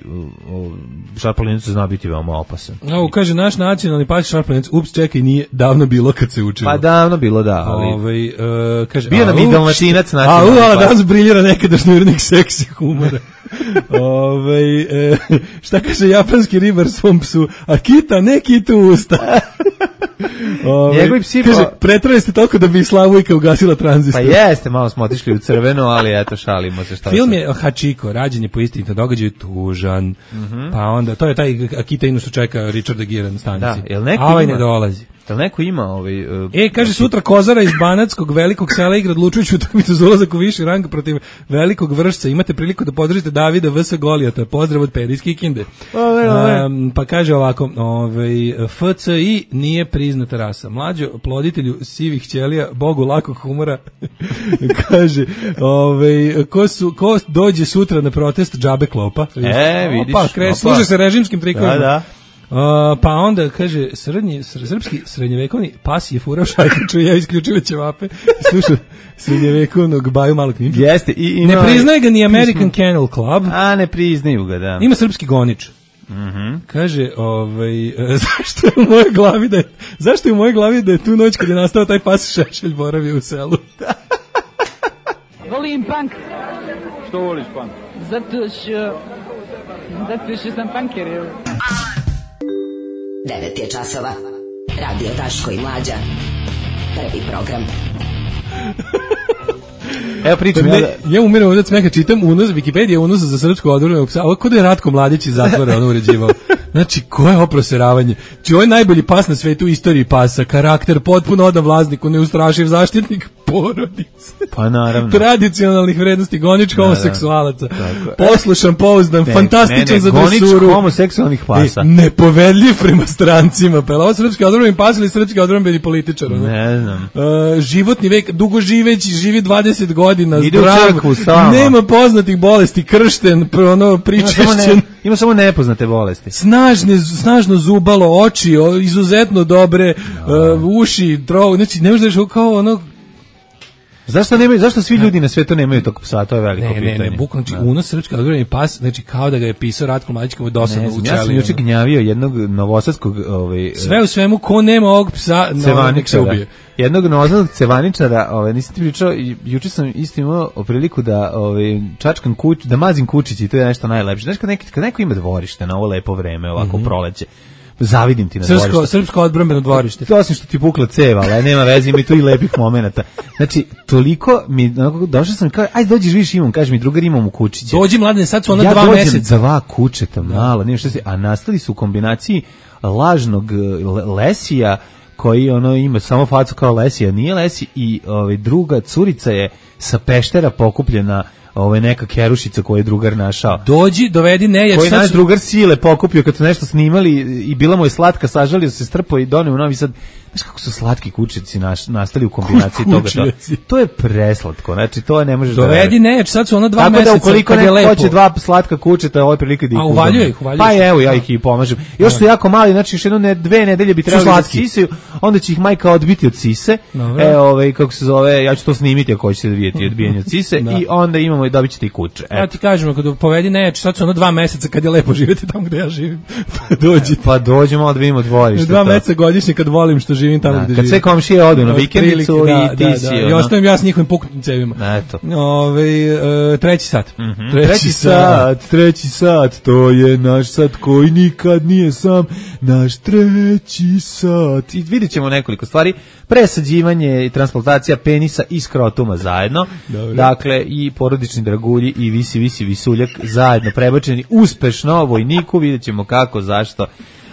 šarplaninac zna biti veoma opasan. Evo kaže naš nacionalni pas šarplaninac, ups, čekaj, nije davno bilo kad se učilo. Pa davno bilo, da, ali ovaj uh, kaže bio nam i dalmatinac nacionalni. A, a danas briljira nekadašnji urednik seksi humora. Ovaj e, šta kaže japanski ribar svom psu? Akita, ne kitu usta. Ove, Njegovi psi... Kaže, pretrali ste toliko da bi Slavujka ugasila tranzistor. Pa jeste, malo smo otišli u crveno, ali eto, šalimo se šta. Film je Hachiko, rađen je po istinitom događaju, tužan. Mm-hmm. Pa onda, to je taj Akita Inu što čeka Richarda Gere na stanici. Da, jel neko a ovaj ima, ne dolazi. Jel neko ima ovaj... Uh, e, kaže, sutra Kozara iz Banatskog velikog sela igra odlučujuću utakmicu za ulazak u viši rang protiv velikog Vršca. Imate priliku da podržite Davida V S Golijata. Pozdrav od Peri iz Kikinde. Ove, ove. Um, pa kaže ovako, ovaj, F C I nije priznata rasa. Mlađo ploditelju sivih ćelija, bogu lakog humora, kaže, ovaj, ko, su, ko dođe sutra na protest džabe klopa. E, vidiš. Opa, kre, služe se režimskim trikovima. Da, da. Uh, pa onda kaže srednji srpski srednjevekovni pas je furao šajkaču, ja isključio ćevape, slušao srednjevekovnog Baju Malog Ninja. Jeste, i ima, ne priznaje ga ni American Kennel Club. A ne priznaju ga, da. Ima srpski gonič. Mhm. Kaže, ovaj, zašto je u mojoj glavi da je, zašto je u mojoj glavi da je tu noć kad je nastao taj pas Šešelj boravio u selu. Volim punk. Što voliš punk? Zato što zato što sam punker, evo. devet je časova. Radio Daško i Mlađa. Prvi program. Evo pričam ne, ja da... Ja umiram ovdje smeka, čitam unos, Wikipedia unos za srpsko odvrmenog psa. Ovo kod je Ratko Mladić iz zatvora ono uređivao. Znači, koje oproseravanje? Znači, ovo je najbolji pas na svetu u istoriji pasa. Karakter, potpuno odan vlasniku, neustrašiv zaštitnik porodice. Pa naravno. Tradicionalnih vrednosti, gonič homoseksualaca. Tako. Poslušan, pouzdan, ne, fantastičan ne, ne, za dresuru. Gonič homoseksualnih pasa. Ne, nepovedljiv prema strancima. Pa je ovo srpski odvrmeni pas ili srpski odvrmeni političar? Ne, ne znam. Uh, životni vek, dugo živeći, živi dvadeset godina, ide zdrav, u crkvu samo. Nema poznatih bolesti, kršten, ono, pričešćen. Ima samo, ne, ima samo nepoznate bolesti. Snažne, snažno zubalo, oči, o, izuzetno dobre, no. uh, uši, drog, znači ne možeš da kao ono... Zašto nemaju, zašto svi ljudi na svetu nemaju tog psa, to je veliko ne, pitanje. Ne, ne, bukvalno, znači, unos srpski odvrmeni pas, znači kao da ga je pisao Ratko Mladić kao dosadno učeli. Ja sam juče gnjavio jednog novosadskog... Ovaj, sve u svemu, ko nema ovog psa, no, nek se ubije. Jednog novosadnog cevaničara, ovaj, nisam ti pričao, juče sam isto imao priliku da ovaj, čačkam kuć, da mazim kučići i to je nešto najlepše. Znaš, kad, neki, kad neko ima dvorište na ovo lepo vreme, ovako mm-hmm. proleće, zavidim ti na srpsko, dvorište. Srpsko odbrambeno dvorište. Osim što ti pukla ceva, ali nema veze, ima i tu i lepih momenata. Znači, toliko mi, došao sam i kao, ajde dođi živiš imam, kaže mi drugar imam u kučiće. Dođi mladine, sad su ona ja dva meseca. Ja dođem dva kućeta, malo, nema što se, a nastali su u kombinaciji lažnog lesija, koji ono ima samo facu kao Lesija, nije Lesi, i ovaj, druga curica je sa Peštera pokupljena, ovaj, neka kerušica koju je drugar našao. Dođi, dovedi nejač. Koji naš su... drugar sile pokupio kad su nešto snimali i bila mu je slatka, sažalio se, strpao i doneo u Novi Sad. Znaš kako su slatki kučici naš, nastali u kombinaciji toga. To, to je preslatko, znači to ne možeš dovedi da... Dovedi nejač, sad su ona dva tako meseca. Tako da ukoliko neko hoće dva slatka kučeta, ovo je prilika da ih a uvaljuje ih, uvaljuje pa evo, ja ih i pomažem. Još su jako mali, znači još jedno ne, dve nedelje bi trebali da sisaju, onda će ih majka odbiti od sise. No, e, ovaj, kako se zove, ja ću to snimiti ako hoćete da vidjeti odbijanje od sise da. I onda imamo i dobit ćete i kuće. Ja ti kažem, kad povedi nejač, sad su ono dva meseca kad je lepo živjeti tamo gde ja živim. Dođite. Pa dođemo da vidimo dvorište. Dva meseca godišnje kad volim što živim tamo gde živim. Komšije odu na vikendicu da, i ti da, si. Da. I ostavim ja s njihovim puknutim cevima. Eto. Ove, uh, treći sat. Mm-hmm. Treći, treći sat, sat, treći sat, to je naš sat koji nikad nije sam, naš treći sat. I vidjet ćemo nekoliko stvari. Presađivanje i transplantacija penisa i skrotuma zajedno. Dobre. Dakle, i porodični dragulji i visi, visi, visuljak zajedno prebačeni uspešno vojniku. Vidjet ćemo kako, zašto.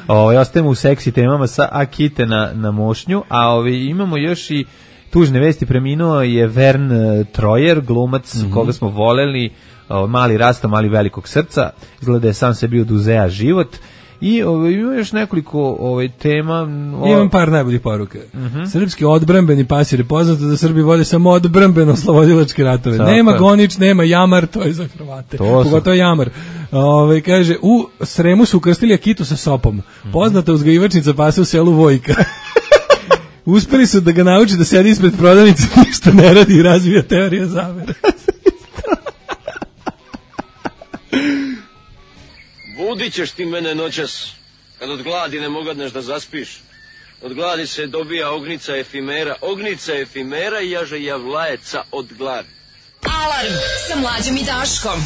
Ovaj ostajemo u seksi temama sa Akite na, na mošnju, a ovaj imamo još i tužne vesti. Preminuo je Vern Troyer, glumac mm-hmm. koga smo voleli, ovaj, mali rasta, mali velikog srca, izgleda je sam sebi oduzea život. I ovaj, ima još nekoliko ovaj, tema. O... Imam par najboljih poruka. Mm-hmm. Srpski odbrambeni pasir je poznato da Srbi vode samo odbrambeno slobodilačke ratove. Tako. Nema gonič, nema jamar, to je za Hrvate. Pogotovo jamar. Ove, kaže, u Sremu su ukrstili Akitu sa sopom. Poznata uzgajivačnica pasa u selu Vojka. Uspeli su da ga nauči da sedi ispred prodavnice, ništa ne radi i razvija teorija zavere. Budit ćeš ti mene noćas, kad od gladi ne mogadneš da zaspiš. Od gladi se dobija ognica efimera, ognica efimera i jaže javlajeca od gladi. Alarm sa Mlađom i Daškom.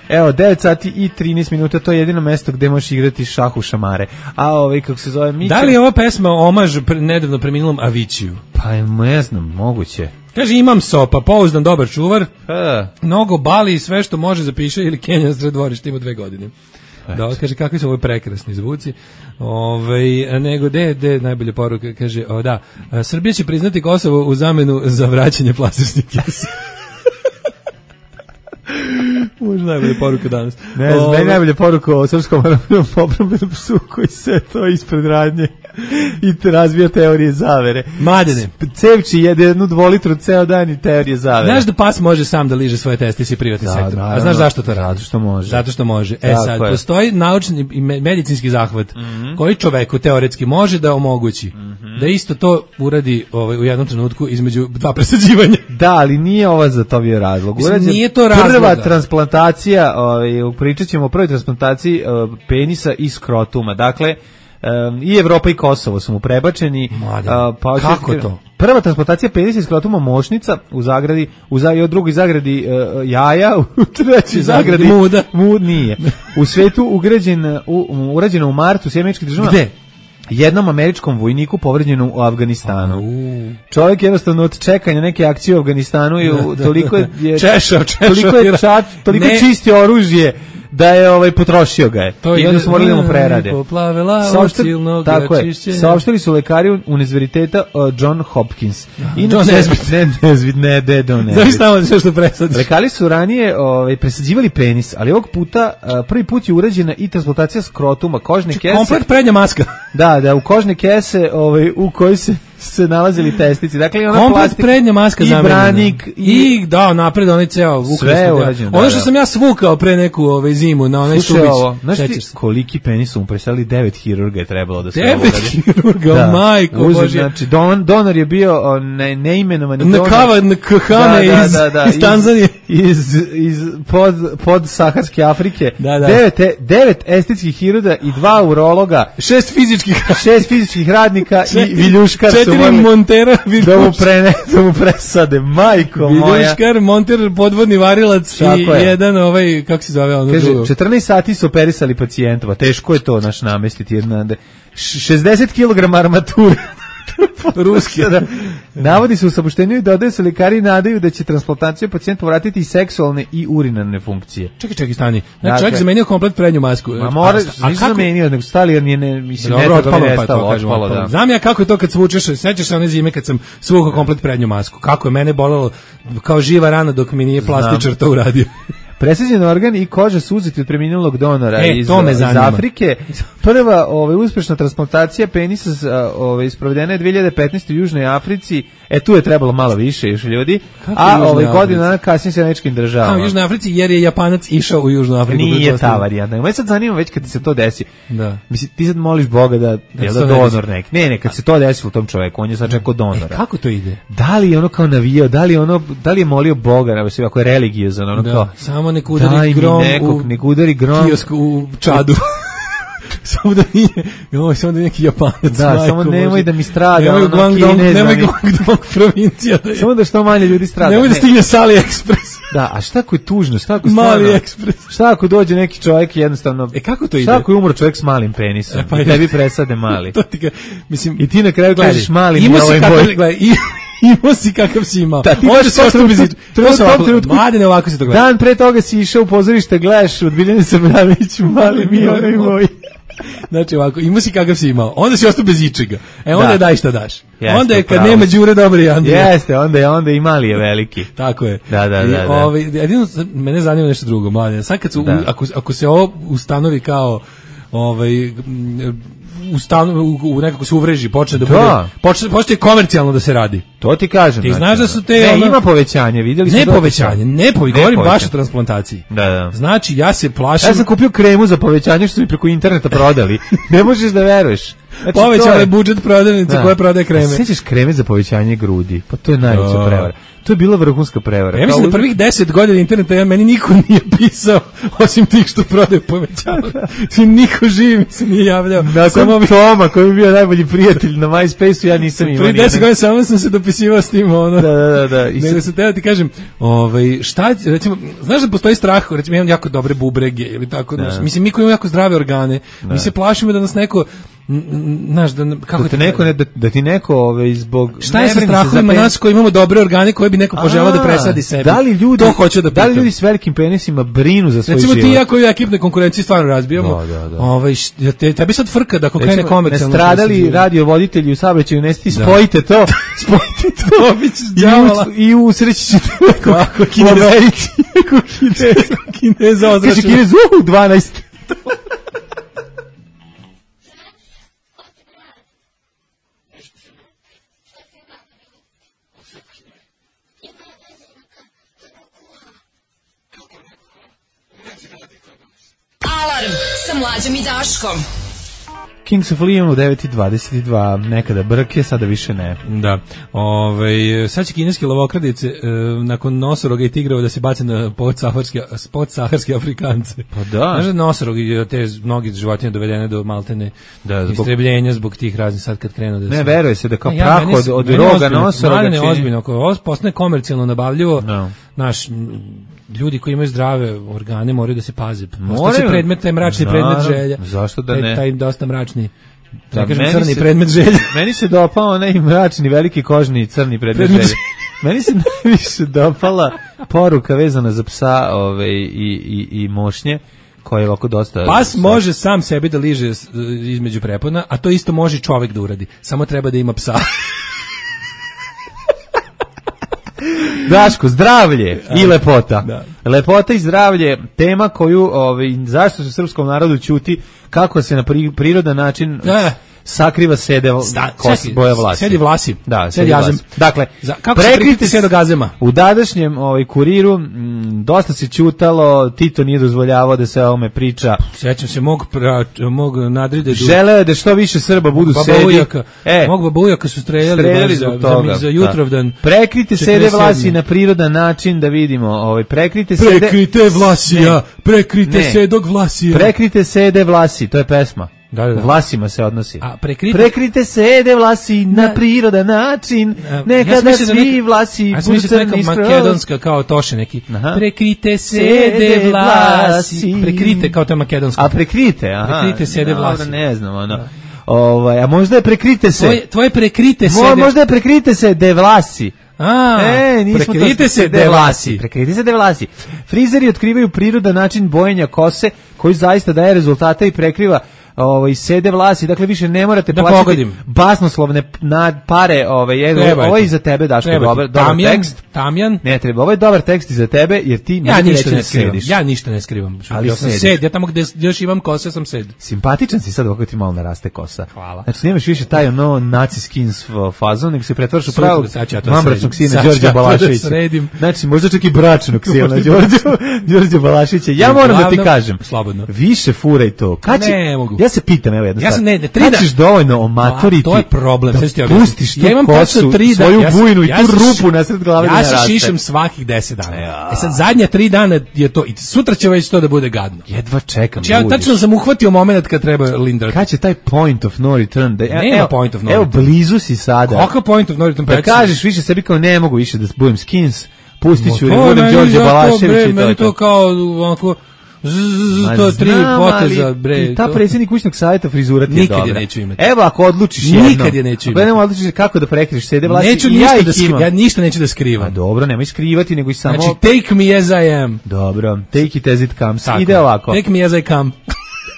Evo, devet sati i trinaest minuta, to je jedino mesto gde možeš igrati šah u šamare. A ovaj, kako se zove, Mića... Da li je ova pesma omaž pre, nedavno preminulom Aviciju? Pa ne znam, moguće. Kaže, imam sopa, pouzdan, dobar čuvar, e. mnogo bali i sve što može zapiše ili Kenja na sred dvorišta, ima dve godine. Da, kaže, kakvi su ovo prekrasni zvuci. Ove, nego, de, de, najbolja poruka, kaže, o, da, Srbija će priznati Kosovo u zamenu za vraćanje plastičnih kesa. Možda najbolja poruka danas. Ne znam, meni najbolja poruka o srpskom obrambenom psu koji se to ispred radnje i te razvija teorije zavere. Madene. Cevči jede jednu dvolitru ceo dan i teorije zavere. Znaš da pas može sam da liže svoje testise i privatni da, sektor. Naravno. A znaš zašto to radi? Zato što može. Zato što može. E tako sad, je. postoji naučni i medicinski zahvat mm-hmm. koji čoveku teoretski može da omogući mm-hmm. da isto to uradi ovaj, u jednom trenutku između dva presađivanja. Da, ali nije ova za to bio razlog. Urađen, nije to razlog. Prva transplantacija, ovaj, pričat ćemo o prvoj transplantaciji uh, penisa i skrotuma. Dakle, um, i Evropa i Kosovo su mu prebačeni. Uh, pa kako to? Prva transplantacija penisa i skrotuma mošnica u zagradi, u, za, u drugoj zagradi uh, jaja, u trećoj zagradi muda. Mud nije. U svetu ugrađen, u, urađeno u martu u Sjedinjenim Američkim Državama. Gde? Jednom američkom vojniku povređenom u Afganistanu. Čovjek jednostavno od čekanja neke akcije u Afganistanu i toliko je češao, češao, toliko je čat, toliko ne. čistio oružje da je ovaj potrošio ga je. To I onda su morali da mu prerade. Saopštili, tako je. Saopštili su lekari Univerziteta uh, John Hopkins. Inače, John Nesbitt. Ne, Nesbitt, ne, ne, ne, ne. Znaš tamo sve što presadiš. Lekari su ranije ovaj, presađivali penis, ali ovog puta uh, prvi put je urađena i transplantacija skrotuma, kožne kese. Komplet prednja maska. Da, da, u kožne kese ovaj, u kojoj se se nalazili testici. Dakle, ona komplet plastik, prednja maska i zamenjena. branik i, i da, napred onaj ceo ukrasno. Da. Ono što sam ja svukao pre neku ovaj, zimu na onaj Slušaj, stubić. Ovo, znaš ti koliki penis su mu preselili, devet hirurga je trebalo da se devet uradi. hirurga, da. Majko Uzir, Božje. Znači, don, donor je bio ne, neimenovani donor. Nakava, nakahane da, iz, da, da, iz Tanzanije. Iz, iz pod, pod Saharske Afrike. Da, da. Devet, devet estetskih hirurga i dva urologa. Šest fizičkih. Šest fizičkih radnika i viljuškar su četiri montera. Da mu, prene, da mu presade, majko moja. Viljuškar, monter, podvodni varilac i je. jedan ovaj, kako se zove ono Kaže, drugo. četrnaest sati su operisali pacijentova, teško je to naš namestiti. Jedna, šezdeset kilograma armature. Ruski. Da. Navodi se u saopštenju i dodaje se lekari nadaju da će transplantacija pacijentu vratiti i seksualne i urinarne funkcije. Čekaj, čekaj, stani. Znači, čovjek zamenio komplet prednju masku. Ma mora, nisam zamenio, nego stali jer nije, ne, mislim, dobro, ne otpalo, je pa nestalo, to kažem, otpalo, otpalo. da. Znam ja kako je to kad svučeš, sećaš se one zime kad sam svukao komplet prednju masku. Kako je mene bolelo kao živa rana dok mi nije plastičar to uradio. Presađen organ i koža su uzeti od preminulog donora e, iz, iz Afrike. Prva ovaj, uspešna transplantacija penisa ovaj, isprovedena je dve hiljade petnaeste u Južnoj Africi. E, tu je trebalo malo više još ljudi. Kako a ovaj, godina kasnije se Američkim državama. A u Južnoj Africi jer je Japanac išao u Južnu Afriku. Nije ta varijanta. Me sad zanima već kad se to desi. Da. Mislim, ti sad moliš Boga da je da donor neki. Ne, ne, kad se to desilo tom čoveku, on je sad čekao donora. E, kako to ide? Da li je ono kao navijao, da li je ono, da li je molio Boga, ne, ako je religiozan, ono da. kao samo nek udari grom nekog, u nek udari grom kiosku u Čadu. Samo da nije, joj, samo da je neki Japanac. Da, majko, samo nemoj Bože. da mi strada, nemoj ono Guangdong, Kinez. Nemoj Guangdong provincija. Da je. Samo da što manje ljudi strada. Nemoj da stigne s AliExpress. Da, a šta ako je tužno, šta ako Mali Express. Šta ako dođe neki čovjek jednostavno... E kako to ide? Šta ako je umro čovjek s malim penisom? E, pa i tebi presade mali. To ti ga, mislim... I ti na kraju gledaš mali ima na ovaj boj. Gledaj, imao si kakav si imao. Da, ti možeš se ostao bez iča. To se ovako, mladine ovako se to gleda. Dan pre toga si išao u pozorište, gledaš od Biljane Srbljanoviću, mali mi onaj moj. Znači ovako, imao si kakav si imao, onda si ostao bez ičega. E onda da. je daj šta daš. Jeste, onda je kad pravo. Nema Đure dobri Andrija. Jeste, onda je onda i mali je veliki. Tako je. Da, da, da. da. Ovaj jedino mene zanima nešto drugo, mladine. Sad kad su, da. ako ako se ovo ustanovi kao ovaj u stanu u, u nekako se uvreži, počne da, da. bude počne počne komercijalno da se radi. To ti kažem. Ti znaš da su te ne, ono, ima povećanje, vidjeli smo. Ne povećanje, ne povećanje, govorim baš o transplantaciji. Da, da. Znači ja se plašim. Ja sam kupio kremu za povećanje što su mi preko interneta prodali. Ne možeš da veruješ. Znači, Povećala je budžet prodavnice koja prodaje kreme. Sećaš kreme za povećanje grudi? Pa to je najveća Da. prevara. To je bila vrhunska prevara. Ja mislim da prvih deset godina interneta ja meni niko nije pisao osim tih što prodaju povećala. Niko živi mi se nije javljao. Samo bi Toma koji je bio najbolji prijatelj na MySpace-u, ja nisam imao. Prvi deset godina samo sam se dopisivao s tim, ono. Da, da, da, da. I nego se teo ti kažem, ovaj, šta, recimo, znaš da postoji strah, recimo imam jako dobre bubrege ili tako, da. Mislim mi koji imamo jako zdrave organe, da. Mi se plašimo da nas neko znaš da kako da ti neko ne, da, da ti neko ovaj zbog šta je sa strahovima nas koji imamo dobre organe koji bi neko poželeo da presadi sebi. Da li ljudi to hoće da da li ljudi s velikim penisima brinu za svoj recimo život? Recimo ti ja koji u ekipnoj konkurenciji stvarno razbijamo. Da, da, da. Ovaj te, tebi sad frka da ako krene komercijalno. Nastradali radiovoditelji u saobraćaju, ne sti spojite to, spojite to. I, i usreći ćete kako Kinez, u Americi, kako Kinez, Kinez ozračeno. Kaže Kinez u dvanaest. Alarm sa Mlađom i Daškom. Kings of Leon u devet i dvadeset dva, nekada brke, sada više ne. Da. Ovaj sad će kineske lovokradice e, nakon nosoroga i tigrova da se bace na podsaharske podsaharske Afrikance. Pa da. Znaš da nosorogi te mnogi životinje dovedene do maltene da, zbog istrebljenja zbog tih raznih sad kad krenu da se ne veruje se da kao ne, ja, prah od, od roga nosoroga ne ozbiljno, ako ovo postane komercijalno nabavljivo, no. Naš ljudi koji imaju zdrave organe moraju da se paze. Postaće predmet, taj mračni predmet želja. Zašto da ne? Taj, taj dosta mračni, da, ne kažem crni se, predmet želja. Meni se dopao onaj mračni, veliki kožni crni predmet, predmet želja. Meni se najviše dopala poruka vezana za psa ove, i, i, i mošnje, koja je ovako dosta... Pas može sam sebi da liže između prepona, a to isto može čovek da uradi. Samo treba da ima psa. Daško, zdravlje i lepota. Da. Lepota i zdravlje, tema koju, ovaj, zašto se srpskom narodu ćuti, kako se na prirodan način da. sakriva sede kos, boja vlasi. Sedi vlasi. Da, sedi vlasi. Dakle, Za, kako prekrite se do gazema? U dadašnjem ovaj, kuriru m, dosta se ćutalo, Tito nije dozvoljavao da se o ome priča. Sjećam se mog, pra, mog nadride. Želeo je da što više Srba budu sedi. Ujaka. E, mog baba ujaka su streljali, streljali za, za, za jutrovdan. Prekrite sede vlasi na prirodan način da vidimo. Ovaj, prekrite sede... Prekrite vlasija, prekrite ne. sedog vlasija. Prekrite sede vlasi, to je pesma. Da, da, da. Vlasima se odnosi. A prekrite, prekrite sede vlasi na, na prirodan način. Nekada ja svi neka, vlasi ja budu crni skroz. Makedonska kao Toše neki. Aha. Prekrite sede vlasi. Prekrite kao to je makedonska. A prekrite, aha. Prekrite sede vlasi. Dobro, ne znam, ono. Da. Ovaj, a možda je prekrite se. Tvoje, tvoje prekrite sede. Mo, možda je prekrite se de vlasi. A, e, prekrite se de vlasi. Prekrite se de vlasi. Frizeri otkrivaju prirodan način bojenja kose koji zaista daje rezultate i prekriva ovaj sede vlasi, dakle više ne morate da plaćati pogodim. basnoslovne na pare, ovaj ovo je za tebe Daško, dobar, dobar Tamjan, tekst. Tamjan. Ne treba, ovo je dobar tekst i za tebe jer ti ja ništa ne skrivam. Ja ništa ne skrivam. Ali ja sam sed, ja tamo gde još imam kose sam sed. Simpatičan si sad ovako ti malo naraste kosa. Hvala. Znači nemaš više taj ono naci skins fazon, nego se pretvaraš u pravog mambračnog sina Đorđa Balaševića. Znači možda čak i bračnog sina Đorđa Đorđa Balaševića. Ja moram da ti kažem. Slobodno. Više furaj to. Kad ja se pitam, evo jedno ja sam ne, ne, tri da ćeš dovoljno omatoriti. To je problem, da sve ti pustiš tu ja imam kosu, tri svoju ja bujnu i ja tu rupu nasred glave ja da se naraste. Šišem svakih deset dana. Ja. E sad zadnja tri dana je to i sutra će već to da bude gadno. Jedva čekam. Znači, ja tačno sam uhvatio momenat kad treba lindrati. Kad će taj point of no return? Da, nema evo, point of no evo, return. Evo blizu si sada. Kakav point of no return? Da kažeš više sebi kao ne mogu više da budem skins. Pustit ću da budem Đorđe Balašević i to. Meni to kao onako to tri poteza bre. Ta predsjednik kućnog savjeta frizura ti je dobra. Nikad je neću imati. Evo ako odlučiš jedno. Nikad je neću imati. Ako ne odlučiš kako da prekriješ sede vlasti. Neću ništa da skrivam. Ja ništa neću da skrivam. A dobro, nemoj skrivati nego i samo. Znači take me as I am. Dobro, take it as it comes. Ide ovako. Take me as I come.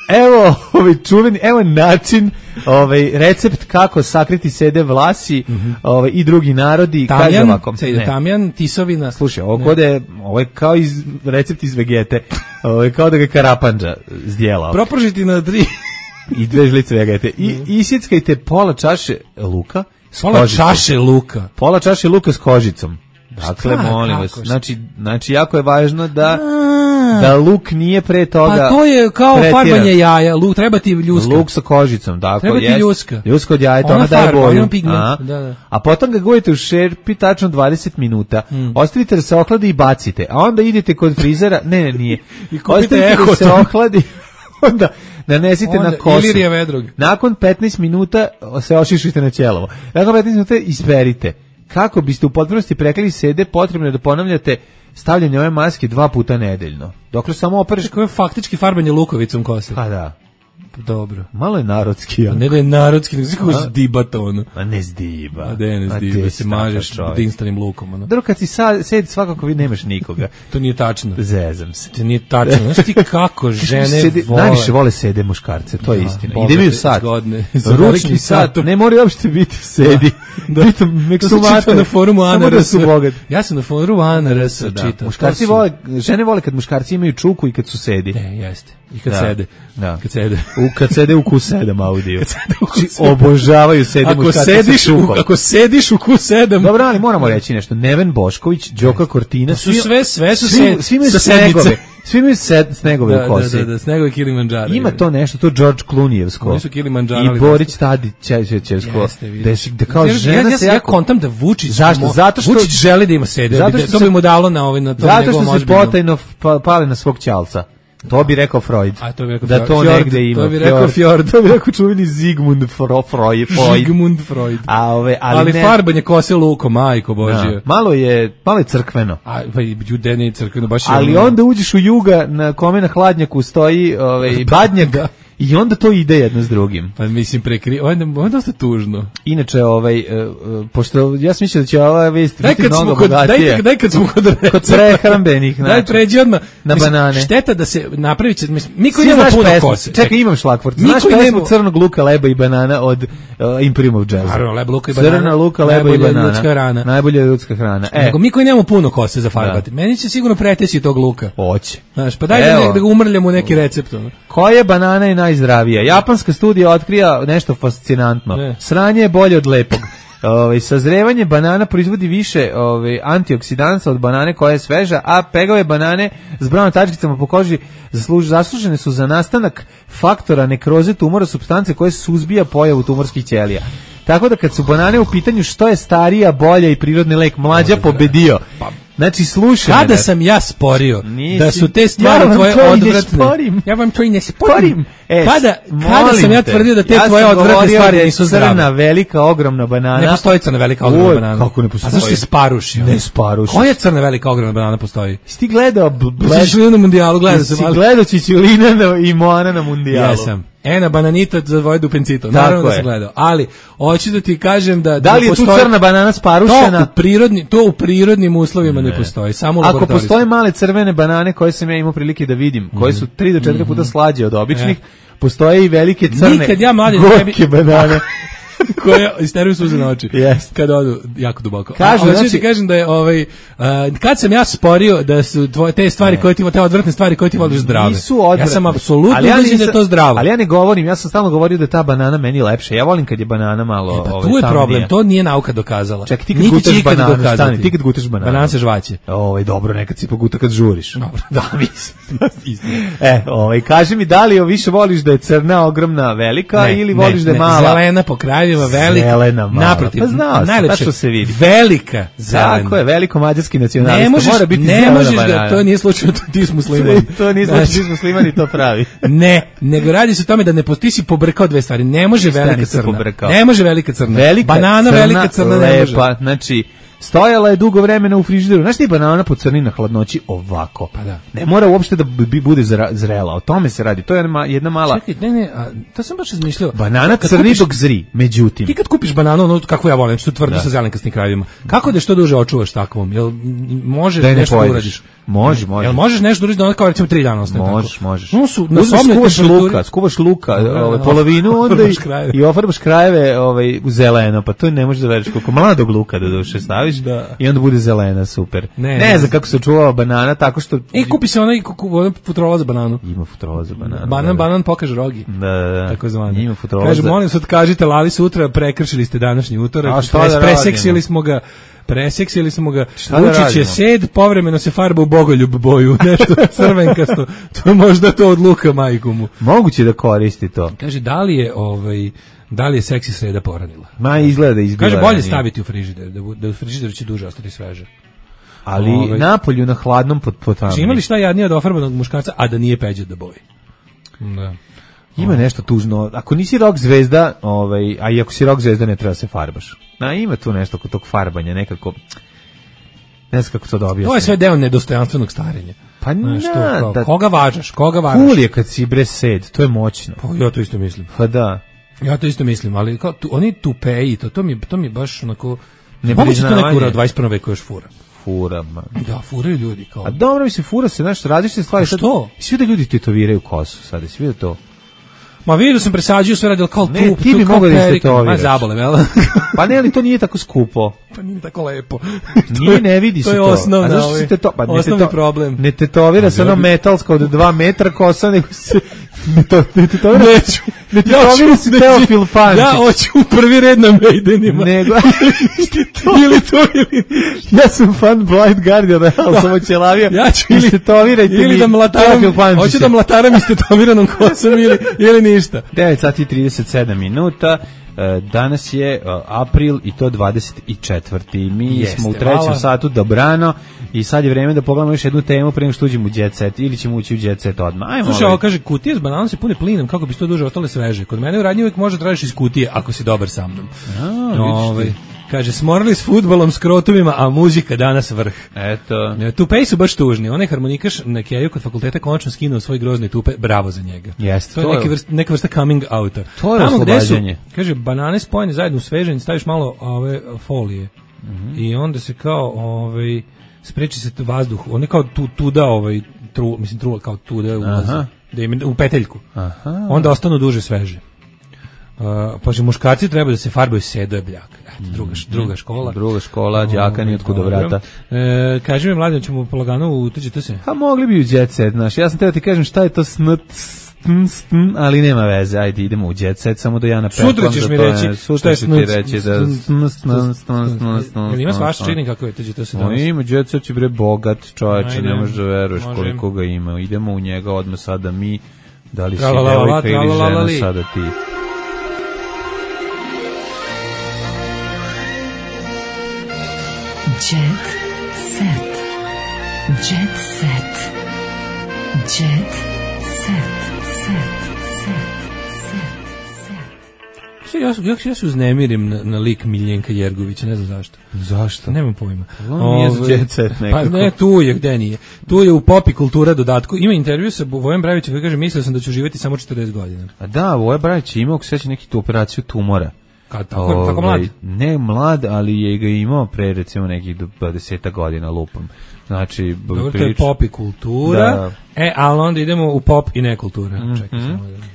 Evo, ovaj čuveni, evo način, ovaj recept kako sakriti sede vlasi, mm -hmm. ovaj i drugi narodi, kaže ovako. Sede tamjan, tisovina. Slušaj, ovo kode, ovo je kao iz recept iz Vegete. Ovo je kao da ga Karapandža zdjelao. Propržiti na tri i dve žlice Vegete. I mm. isjeckajte pola čaše luka s pola kožicom. čaše luka. Pola čaše luka s kožicom. Dakle, molim vas, znači, znači jako je važno da da luk nije pre toga. Pa to je kao pretiran. farbanje jaja, luk treba ti ljuska. Luk sa kožicom, tako treba ti jest. ljuska. Ljuska od jajeta, ona ona daje farba, boju. ona pigment, A, da, da. a potom ga gojite u šerpi tačno dvadeset minuta. Mm. Ostavite da se ohladi i bacite. A onda idete kod frizera, ne, ne, nije. I kupite Ostavite da se Ehoton. ohladi, onda nanesite Onda na kosu. Ilirija Vedrog. Nakon petnaest minuta se ošišite na ćelovo. Nakon petnaest minuta isperite. Kako biste u potpunosti prekrili sede, potrebno je da ponavljate stavljanje ove maske dva puta nedeljno. Dokle samo opereš... Kako je faktički farbanje lukovicom kose. Pa da. Dobro. Malo je narodski. Ja. Pa ne da je narodski, nego kako se diba to ono. A ne zdiba. A de ne zdiba, se mažeš dinstanim lukom. Ono. Dobro, kad si sa, sedi svakako vi nemaš nikoga. To nije tačno. Zezam se. To nije tačno. Znaš ti kako žene sede, vole. Najviše vole sede muškarce, to je da, istina. bogate, Ide mi u sat. Zgodne. Ručni sat. Ne mora uopšte biti sedi. Da. Bitom, To se čita na forumu A N R S. Samo da su bogati. Ja sam na forumu A N R S da. čitao. Muškarci vole, žene vole kad muškarci imaju čuku i kad su sedi. Ne, jeste. I kad da. sede. Da. Kad sede. U, kad sede u Q sedam audiju. Kad sede u Q sedam. Znači, obožavaju sede ako muškarci sediš sa u, čukom. ako sediš u Q sedam. Dobro, ali moramo reći nešto. Neven Bošković, Đoka Cortina, su sve, sve su svi, se, svi imaju sa snegove. Svi imaju sed, snegove da, u kosi. Da, da, da, snegove Kilimanjaro. Ima to nešto, to George Clooneyevsko. Oni su Kilimanjaro. I Borić Tadić, Čećevsko. Da, da kao ja, žena ja, ja, se ja jako... kontam da Vučić... Zašto? Zato što... Vučić želi da ima sede. Zato što što to bi mu dalo na, ovaj, na tom zato njegovom što se ozbiljnom. potajno pa, pale na svog ćalca. To bi rekao Freud. A to bi rekao da to Fjord, negde ima. To bi rekao Fjord. To bi rekao čuveni Zigmund Fro, Freud. Sigmund Freud. A ove, ali ali ne, farbanje kose lukom, majko Božje. Da, malo je, malo je crkveno. A pa i judene crkveno baš je. Ali ono... onda uđeš u Juga na kome na hladnjaku stoji ovaj badnjak. Da. I onda to ide jedno s drugim. Pa mislim prekri, onda onda dosta tužno. Inače ovaj uh, pošto ja sam mislio da će ova vest biti mnogo bogatije. Daj, daj kad smo kod kod prehrambenih, znači. Daj pređi odmah na mislim, banane. Šteta da se napravi, mislim, niko nema puno pesmu, kose. Čekaj, imam šlagvort. Znaš pesmu nema... crnog luka, leba i banana od uh, Imperium Jazz. Naravno, leba, luka i banana. Crna luka, leba i banana. Ljudska hrana. Najbolja ljudska hrana. E. Nego mi koji nemamo puno kose za farbati. Da. Meni će sigurno pretesi tog luka. Hoće. Znaš, pa daj da, da ga umrljamo neki recept. Ono. Koja banana je najzdravija? Japanska studija otkrija nešto fascinantno. Ne. Sranje je bolje od lepog. Ove, sazrevanje banana proizvodi više ove, antioksidansa od banane koja je sveža, a pegave banane s brown tačkicama po koži zasluž, zaslužene su za nastanak faktora nekroze tumora, supstance koje suzbija pojavu tumorskih ćelija. Tako da kad su banane u pitanju, što je starija, bolja i prirodni lek, mlađa pobedio. Znači, slušaj. Kada ne, sam ja sporio Nisi, da su te stvari ja tvoje odvratne. Ja vam to i ne sporim. E, kada, kada sam ja tvrdio da te ja tvoje odvratne stvari nisu zdrave? Crna, velika, ogromna banana. Ne postoji crna, velika, ogromna Uj, banana. Kako ne postoji? A zašto si sparušio? Ne sparušio. Koja crna, velika, ogromna banana postoji? Si ti gledao... Čičulina na mundijalu, gledao sam. Si gledao Čičulina i Moana na mundijalu. Jesam. Ena bananita za dvoje dupencito. Naravno da sam gledao. Ali, hoću da ti kažem da... Da li je tu crna banana sparušena? To u, prirodni, to u prirodnim uslovima ne, ne postoji. Samo ako postoje male crvene banane koje sam ja imao prilike da vidim, koje su tri do četiri puta slađe od običnih, postoje i velike crne Nikad ja mlađe gorke banane. koje isteruju suze na oči. Yes. Kad odu jako duboko. Kažu, znači ti kažem da je ovaj uh, kad sam ja sporio da su tvoje te stvari ne. koje ti te odvratne stvari koje ti voliš zdrave. Nisu odvratne. Ja sam apsolutno ja mislim da je to zdravo. Ali ja ne govorim, ja sam stalno govorio da je ta banana meni lepša. Ja volim kad je banana malo e, pa, ovaj tu je problem, nije. To nije nauka dokazala. Ček, ti kad gutaš bananu, stani, ti kad gutaš bananu. Banana se žvaće. Ovaj dobro, nekad si poguta kad žuriš. Dobro, da, mislim. e, ovaj kaži mi da li više voliš da je crna, ogromna, velika ne, ili voliš ne, da je mala? Zelena po krajevima, velika. Naprotiv, pa znao najlepše se vidi. Velika zelena. Tako je, veliko mađarski nacionalista. Ne možeš, mora biti ne možeš ga, to nije slučajno, ti si musliman. to nije slučajno, ti si musliman i to pravi. Ne, nego radi se o tome da ne ti si pobrkao dve stvari. Ne može velika crna. Pobrkao. Ne može velika crna. Velika banana, crna, velika crna, lepa, ne može. Znači, stojala je dugo vremena u frižideru. Znaš ti banana pocrni na hladnoći ovako. Pa da. Ne mora uopšte da bi bude zrela. O tome se radi. To je jedna mala... Čekaj, ne, ne, a, to sam baš razmišljao. Banana crni kupiš, dok zri, međutim. Ti kad kupiš bananu, ono kako ja volim, što tvrdo sa zelenkastim krajevima. Kako da što duže očuvaš takvom? Jel možeš da nešto ne uradiš? Može, može. Jel možeš nešto uradiš da ona kao recimo tri dana ostane tako? Možeš, možeš. No su na sobnoj skuvaš luka, skuvaš luka, ovaj polovinu onda i, i ofarbaš krajeve ovaj u zeleno, pa to ne možeš da veriš koliko mladog luka da duše staviš da. I onda bude zelena, super. Ne, ne, ne znam kako se čuvava banana, tako što... E, kupi se onaj futrola za bananu. Ima futrola za bananu. Banan, da, banan pokaže rogi. Da, da, da. Tako zvano. Ima futrola Kaže, za... molim se, kažite, Lali sutra, prekršili ste današnji utorak, A šta da preseksili smo ga, Preseksili smo ga. Šta da Vučić je radimo? sed, povremeno se farba u bogoljub boju, nešto crvenkasto. To je možda to od luka majku mu. Moguće da koristi to. Kaže, da li je, ovaj, da li je seksi sreda poranila? Ma izgleda da izbila. Kaže, bolje ranije. staviti u frižider, da, bu- da u frižideru će duže ostati sveže. Ali Ovaj. napolju na hladnom pod potami. Znači, imali šta jadnije od ofarbanog muškarca, a da nije Peđa da boji? Da. Ima nešto tužno. Ako nisi rock zvezda, ovaj, a i ako si rock zvezda ne treba se farbaš. Na, ima tu nešto kod tog farbanja, nekako, ne znam kako to da objasnim. To je sve deo nedostojanstvenog starenja. Pa Znaš, to na, kao, da, koga važaš, koga važaš? cool je kad si bre sed, to je moćno. Pa ja to isto mislim. Pa da. Ja to isto mislim, ali kao, tu, oni tupeji, to, to, mi, to mi baš onako... Ne Moguće to priznavanje. neko u dvadeset prvom veku još fura. Fura, man. Da, furaju ljudi kao... A dobro mi se fura se, znaš, različite stvari. A što? Sad, svi da ljudi tetoviraju kosu sad, svi vidio to. Ma vidio sam presađio sve radil kao Ne, tu, ti tu bi kao mogao da perika. istetoviraš. Ma zabole, jel? Pa ne, ali to nije tako skupo. Pa nije tako lepo. Nije, ne vidi se to. to. je osnovna, A zašto ovaj, se teto, pa ne osnovni teto- problem. Ne tetovira se ono metalska od dva metra kosa, nego se ne, to, ne tetovira Neću. ne tetovira se Teofil Pančić. Ja hoću u prvi red na Maidenima. Nego, ili to ili ja sam fan Blind Guardiana, ali sam očelavio. Ja ću ili, Istetovirajte ili mi da mlataram, Teofil Pančića. hoću da mlataram istetoviranom kosom ili, ili ništa. devet sati i trideset sedam minuta. E, Danas je e, april i to dvadeset četvrti. Mi Jeste, smo u trećem hvala. satu dobrano i sad je vreme da pogledamo još jednu temu pre nego što uđemo u Jet Set ili ćemo ući u Jet Set odmah. Ajmo. Slušaj, ovaj. ovo kaže, kutije s bananom se pune plinom, kako bi to duže ostale sveže. Kod mene u radnji uvijek može tražiš iz kutije, ako si dobar sa mnom. A, Ovaj, vidiš ti. kaže, smorili s fudbalom, s krotovima, a muzika danas vrh. Eto. E, Tupeji su baš tužni. Onaj harmonikaš na Keju kod fakulteta konačno skinuo svoj grozni tupe. Bravo za njega. Jeste, To je to je- neka vrsta, neka vrsta coming outa. To je Tamo gde su, oslobađanje. kaže, banane spojene zajedno u svežanj, staviš malo ove folije. I onda se kao, ovaj, spreči se tu vazduh. On je kao tu, tuda, ovaj, tru, mislim, tru, kao tuda ulazi. Aha. Da im, u peteljku. Aha. Onda ostanu duže sveže. Uh, pa že muškarci treba da se farbaju sedo je bljak. Eto, druga, š- druga škola. Druga škola, đaka ni otkud do Dobro. vrata. E, kaži mi, mladen, ćemo polagano utuđiti se. A mogli bi u Jet Set, znaš. Ja sam teo ti kažem šta je to snt, stn, stn, ali nema veze. Ajde, idemo u Jet Set, samo da ja napetlam. Sutra ćeš da mi to je- reći šta Sutra je ću ti snuc, reći da stn, stn, stn, stn, stn, stn, Jel ima stn, svašta, stn. čini kako je tuđi se O, danas? ima Jet Set je bre bogat čovječe, Ajde, ne možeš da veruješ može. koliko ga ima. Idemo u njega odmah sada mi, da li si Tralalala, devojka ili žena tralalali. sada ti. Jet set. Jet set. Jet set. Set. Set. Sve, Ja, ja, ja se uznemirim na, na lik Miljenka Jergovića, ne znam zašto. Zašto? Nemam pojma. On nije za Ovaj, Jet Set Pa nekako. ne, tu je, gde nije. Tu je u Popi kultura dodatku. Ima intervju sa Vojem Bravićem koji kaže, mislio sam da ću živjeti samo četrdeset godina. A da, Voja Brajić je imao, ako seća, neki tu operaciju tumora. Kad, tako, tako Ovaj, mlad? Ne mlad, ali je ga imao pre recimo nekih dvadeset godina lupom. Znači, b- Dobro, to je prilič- pop i kultura. Da. E, ali onda idemo u pop i nekultura. Čekaj samo da...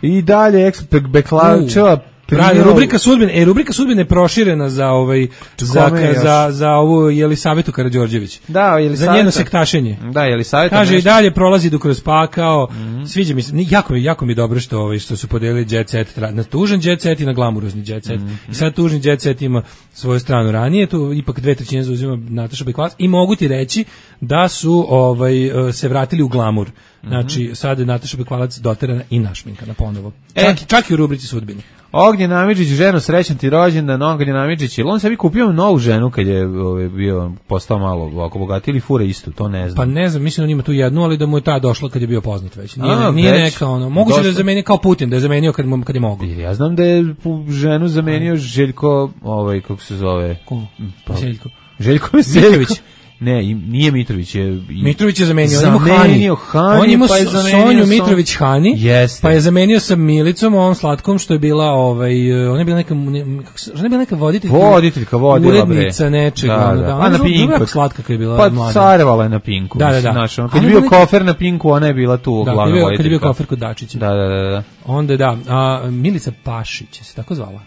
I dalje Expert Beklačeva Pravi, rubrika sudbine, e, rubrika sudbine je proširena za ovaj za, Kome još? za, za ovu Jelisavetu Karađorđević. Da, Jelisaveta. Za njeno sektašenje. Da, Jelisaveta. Kaže i nešto- dalje prolazi do kroz pakao. Sviđa mi se, ni- jako mi jako mi je dobro što ovaj što su podelili Jet Set tra- na tužan Jet Set i na glamurozni Jet Set. I sad tužni Jet Set ima svoju stranu ranije, tu ipak dve trećine zauzima Nataša Bekvalac i mogu ti reći da su ovaj e, se vratili u glamur. Znači sad je Nataša Bekvalac doterana i našminkana ponovo. E. Čak, i- čak i u rubrici sudbine. Ognjen Amidžić, ženo, srećan ti rođendan, Ognjen Amidžić, ili on sebi kupio novu ženu kad je ovaj, bio postao malo ovako bogatiji ili fura istu, to ne znam. Pa ne znam, mislim da on ima tu jednu, ali da mu je ta došla kad je bio poznat već. Nije, A, nije već? neka ono, moguće da je Došla? zamenio kao Putin, da je zamenio kad, mu- kad je mogao. Ja znam da je pu- ženu zamenio Željko, ovaj, kako se zove? Ko? Pa- Željko. Željko Mitrović. Mitrović. Ne, im- nije Mitrović. Je, i- Mitrović je zamenio, on ima Zamenio Hani. Hani, On ima pa je so- zamenio Sonju Son- Mitrović Hani, Jeste. pa je zamenio sa Milicom, ovom slatkom što je bila, ovaj, ona je bila neka, ne, kako se, ona je bila neka voditeljka. Voditeljka vodila, bre. Urednica nečega. Da, ono, da. da. A Ona na je bila Pinku. jako slatka kad je bila Pa mlada. carevala je na Pinku. Da, da, mislim, da. znaš, ono, Ali kad je ona bio je neka- kofer na Pinku, ona je bila tu Da, glavna kad je bio, voditeljka. kad je bio kofer kod Dačića. Da, da, da, da. Onda da, a, Milica Pašić se tako zvala.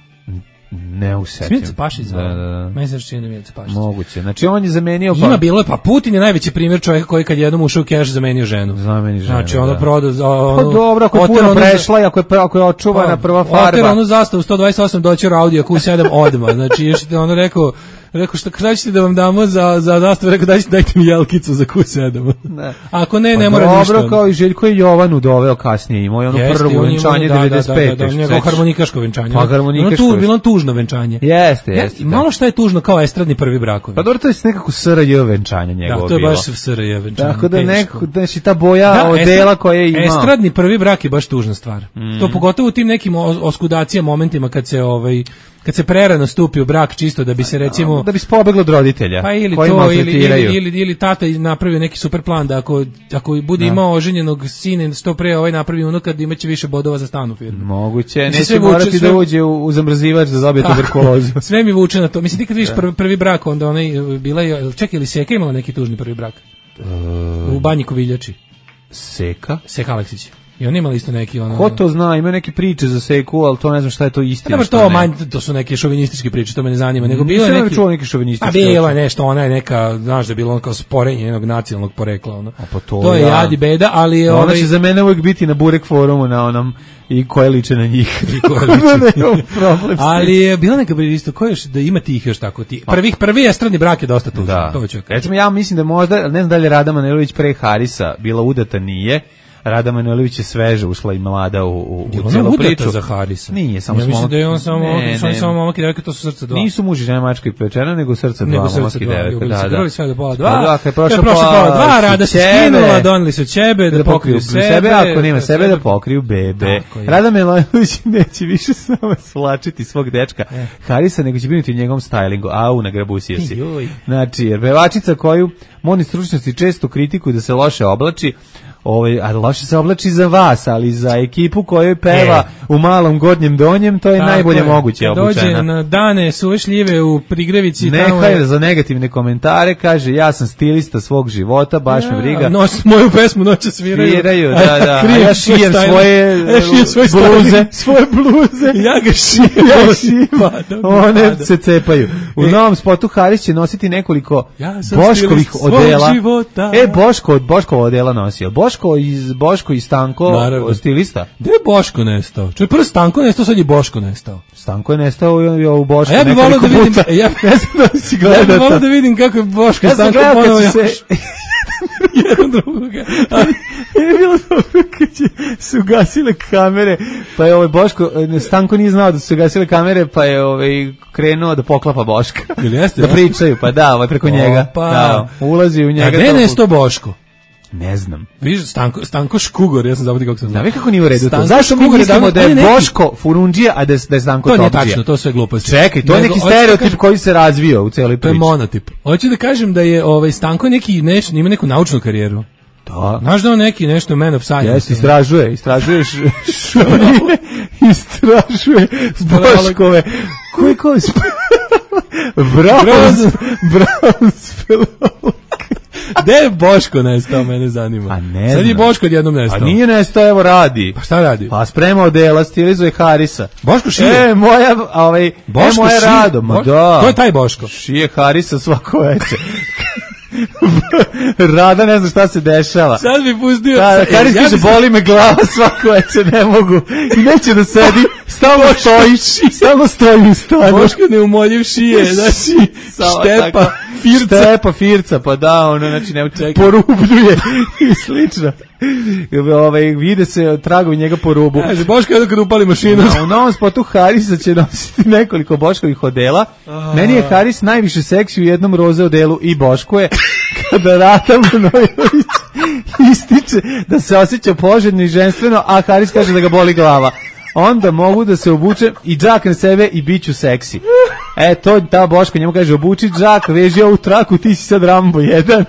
Ne usećam. Milica Pašić zvala. Da, da, da. Meni se čini da je Milica Pašić. Moguće. Znači, on je zamenio... Ima bilo je, pa Putin je najveći primjer čovjeka koji kad jednom ušao u keš zamenio ženu. Zameni ženu, Znači ono da. proda za ono. Pa dobro, ako je oter puno onu za- prešla i ako je, ako je očuvana Pa, prva Oter farba. onu zastavu sto dvadeset osam doći u Audi Q sedam odmah. Znači još ono rekao Rekao, šta, šta ćete da vam damo za, za zastavu? Rekao, dajte, dajte mi jelkicu za ku sedam. Ne. Ako ne, pa ne mora dobro, ništa. Dobro, kao i Željko je Jovanu doveo kasnije, imao je ono Jeste, prvo venčanje da, devedeset pete. Da, da, da, njegovo harmonikaško venčanje. Pa harmonikaško. Bilo, tu, bilo tužno venčanje. Jeste, jeste. Ja, malo šta je tužno kao estradni prvi brakovi. Pa dobro, to je nekako S R J venčanje njegovo. Da, to je bilo. baš S R J venčanje. Tako da nekako, znači ta boja da, odela koja je imao. Estradni prvi brak je baš tužna stvar. Mm. To pogotovo u tim nekim oskudacija momentima kad se ovaj kad se prerano stupi u brak čisto da bi se recimo da bi se pobeglo od roditelja pa ili to ili, ili, ili, ili tata napravio neki super plan da ako, ako bude da. imao oženjenog sina što pre ovaj napravi unuka da imaće više bodova za stan u firmi. Moguće, neće sve morati vuče, sve... da uđe u, u zamrzivač da dobije tuberkulozu. Sve mi vuče na to. Mislim ti kad vidiš prvi, prvi brak onda onaj bila je čekaj ili Seka imala neki tužni prvi brak? Uh, u Banji Koviljači. Seka? Seka Aleksić. I oni imali isto neki ono. Ko to zna, ima neke priče za Seku, al to ne znam šta je to istina. Da, to manj, to su neke šovinističke priče, to me ne zanima, nego bilo je neki čuo neki šovinistički. A bilo je nešto, ona je neka, znaš da je bilo ono kao sporenje jednog nacionalnog porekla, ono. A pa to, to je ja. Jadi beda, ali je ona ovaj... će za mene uvijek biti na Burek forumu na onom i koje liče na njih. I koje liče. problem ali je bila neka isto ko još da ima tih još tako ti. Prvih prvi estradni brak je dosta tužan, da. To ću. Recimo ja mislim da možda ne znam da li je Rada Manojlović pre Harisa bila udata, nije. Rada Manojlović je sveže ušla i mlada u, u, u celu priču. Za Harisa. Nije, samo ja smo... mislim da je on samo, ne, ne, samo momak i devojka, to su srce dva. Nisu muž i žena, mačka i pečena, nego srce dva, nego momak i devojka. Da, da. Sve do pola dva. Da, kad je prošla pola dva, Rada se skinula, doneli su ćebe da, da pokriju sebe. sebe ako nema sebe, da pokriju bebe. Rada Manojlović neće više s nama svlačiti svog dečka Harisa, nego će biti u njegovom stylingu. Au, nagrabusio si. Znači, jer pevačica koju moni stručnosti često kritikuju da se loše oblači, ovaj, a loše se oblači za vas, ali za ekipu koju peva e. u malom gornjem donjem, to je tako najbolje je. moguće obučena. Dođe na dane suve šljive u Prigrevici. Nehaj je... za negativne komentare, kaže, ja sam stilista svog života, baš ja, me briga. Nos, moju pesmu noće sviraju. Sviraju, da, da. A ja šijem svoje, ja šijem svoje bluze. Svoje bluze. Ja ga šijem. Ja šijem. One pada. se cepaju. U e. novom spotu Haris će nositi nekoliko ja Boškovih odela. E, Boško od Boškova odela nosio. Boško iz Boško i Stanko, naravno. Stilista. Gde je Boško nestao? Čuj, prvo Stanko nestao, sad je Boško nestao. Stanko je nestao u Bošku. A ja bih volio da vidim, ja, ne znam da si gledao. Ja bih volio da vidim kako je Boško ja Stanko ponovo se jedan drugoga. Ali je bilo dobro kad su gasile kamere, pa je ovaj Boško, Stanko nije znao da su gasile kamere, pa je ovaj krenuo da poklapa Boška. Jeste, da pričaju, pa da, ovaj preko o, njega. Pa. Da, ulazi u njega. A gde je nestao Boško? Ne znam. Viš, Stanko, Stanko Škugor, ja sam zaboravio kako sam znao. Da, kako nije u redu to? Zašto mi mislimo da je Boško Furundžija, a da je, da je Stanko Topđija? To nije tačno, to sve gluposti. Čekaj, to je neki stereotip kažem, koji se razvio u celoj priči. To je monotip. Hoću da kažem da je ovaj Stanko neki, neš, ima neku naučnu karijeru. Da. Znaš da on neki nešto man of science. Jesi, istražuje, istražuje šunije, istražuje Boškove. Koji koji sp... Brown, Brown spelolog. Gde je Boško nestao, mene zanima. A ne sad znam. je Boško odjednom nestao. A nije nestao, evo radi. Pa šta radi? Pa sprema odela, stilizuje Harisa. Boško šije? E, moja, ovaj, Boško e, moja šije? Rado, ma da. To je taj Boško. Šije Harisa svako veče. Rada ne zna šta se dešava. Sad bi pustio. Da, Haris ja kaže, bi... boli me glava svako veče, ne mogu. I neće da sedi, stalno stoji, stalno stoji u stanu. Boško neumoljiv šije, znači, štepa, firca. Štepa, firca, pa da, ono, znači, ne porubljuje i slično. Ove, vide se tragovi njega po rubu. Kaže, Boško je kad upali mašinu. No, u novom spotu Harisa će nositi nekoliko Boškovih odela. A... Meni je Haris najviše seksi u jednom roze odelu i Boško je kada Rada Manojlović ističe da se osjeća poželjno i ženstveno, a Haris kaže da ga boli glava. Onda mogu da se obučem i džakne sebe i bit ću seksi. E, to ta Boško njemu kaže, obuči džak, veži ovu traku, ti si sad Rambo jedan.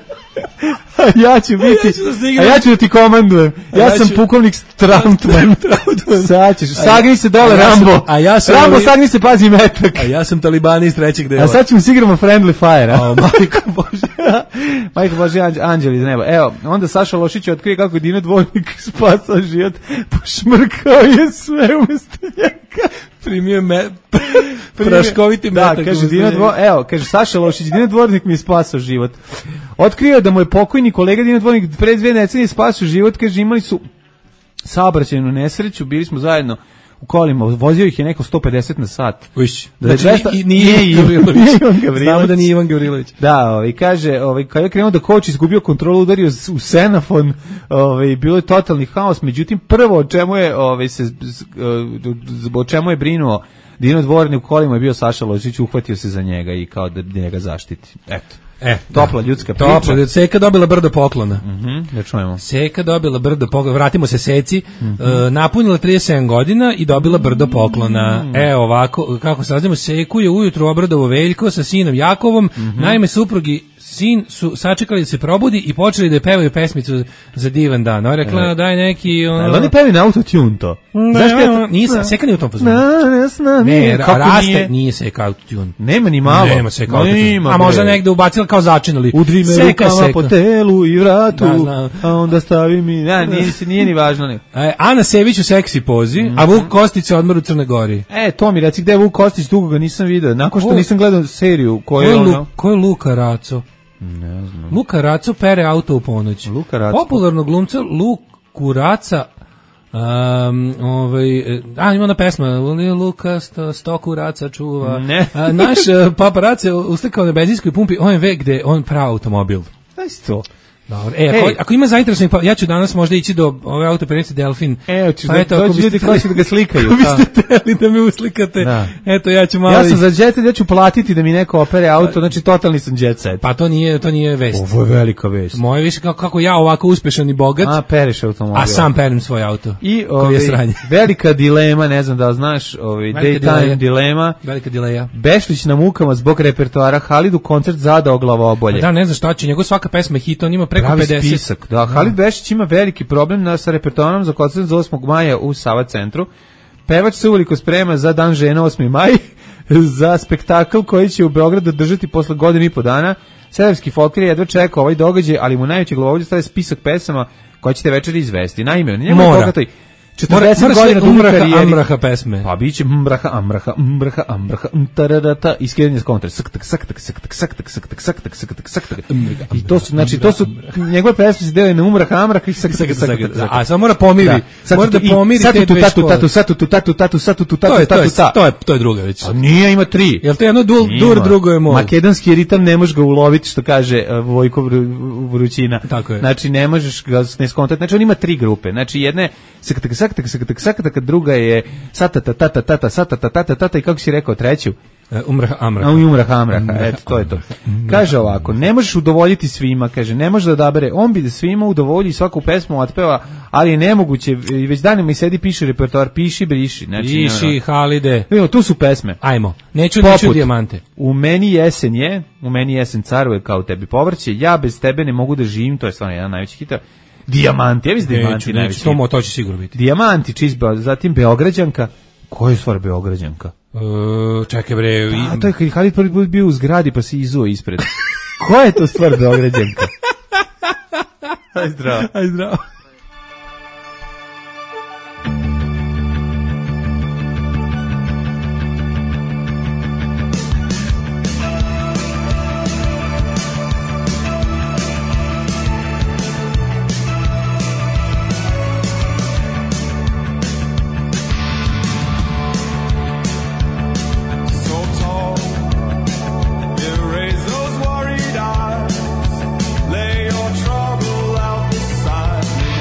A ja ću biti, a ja ću da ti komandujem. Ja, ja sam ću... pukovnik Strautman. Sad ćeš, sagni se dole, ja Rambo. Sam, a ja sam Rambo, ovi... sagni se, pazi metak. A ja sam talibani iz trećeg dela. A sad ćemo sigramo Friendly Fire. A, majko Bože. Majko Bože, anđeli iz neba. Evo, onda Saša Lošić otkrije kako je Dino Dvornik spasao život. Pošmrkao je sve umesto njega. Primio me... praškoviti metak. Da, kaže Dino Dvornik, evo, kaže Saša Lošić, Dino Dvornik mi je spasao život. Otkrio da mu je pokojni kolega Dino Dvornik pre dve decenije spasao život, kaže imali su saobraćajnu nesreću, bili smo zajedno u kolima, vozio ih je neko sto pedeset na sat. Uš, da znači, dvesta, i, nije Ivan Gavrilović. Ivan Gavrilović. Znamo da nije Ivan Gavrilović. Da, ovaj, kaže, ovaj, kada je krenuo da koči, izgubio kontrolu, udario u senafon, ovaj, bilo je totalni haos, međutim, prvo o čemu je, ovaj, se, o čemu je brinuo Dino Dvorni u kolima je bio Saša Ložić, uhvatio se za njega i kao da njega zaštiti. Eto. E, topla da. ljudska priča. Topla, Seka dobila brdo poklona. Mhm, da čujemo. Seka dobila brdo poklona, vratimo se Seci, mm-hmm. uh, napunila trideset sedam godina i dobila brdo poklona. Mm. E, ovako, kako saznamo, Seku je ujutru obradovo Veljko sa sinom Jakovom, mm-hmm. naime suprugi sin su sačekali da se probudi i počeli da pevaju pesmicu za divan dan. Ona rekla e. daj neki... Ono... Ali oni pevaju na autotune to. Ne, Zašto ja to... Nisam, Seka nije u tom fazonu. Ne, ne, kako raste, nije? Nije Seka autotune. Nema ni malo. Nema Seka autotune. A možda negde ubacila kao začinali. Udri me rukama po telu i vratu, da, a onda stavi mi... Ja, nije, nije ni važno. Ne. E, Ana Sević u seksi pozi, mm-hmm. a Vuk Kostić se odmor u Crnoj Gori. E, to mi reci, gde je Vuk Kostić, dugo ga nisam vidio. Nakon što o, nisam gledao seriju koju je ono... Ko je Luka Raco? Ne znam. Luka Raco pere auto u ponoć. Luka Raco. Popularnog glumca Luku Raca um, ovaj, a, ima ona pesma Luka sto, stoku Raca čuva. Ne. A, naš Papa Raca uslikao na benzinskoj pumpi O M V gde on pravi automobil. Daj to. Dobro. E, ako, ako ima zainteresovanih, pa ja ću danas možda ići do ove autopernice Delfin. E, hoćeš pa da eto, dođu ljudi koji će da ga slikaju. Ako biste teli da me uslikate, da. Eto, ja ću malo... Ja sam za jet set, ja ću platiti da mi neko opere auto, znači totalni sam jet set. Pa to nije, to nije vest. Ovo je velika vest. Moje više kako, kako ja ovako uspešan i bogat, a, pereš automobil. A sam perem svoj auto. I ovi, velika dilema, ne znam da li znaš, ovi, daytime dilema. Velika dileja. Bešlić na mukama zbog repertoara, Halidu koncert zadao glavobolje. Da, ne znam šta će, njegov svaka pesma je hit, on ima preko pravi pedeset. Spisak. Da, Halid Bešić ima veliki problem na, sa repertoarom za koncert za osmog maja u Sava centru. Pevač se uveliko sprema za Dan žena osmi maj, za spektakl koji će u Beogradu držati posle godinu i po dana. Severski folklor jedva čeka ovaj događaj, ali mu najveći glavobolje staje spisak pesama koje ćete večeri izvesti. Naime, njemu je bogatoj četrdeset godina duge karijere. Amraha pesme. Pa biće mraha, amraha, mraha, amraha, tararata, iskidanje s kontra. Saktak, saktak, saktak, saktak, saktak, saktak, saktak, saktak. I to su, znači, to su njegove pesme se delaju na umraha, amraha i saktak, saktak. A samo mora pomiri. Mora da pomiri te dve škole. Tatu, satu, tu, tatu, tatu, satu, tu, tatu, tatu, ta. To je, to je druga već. A nije, ima tri. Jel to jedno dur, drugo je mol? Makedonski ritam ne možeš ga uloviti, što kaže Vojko Vrućina. Tako je. Znači, ne možeš ga ne skontati. Znači, on ima tri grupe. Znači, jedna je saktak, saktak, saktak, saktak, kad druga je satata tata tata satata tata tata i kako si rekao treću umrah amraha. Umrah amraha, eto to je to. Kaže ovako, ne možeš udovoljiti svima, kaže, ne može da odabere, on bi da svima udovolji svaku pesmu otpeva, ali je nemoguće, već danima i sedi piše repertoar, piši, briši. Znači, piši, Halide. Evo, tu su pesme. Ajmo, neću, neću dijamante. U meni jesen je, u meni jesen caruje kao tebi povrće, ja bez tebe ne mogu da živim, to je stvarno jedan najveći hit. Dijamanti, ja mislim Dijamanti najveći. To, to će sigurno biti. Dijamanti, čizba, zatim Beograđanka. Koja je stvar Beograđanka? Uh, čekaj bre. A to je kad Halid prvi put bio u zgradi pa se izuo ispred. Koja je to stvar Beograđanka? Aj zdravo. Aj zdravo. Lay your trouble out beside me.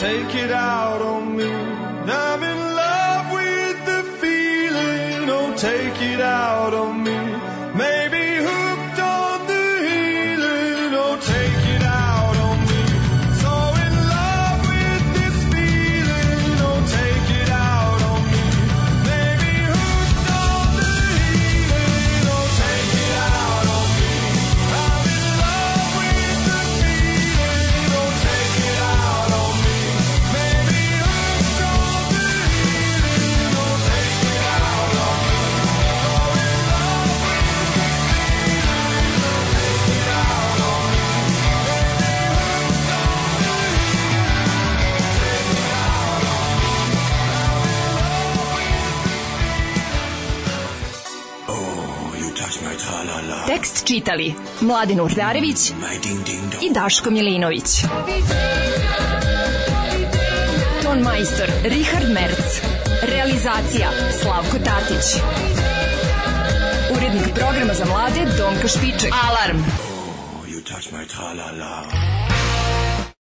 take it out on me. I'm in love with the feeling, oh, take it out on me. Maybe hooked on the healing, oh, take it out on me. So in love with this feeling, oh, take it out on me. Maybe hooked on the healing, oh, take it out on me. I'm in love with the feeling, oh, take it out on me. Maybe hooked on the healing, oh, take it out on me. So in love with this feeling, oh, take it out on me. Maybe hooked on the healing, take it out on me. Oh, you touch my tra-la-la. Tekst čitali Mladen Urdarević i Daško Milinović. Ton majstor Richard Merc. Realizacija Slavko Tatić. Urednik programa za mlade Donka Špiček. Alarm! You touch my tra-la-la.